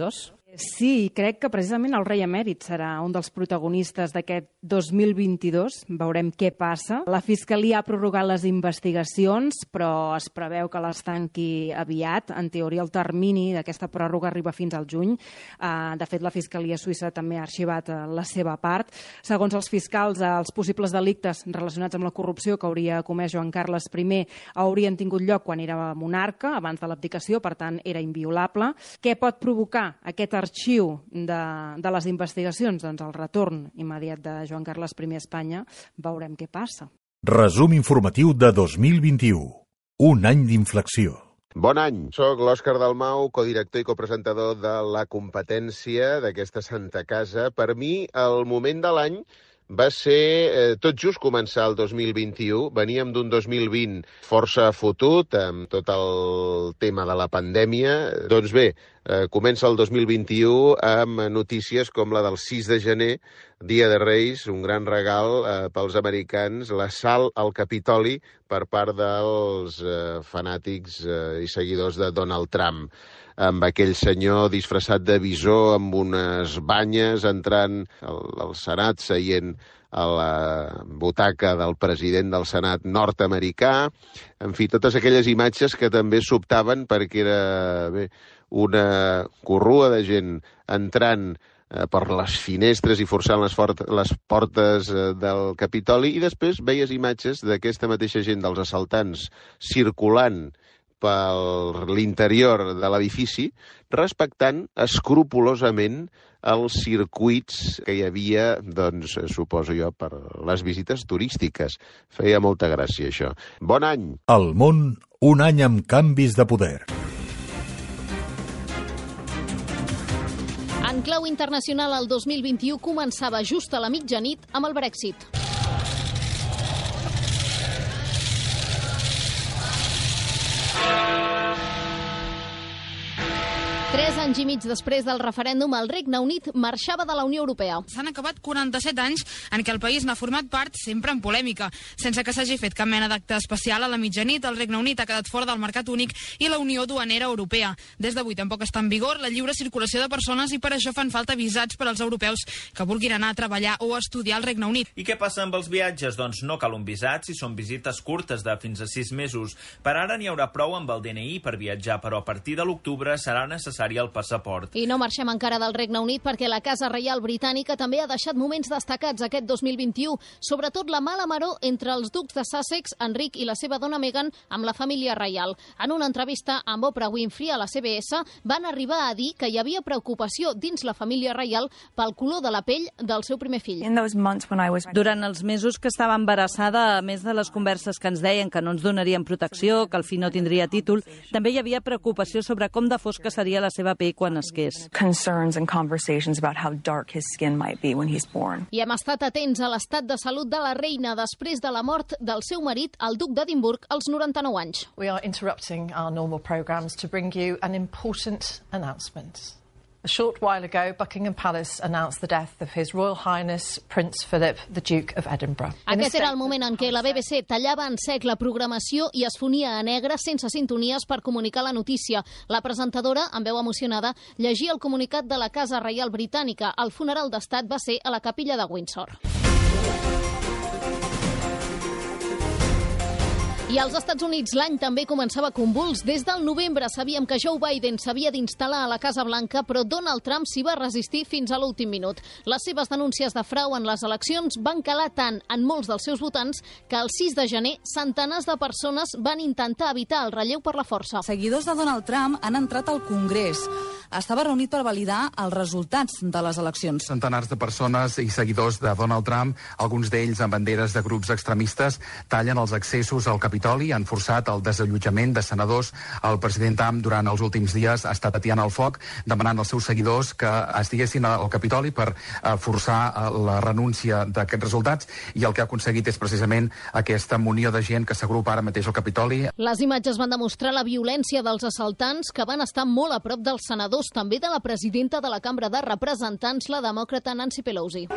Sí, crec que precisament el rei emèrit serà un dels protagonistes d'aquest dos mil vint-i-dos. Veurem què passa. La Fiscalia ha prorrogat les investigacions, però es preveu que les tanqui aviat. En teoria, el termini d'aquesta pròrroga arriba fins al juny. De fet, la Fiscalia suïssa també ha arxivat la seva part. Segons els fiscals, els possibles delictes relacionats amb la corrupció que hauria comès Joan Carles I haurien tingut lloc quan era monarca, abans de l'abdicació, per tant, era inviolable. Què pot provocar aquest arxiu de, de les investigacions? Doncs el retorn immediat de Joan Carles I a Espanya. Veurem què passa. Resum informatiu de dos mil vint-i-u. Un any d'inflexió. Bon any. Soc l'Òscar Dalmau, codirector i copresentador de La Competència d'aquesta Santa Casa. Per mi, el moment de l'any va ser eh, tot just començar el dos mil vint-i-u. Veníem d'un dos mil vint força fotut, amb tot el tema de la pandèmia. Doncs bé, eh, comença el dos mil vint-i-u amb notícies com la del sis de gener, Dia de Reis, un gran regal eh, pels americans, l'assalt al Capitoli per part dels eh, fanàtics eh, i seguidors de Donald Trump, amb aquell senyor disfressat de visó amb unes banyes entrant al, al Senat, seient a la butaca del president del Senat nord-americà. En fi, totes aquelles imatges que també sobtaven perquè era bé, una corrua de gent entrant eh, per les finestres i forçant les, fort, les portes eh, del Capitoli, i després veies imatges d'aquesta mateixa gent, dels assaltants, circulant per l'interior de l'edifici, respectant escrupolosament els circuits que hi havia, doncs, suposo jo, per les visites turístiques. Feia molta gràcia, això. Bon any! El món, un any amb canvis de poder. En clau internacional, el dos mil vint-i-u començava just a la mitjanit amb el Brexit. Tres anys i mig després del referèndum, el Regne Unit marxava de la Unió Europea. S'han acabat quaranta-set anys en què el país n'ha format part, sempre en polèmica. Sense que s'hagi fet cap mena d'acte especial, a la mitjanit el Regne Unit ha quedat fora del mercat únic i la Unió Duanera Europea. Des d'avui tampoc està en vigor la lliure circulació de persones i per això fan falta visats per als europeus que vulguin anar a treballar o a estudiar al Regne Unit. I què passa amb els viatges? Doncs no cal un visat si són visites curtes de fins a sis mesos. Per ara n'hi haurà prou amb el D N I per viatjar, però a partir de l'octubre serà necessari el passaport. I no marxem encara del Regne Unit perquè la Casa Reial Britànica també ha deixat moments destacats aquest dos mil vint-i-u, sobretot la mala maror entre els ducs de Sussex, Enric i la seva dona Meghan, amb la família reial. En una entrevista amb Oprah Winfrey a la C B S van arribar a dir que hi havia preocupació dins la família reial pel color de la pell del seu primer fill. Durant els mesos que estava embarassada, a més de les converses que ens deien que no ens donarien protecció, que el fill no tindria títol, també hi havia preocupació sobre com de fosca seria la seva pell quan nasqués. I hem estat atents a l'estat de salut de la reina després de la mort del seu marit, el duc d'Edimburg, als noranta-nou anys. We are interrupting our normal programs to bring you an important announcement. A short while ago, Buckingham Palace announced the death of His Royal Highness Prince Philip, the Duke of Edinburgh. Aquest era el moment en què la B B C tallava en sec la programació i es fonia a negre sense sintonies per comunicar la notícia. La presentadora, amb veu emocionada, llegia el comunicat de la Casa Reial Britànica. El funeral d'estat va ser a la capella de Windsor. I als Estats Units l'any també començava convuls. Des del novembre sabíem que Joe Biden s'havia d'instal·lar a la Casa Blanca, però Donald Trump s'hi va resistir fins a l'últim minut. Les seves denúncies de frau en les eleccions van calar tant en molts dels seus votants que el sis de gener centenars de persones van intentar evitar el relleu per la força. Seguidors de Donald Trump han entrat al Congrés. Estava reunit per validar els resultats de les eleccions. Centenars de persones i seguidors de Donald Trump, alguns d'ells amb banderes de grups extremistes, tallen els accessos al Capitoli, han forçat el desallotjament de senadors. El president Trump durant els últims dies ha estat atiant el foc, demanant als seus seguidors que estiguessin al Capitoli per eh, forçar eh, la renúncia d'aquests resultats, i el que ha aconseguit és precisament aquesta munió de gent que s'agrupa ara mateix al Capitoli. Les imatges van demostrar la violència dels assaltants, que van estar molt a prop dels senadors, també de la presidenta de la Cambra de Representants, la demòcrata Nancy Pelosi.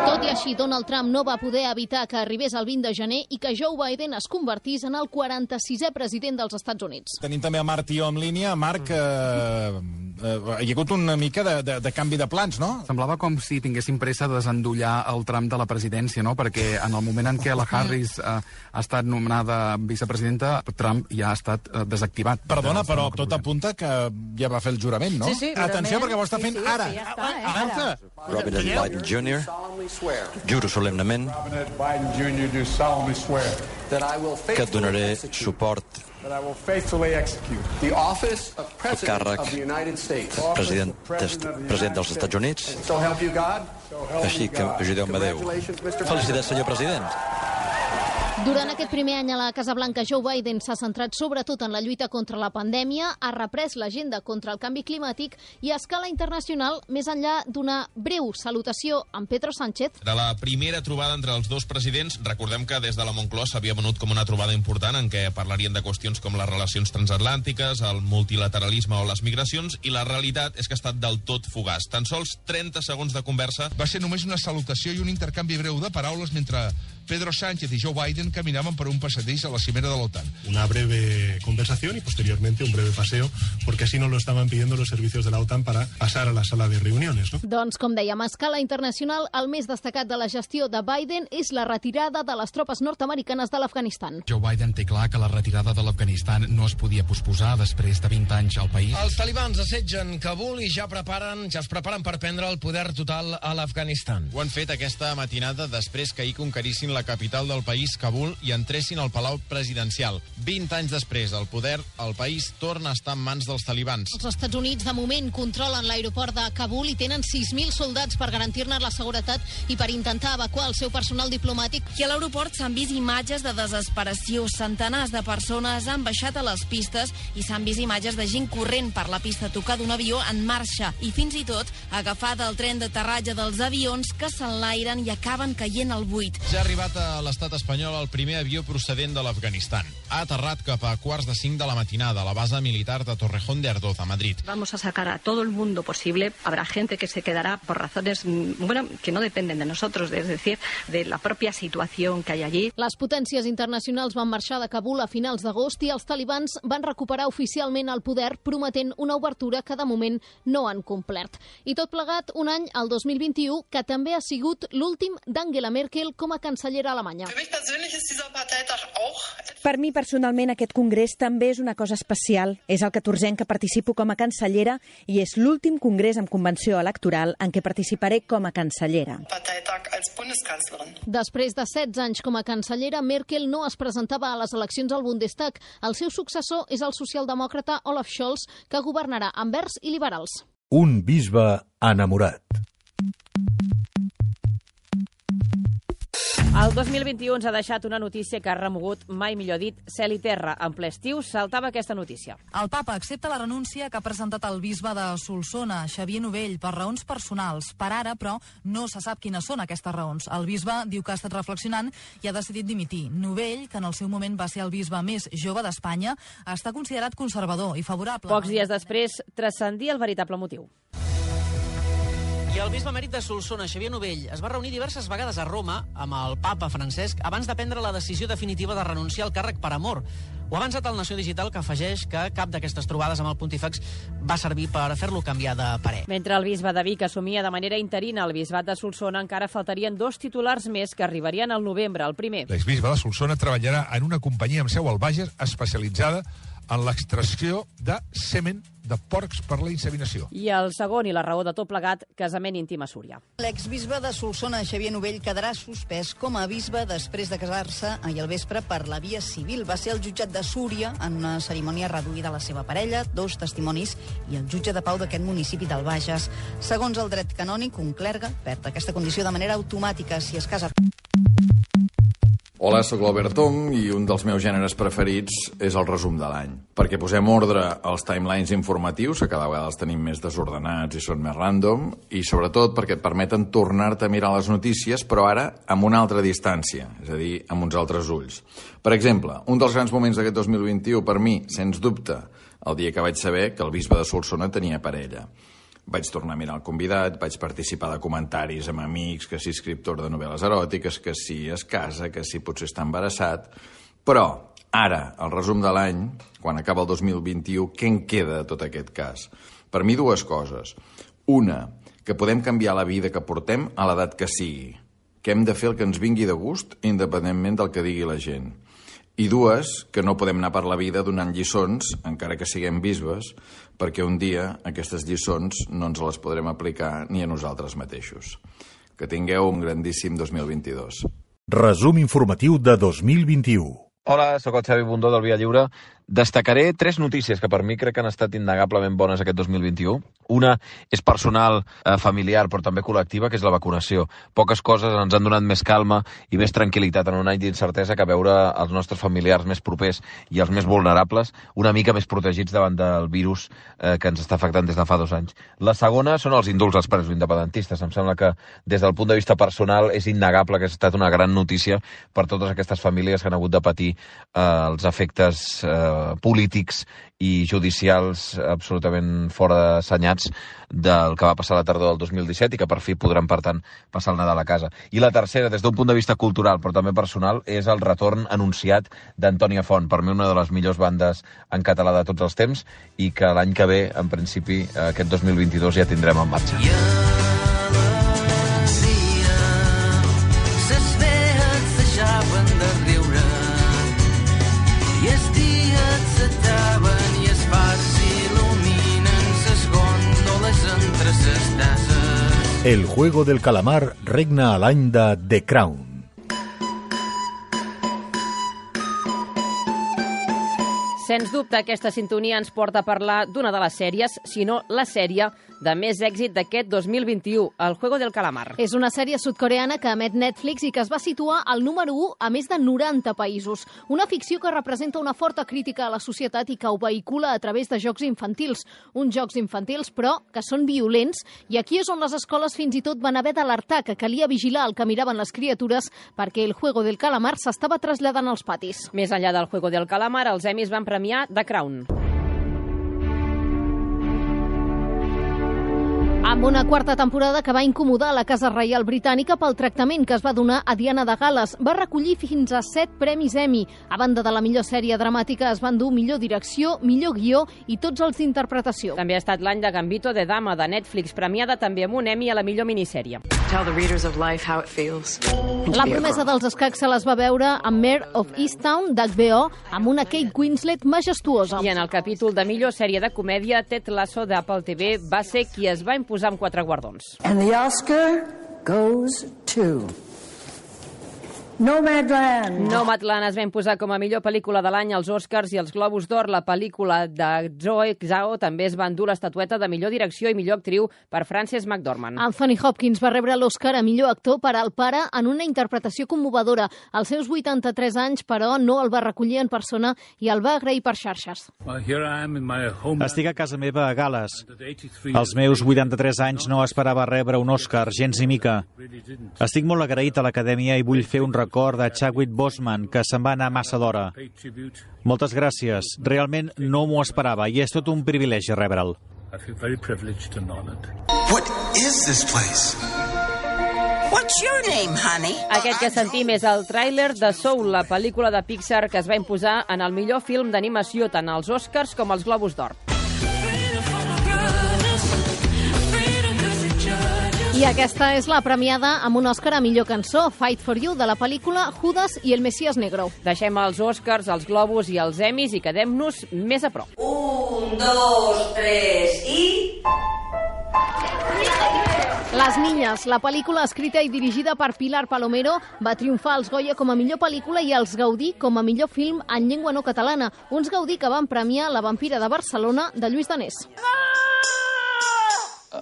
Tot i així, Donald Trump no va poder evitar que arribés el vint de gener i que Joe Biden es convertís en el quaranta-sisè president dels Estats Units. Tenim també a Marc Tió en línia. Marc, eh, eh, hi ha hagut una mica de, de, de canvi de plans, no? Semblava com si tinguessin pressa de desendollar el tram de la presidència, no? Perquè en el moment en què la Harris eh, ha estat nomenada vicepresidenta, Trump ja ha estat eh, desactivat. Perdona, però tot apunta que ja va fer el jurament, no? Sí, sí. Atenció, perquè ho està fent sí, sí, ara. Sí, ja està, eh, ara. Robert N. Biden júnior Juro solemnement que et donaré suport al càrrec president, president dels Estats Units, així que ajudeu-me Déu. Felicitats, senyor president. Durant aquest primer any a la Casa Blanca, Joe Biden s'ha centrat sobretot en la lluita contra la pandèmia, ha reprès l'agenda contra el canvi climàtic i a escala internacional, més enllà d'una breu salutació amb Pedro Sánchez. De la primera trobada entre els dos presidents, recordem que des de la Moncloa s'havia venut com una trobada important en què parlarien de qüestions com les relacions transatlàntiques, el multilateralisme o les migracions, i la realitat és que ha estat del tot fugaç. Tan sols trenta segons de conversa. Va ser només una salutació i un intercanvi breu de paraules mentre Pedro Sánchez y Joe Biden caminaban por un passadís a la cimera de la OTAN. Una breve conversación y posteriormente un breve paseo, porque así nos lo estaban pidiendo los servicios de la OTAN para pasar a la sala de reuniones, ¿no? Doncs, com dèiem, a escala internacional, el més destacat de la gestió de Biden és la retirada de les tropes nord-americanes de l'Afganistan. Joe Biden té clar que la retirada de l'Afganistan no es podia posposar després de vint anys al país. Els talibans assetgen Kabul i ja preparen ja es preparen per prendre el poder total a l'Afganistan. Ho han fet aquesta matinada després que ahir conquerissin la capital del país, Kabul, i entressin al Palau Presidencial. vint anys després, el poder al país torna a estar en mans dels talibans. Els Estats Units, de moment, controlen l'aeroport de Kabul i tenen sis mil soldats per garantir-ne la seguretat i per intentar evacuar el seu personal diplomàtic. I a l'aeroport s'han vist imatges de desesperació. Centenars de persones han baixat a les pistes i s'han vist imatges de gent corrent per la pista a tocar d'un avió en marxa i fins i tot agafada al tren d'aterratge dels avions que s'enlairen i acaben caient al buit. Ja ha arribat a l'estat espanyol el primer avió procedent de l'Afganistan. Ha aterrat cap a quarts de cinc de la matinada a la base militar de Torrejón de Ardoz, a Madrid. Vamos a sacar a todo el mundo posible. Habrá gente que se quedará por razones, bueno, que no dependen de nosotros, es decir, de la propia situación que hay allí. Les potències internacionals van marxar de Kabul a finals d'agost i els talibans van recuperar oficialment el poder, prometent una obertura que de moment no han complert. I tot plegat, un any, el dos mil vint-i-u, que també ha sigut l'últim d'Angela Merkel com a cancellera alemanya. Per mi, personalment, aquest congrés també és una cosa especial. És el catorzè que participo com a cancellera i és l'últim congrés amb convenció electoral en què participaré com a cancellera. Després de setze anys com a cancellera, Merkel no es presentava a les eleccions al Bundestag. El seu successor és el socialdemòcrata Olaf Scholz, que governarà amb verds i liberals. Un bisbe enamorat. El dos mil vint-i-u ens ha deixat una notícia que ha remogut, mai millor dit, cel i terra. En ple estiu saltava aquesta notícia. El papa accepta la renúncia que ha presentat el bisbe de Solsona, Xavier Novell, per raons personals. Per ara, però, no se sap quines són aquestes raons. El bisbe diu que ha estat reflexionant i ha decidit dimitir. Novell, que en el seu moment va ser el bisbe més jove d'Espanya, està considerat conservador i favorable. Pocs dies després, transcendia el veritable motiu. I el bisbe emèrit de Solsona, Xavier Novell, es va reunir diverses vegades a Roma amb el papa Francesc abans de prendre la decisió definitiva de renunciar al càrrec per amor. Ho ha avançat el Nació Digital, que afegeix que cap d'aquestes trobades amb el pontífex va servir per fer-lo canviar de parer. Mentre el bisbe de Vic assumia de manera interina el bisbat de Solsona, encara faltarien dos titulars més que arribarien al novembre. El primer. L'exbisbe de Solsona treballarà en una companyia amb seu al Bages especialitzada en l'extracció de semen de porcs per la inseminació. I el segon, i la raó de tot plegat, casament íntim a Súria. L'exbisbe de Solsona, Xavier Novell, quedarà suspès com a bisbe després de casar-se ahir al vespre per la via civil. Va ser el jutjat de Súria en una cerimònia reduïda a la seva parella, dos testimonis i el jutge de pau d'aquest municipi del Bages. Segons el dret canònic, un clergue perd aquesta condició de manera automàtica si es casa. Hola, sóc l'Albert Tom i un dels meus gèneres preferits és el resum de l'any. Perquè posem ordre als timelines informatius, que cada vegada els tenim més desordenats i són més random, i sobretot perquè et permeten tornar-te a mirar les notícies, però ara amb una altra distància, és a dir, amb uns altres ulls. Per exemple, un dels grans moments d'aquest dos mil vint-i-u per mi, sens dubte, el dia que vaig saber que el bisbe de Solsona tenia parella. Vaig tornar a mirar el convidat, vaig participar de comentaris amb amics, que si escriptor de novel·les eròtiques, que si es casa, que si potser està embarassat. Però, ara, el resum de l'any, quan acaba el dos mil vint-i-u, què en queda de tot aquest cas? Per mi, dues coses. Una, que podem canviar la vida que portem a l'edat que sigui, que hem de fer el que ens vingui de gust, independentment del que digui la gent. I dues, que no podem anar per la vida donant lliçons, encara que siguem bisbes, perquè un dia aquestes lliçons no ens les podrem aplicar ni a nosaltres mateixos. Que tingueu un grandíssim dos mil vint-i-dos. Resum informatiu de dos mil vint-i-u. Hola, sóc el Xavi Bundó del Via Lliure. Destacaré tres notícies que per mi crec que han estat innegablement bones aquest dos mil vint-i-u. Una és personal, eh, familiar, però també col·lectiva, que és la vacunació. Poques coses ens han donat més calma i més tranquil·litat en un any d'incertesa que veure els nostres familiars més propers i els més vulnerables una mica més protegits davant del virus eh, que ens està afectant des de fa dos anys. La segona són els indults als presos independentistes. Em sembla que des del punt de vista personal és innegable que ha estat una gran notícia per totes aquestes famílies que han hagut de patir eh, els efectes eh, polítics i judicials absolutament fora d'assenyats del que va passar la tardor del dos mil disset i que per fi podran, per tant, passar el Nadal a casa. I la tercera, des d'un punt de vista cultural, però també personal, és el retorn anunciat d'Antònia Font, per mi una de les millors bandes en català de tots els temps i que l'any que ve, en principi, aquest dos mil vint-i-dos ja tindrem en marxa. I els dies s'acaben i els fars s'il·luminen ses gòndoles entre ses tasses. El juego del calamar regna a l'any de The Crown. Sens dubte, aquesta sintonia ens porta a parlar d'una de les sèries, si no la sèrie de més èxit d'aquest dos mil vint-i-u, El Juego del Calamar. És una sèrie sud-coreana que emet Netflix i que es va situar al número u a més de noranta països. Una ficció que representa una forta crítica a la societat i que ho vehicula a través de jocs infantils. Uns jocs infantils, però, que són violents, i aquí és on les escoles fins i tot van haver d'alertar que calia vigilar el que miraven les criatures perquè El Juego del Calamar s'estava traslladant als patis. Més enllà del Juego del Calamar, els Emmys van premiar The Crown. Amb una quarta temporada que va incomodar la Casa Reial Britànica pel tractament que es va donar a Diana de Gal·les. Va recollir fins a set premis Emmy. A banda de la millor sèrie dramàtica, es van dur millor direcció, millor guió i tots els d'interpretació. També ha estat l'any de Gambito de Dama, de Netflix, premiada també amb un Emmy a la millor minissèrie. Tell the readers of life how it feels. La promesa dels escacs se les va veure amb Mare of Easttown, d'H B O, amb una Kate Winslet majestuosa. I en el capítol de millor sèrie de comèdia, Ted Lasso d'Apple T V va ser qui es va imposar amb quatre guardons. And the Oscar goes to Nomadland. Nomadland es va imposar com a millor pel·lícula de l'any als Oscars i als Globus d'Or. La pel·lícula de Zoe Zhao també es va endur l'estatueta de millor direcció i millor actriu per Frances McDormand. Anthony Hopkins va rebre l'Oscar a millor actor per al pare en una interpretació commovedora. Als seus vuitanta-tres anys, però, no el va recollir en persona i el va agrair per xarxes. Estic a casa meva a Gal·les. Als meus vuitanta-tres anys no esperava rebre un Oscar, gens ni mica. Estic molt agraït a l'Acadèmia i vull fer un record de Chadwick Boseman, que se'n va anar massa d'hora. Moltes gràcies. Realment no m'ho esperava i és tot un privilegi rebre'l. What is this place? What's your name, honey? Aquest que sentim és el tràiler de Soul, la pel·lícula de Pixar que es va imposar en el millor film d'animació tant als Oscars com als Globus d'Or. I aquesta és la premiada amb un Òscar a millor cançó, Fight for You, de la pel·lícula Judas i el Mesías Negro. Deixem els Oscars, els Globus i els Emmys i quedem-nos més a prop. Un, dos, tres i... Les Niñas, la pel·lícula escrita i dirigida per Pilar Palomero, va triomfar als Goya com a millor pel·lícula i als Gaudí com a millor film en llengua no catalana, uns Gaudí que van premiar La vampira de Barcelona, de Lluís Danés.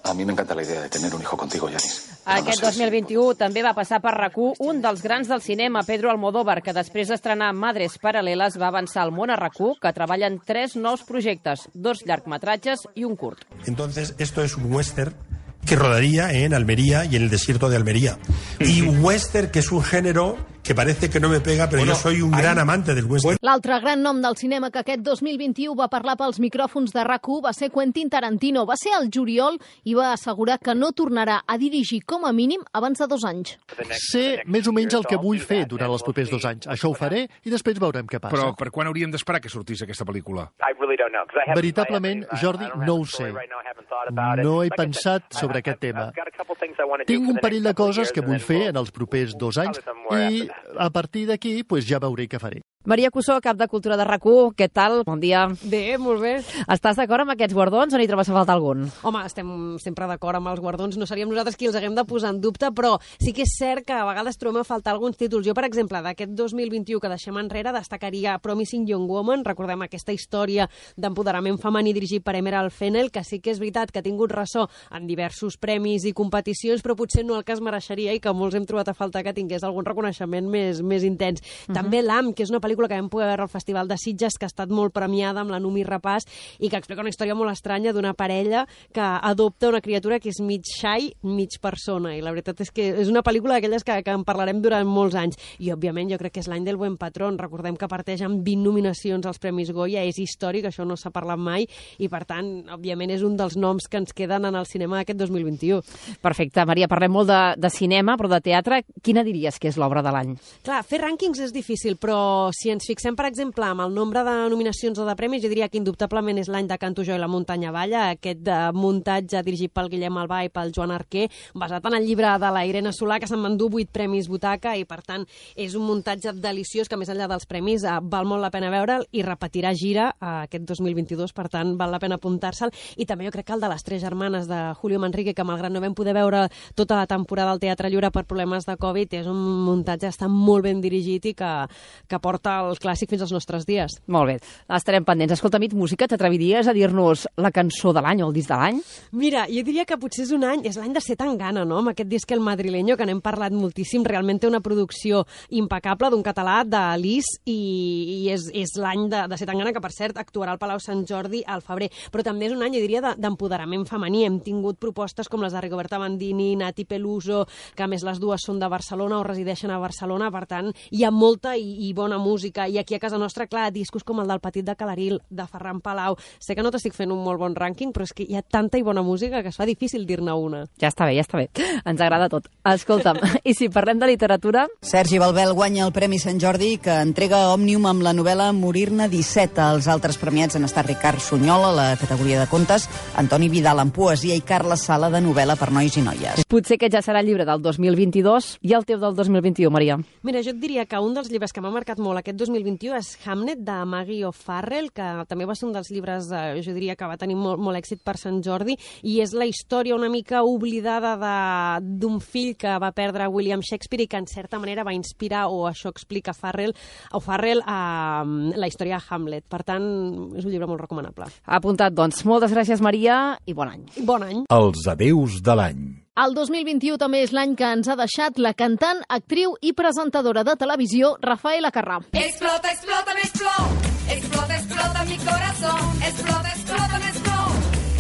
A mí me encanta la idea de tener un hijo contigo, Yanis. Aquest dos mil vint-i-u també va passar per RAC u un dels grans del cinema, Pedro Almodóvar, que després d'estrenar Madres Paral·leles va avançar al món a RAC u, que treballa en tres nous projectes, dos llargmetratges i un curt. Entonces, esto es un western que rodaría en Almería y en el desierto de Almería. Y western, que es un género que parece que no me pega, pero bueno, yo soy un hay... gran amante del western. L'altre gran nom del cinema que aquest dos mil vint-i-u va parlar pels micròfons de RAC u va ser Quentin Tarantino. Va ser al juliol i va assegurar que no tornarà a dirigir com a mínim abans de dos anys. Sé més o menys el que vull fer durant els propers dos anys. Això ho faré i després veurem què passa. Però per quan hauríem d'esperar que sortís aquesta pel·lícula? Veritablement, Jordi, no ho sé. No he pensat sobre aquest tema. Tinc un parell de coses que vull fer en els propers dos anys i a partir d'aquí pues, ja veuré què faré. Maria Cussó, cap de Cultura de RAC u, què tal? Bon dia. Bé, molt bé. Estàs d'acord amb aquests guardons o n'hi trobes a faltar algun? Home, estem sempre d'acord amb els guardons, no seríem nosaltres qui els haguem de posar en dubte, però sí que és cert que a vegades trobem a faltar alguns títols. Jo, per exemple, d'aquest dos mil vint-i-u que deixem enrere, destacaria Promising Young Woman, recordem aquesta història d'empoderament femení dirigit per Emerald Fennell, que sí que és veritat que ha tingut ressò en diversos premis i competicions, però potser no el que es mereixeria i que molts hem trobat a faltar que tingués algun reconeixement més, més intens. Uh-huh. També L'Am, que és una pel·lícula que vam poder veure al Festival de Sitges, que ha estat molt premiada amb la Numi Rapàs i que explica una història molt estranya d'una parella que adopta una criatura que és mig xai, mig persona, i la veritat és que és una pel·lícula d'aquelles que, que en parlarem durant molts anys, i òbviament jo crec que és l'any del Buen Patrón. Recordem que parteix amb vint nominacions als Premis Goya, és històric, això no s'ha parlat mai, i per tant, òbviament és un dels noms que ens queden en el cinema aquest dos mil vint-i-u. Perfecte, Maria, parlem molt de, de cinema, però de teatre, quina diries que és l'obra de l'any? Clar, fer rànquings és difícil, però si ens fixem, per exemple, amb el nombre de nominacions o de premis, jo diria que indubtablement és l'any de Canto jo i la muntanya balla, aquest de muntatge dirigit pel Guillem Albà i pel Joan Arquer, basat en el llibre de la Irene Solà, que se'n m'endú vuit premis butaca, i per tant és un muntatge deliciós que, més enllà dels premis, eh, val molt la pena veure'l i repetirà gira eh, aquest dos mil vint-i-dos, per tant val la pena apuntar-se'l. I també jo crec que el de les Tres germanes de Julio Manrique, que malgrat no vam poder veure tota la temporada al Teatre Lliure per problemes de Covid, és un muntatge que està molt ben dirigit i que, que porta el clàssic fins als nostres dies. Molt bé, estarem pendents. Escolta, Mit Música, t'atreviries a dir-nos la cançó de l'any o el disc de l'any? Mira, jo diria que potser és un any, és l'any de Ser tan gana, no?, amb aquest disc El Madrileño, que n'hem parlat moltíssim, realment té una producció impecable d'un català de Lis, i, i és, és l'any de, de Ser tan gana, que per cert actuarà al Palau Sant Jordi al febrer, però també és un any, jo diria, d'empoderament femení. Hem tingut propostes com les de Rigoberta Bandini, Nati Peluso, que a més les dues són de Barcelona o resideixen a Barcelona, per tant hi ha molta i, i bona música, i aquí a casa nostra, clar, discos com el del Petit de Calaril, de Ferran Palau. Sé que no t'estic fent un molt bon rànquing, però és que hi ha tanta i bona música que es fa difícil dir-ne una. Ja està bé, ja està bé. Ens agrada tot. Escolta'm, i si parlem de literatura... Sergi Balbel guanya el Premi Sant Jordi, que entrega Òmnium amb la novel·la Morir-ne disset. Els altres premiats han estat Ricard Sunyol, a la categoria de contes, Antoni Vidal en poesia i Carles Sala, de novel·la per nois i noies. Potser aquest ja serà el llibre del dos mil vint-i-dos i el teu del dos mil vint-i-u, Maria. Mira, jo et diria que un dels llibres que m'ha marcat molt aquest dos mil vint-i-u és Hamnet, de Maggie O'Farrell, que també va ser un dels llibres, eh, jo diria que va tenir molt, molt èxit per Sant Jordi, i és la història una mica oblidada d'un fill que va perdre William Shakespeare i que en certa manera va inspirar, o això explica Farrell, O'Farrell, a la història de Hamlet. Per tant, és un llibre molt recomanable. Apuntat, doncs. Moltes gràcies, Maria, i bon any. Bon any. Els adeus de l'any. El dos mil vint-i-u també és l'any que ens ha deixat la cantant, actriu i presentadora de televisió Rafaela Carrà. Explota, explota, me explota. Explota, explota mi corazón. Explota, explota, me explota.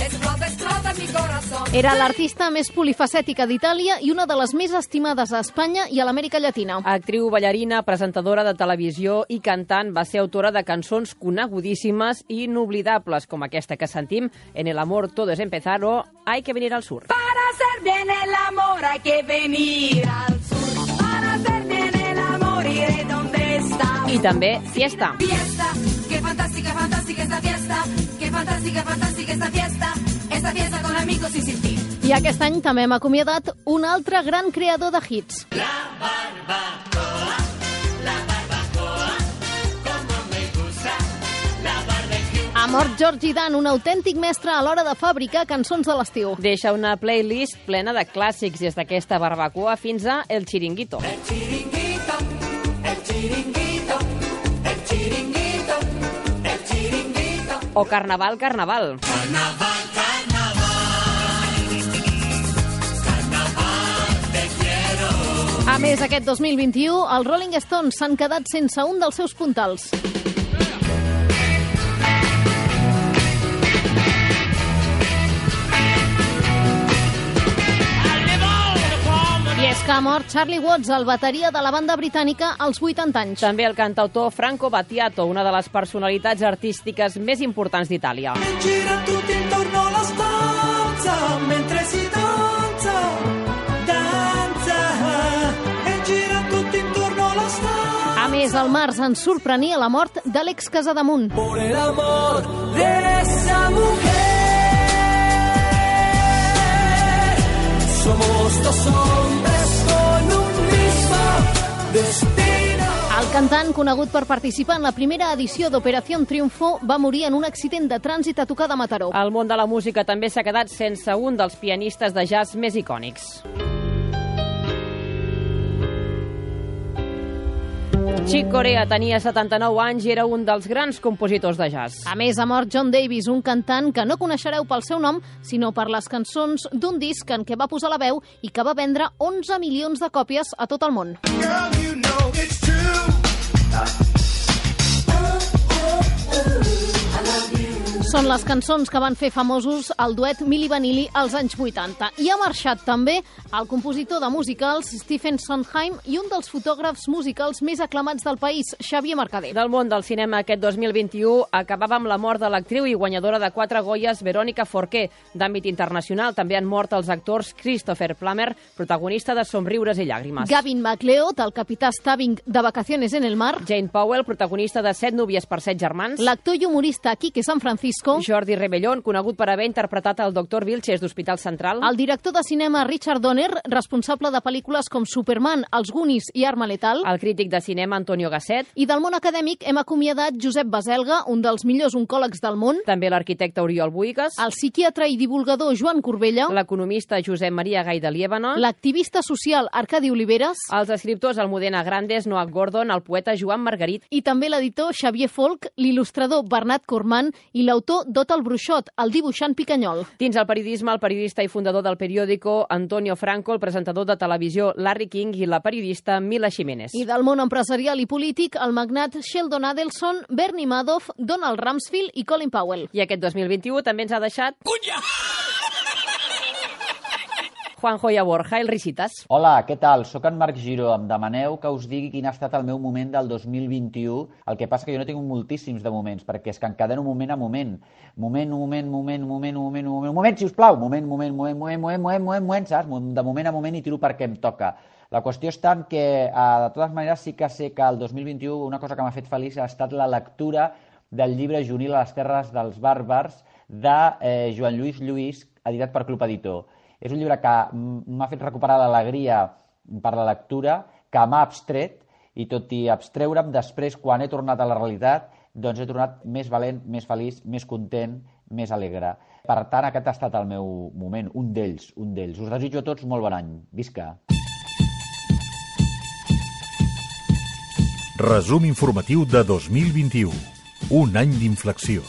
Explota, explota mi corazón. Era l'artista més polifacètica d'Itàlia i una de les més estimades a Espanya i a l'Amèrica Llatina. Actriu, ballarina, presentadora de televisió i cantant, va ser autora de cançons conegudíssimes i inoblidables, com aquesta que sentim, En el amor todo es empezar o Hay que venir al sur. Para hacer bien el amor hay que venir al sur. Para hacer bien el amor iré donde está. I també fiesta. Fiesta, qué fantástica, fantástica esta fiesta. Qué fantástica, fantástica esta fiesta. Esta fiesta con amigos y sin ti. I aquest any també hem acomiadat un altre gran creador de hits. La barbacoa, la barbacoa, como me gusta, la barbecue. Ha mort Georgie Dan, un autèntic mestre a l'hora de fabricar cançons de l'estiu. Deixa una playlist plena de clàssics des d'aquesta barbacoa fins a El Chiringuito. El chiringuito, el chiringuito, el chiringuito, el chiringuito. O Carnaval, Carnaval. Carnaval, A més, aquest dos mil vint-i-u, els Rolling Stones s'han quedat sense un dels seus puntals. I és que ha mort Charlie Watts, el bateria de la banda britànica, als vuitanta anys. També el cantautor Franco Battiato, una de les personalitats artístiques més importants d'Itàlia. Gira tutti intorno alla stanza mentre si danza, danza. E gira tutti intorno alla stanza. A més, al març ens sorprenia la mort d'Àlex Casademunt. Por el amor de esa mujer. Somos dos hombres con un mismo destino. El cantant, conegut per participar en la primera edició d'Operación Triunfo, va morir en un accident de trànsit a tocar de Mataró. El món de la música també s'ha quedat sense un dels pianistes de jazz més icònics. Chick Corea tenia setanta-nou anys i era un dels grans compositors de jazz. A més, ha mort John Davis, un cantant que no coneixereu pel seu nom, sinó per les cançons d'un disc en què va posar la veu i que va vendre onze milions de còpies a tot el món. Girl, you know it's true. Són les cançons que van fer famosos el duet Milli Vanilli als anys vuitanta. I ha marxat també el compositor de musicals Stephen Sondheim i un dels fotògrafs musicals més aclamats del país, Xavier Mercader. Del món del cinema aquest dos mil vint-i-u acabava amb la mort de l'actriu i guanyadora de quatre Goyes, Verónica Forqué. D'àmbit internacional també han mort els actors Christopher Plummer, protagonista de Somriures i llàgrimes. Gavin MacLeod, el capità Stabbing de Vacaciones en el mar. Jane Powell, protagonista de Set núvies per set germans. L'actor i humorista Quique San Francisco. Jordi Rebellón, conegut per haver interpretat el doctor Vilches d'Hospital Central. El director de cinema Richard Donner, responsable de pel·lícules com Superman, Els Goonies i Arma Letal. El crític de cinema Antonio Gasset. I del món acadèmic hem acomiadat Josep Baselga, un dels millors oncòlegs del món. També l'arquitecte Oriol Buigas. El psiquiatre i divulgador Joan Corbella. L'economista Josep Maria Gai de Liébana. L'activista social Arcadi Oliveres. Els escriptors Almudena Grandes, Noah Gordon, el poeta Joan Margarit. I també l'editor Xavier Folk, l'il·lustrador Bernat Corman i l'autor Dot el Bruixot, el dibuixant Picanyol. Dins el periodisme, el periodista i fundador del periòdico Antonio Franco, el presentador de televisió Larry King i la periodista Mila Jiménez. I del món empresarial i polític, el magnat Sheldon Adelson, Bernie Madoff, Donald Rumsfeld i Colin Powell. I aquest dos mil vint-i-u també ens ha deixat... Cunya! Juanjo Borja, el Risitas. Hola, què tal? Soc en Marc Giró. Em demaneu que us digui quin ha estat el meu moment del dos mil vint-i-u. El que passa que jo no tinc moltíssims de moments, perquè és que encadeno moment a moment. Moment, moment, moment, moment, moment, moment, moment, sisplau! Moment, moment, moment, moment, moment, moment, moment, moment, saps? De moment a moment i tiro perquè em toca. La qüestió està en que, de totes maneres, sí que sé que el dos mil vint-i-u una cosa que m'ha fet feliç ha estat la lectura del llibre Juvenil a les terres dels bàrbars de eh, Joan Lluís Lluís, editat per Club Editor. És un llibre que m'ha fet recuperar l'alegria per la lectura, que m'ha abstret, i tot i abstreure'm, després, quan he tornat a la realitat, doncs he tornat més valent, més feliç, més content, més alegre. Per tant, aquest ha estat el meu moment, un d'ells, un d'ells. Us desitjo a tots molt bon any. Visca! Resum informatiu de dos mil vint-i-u. Un any d'inflexió.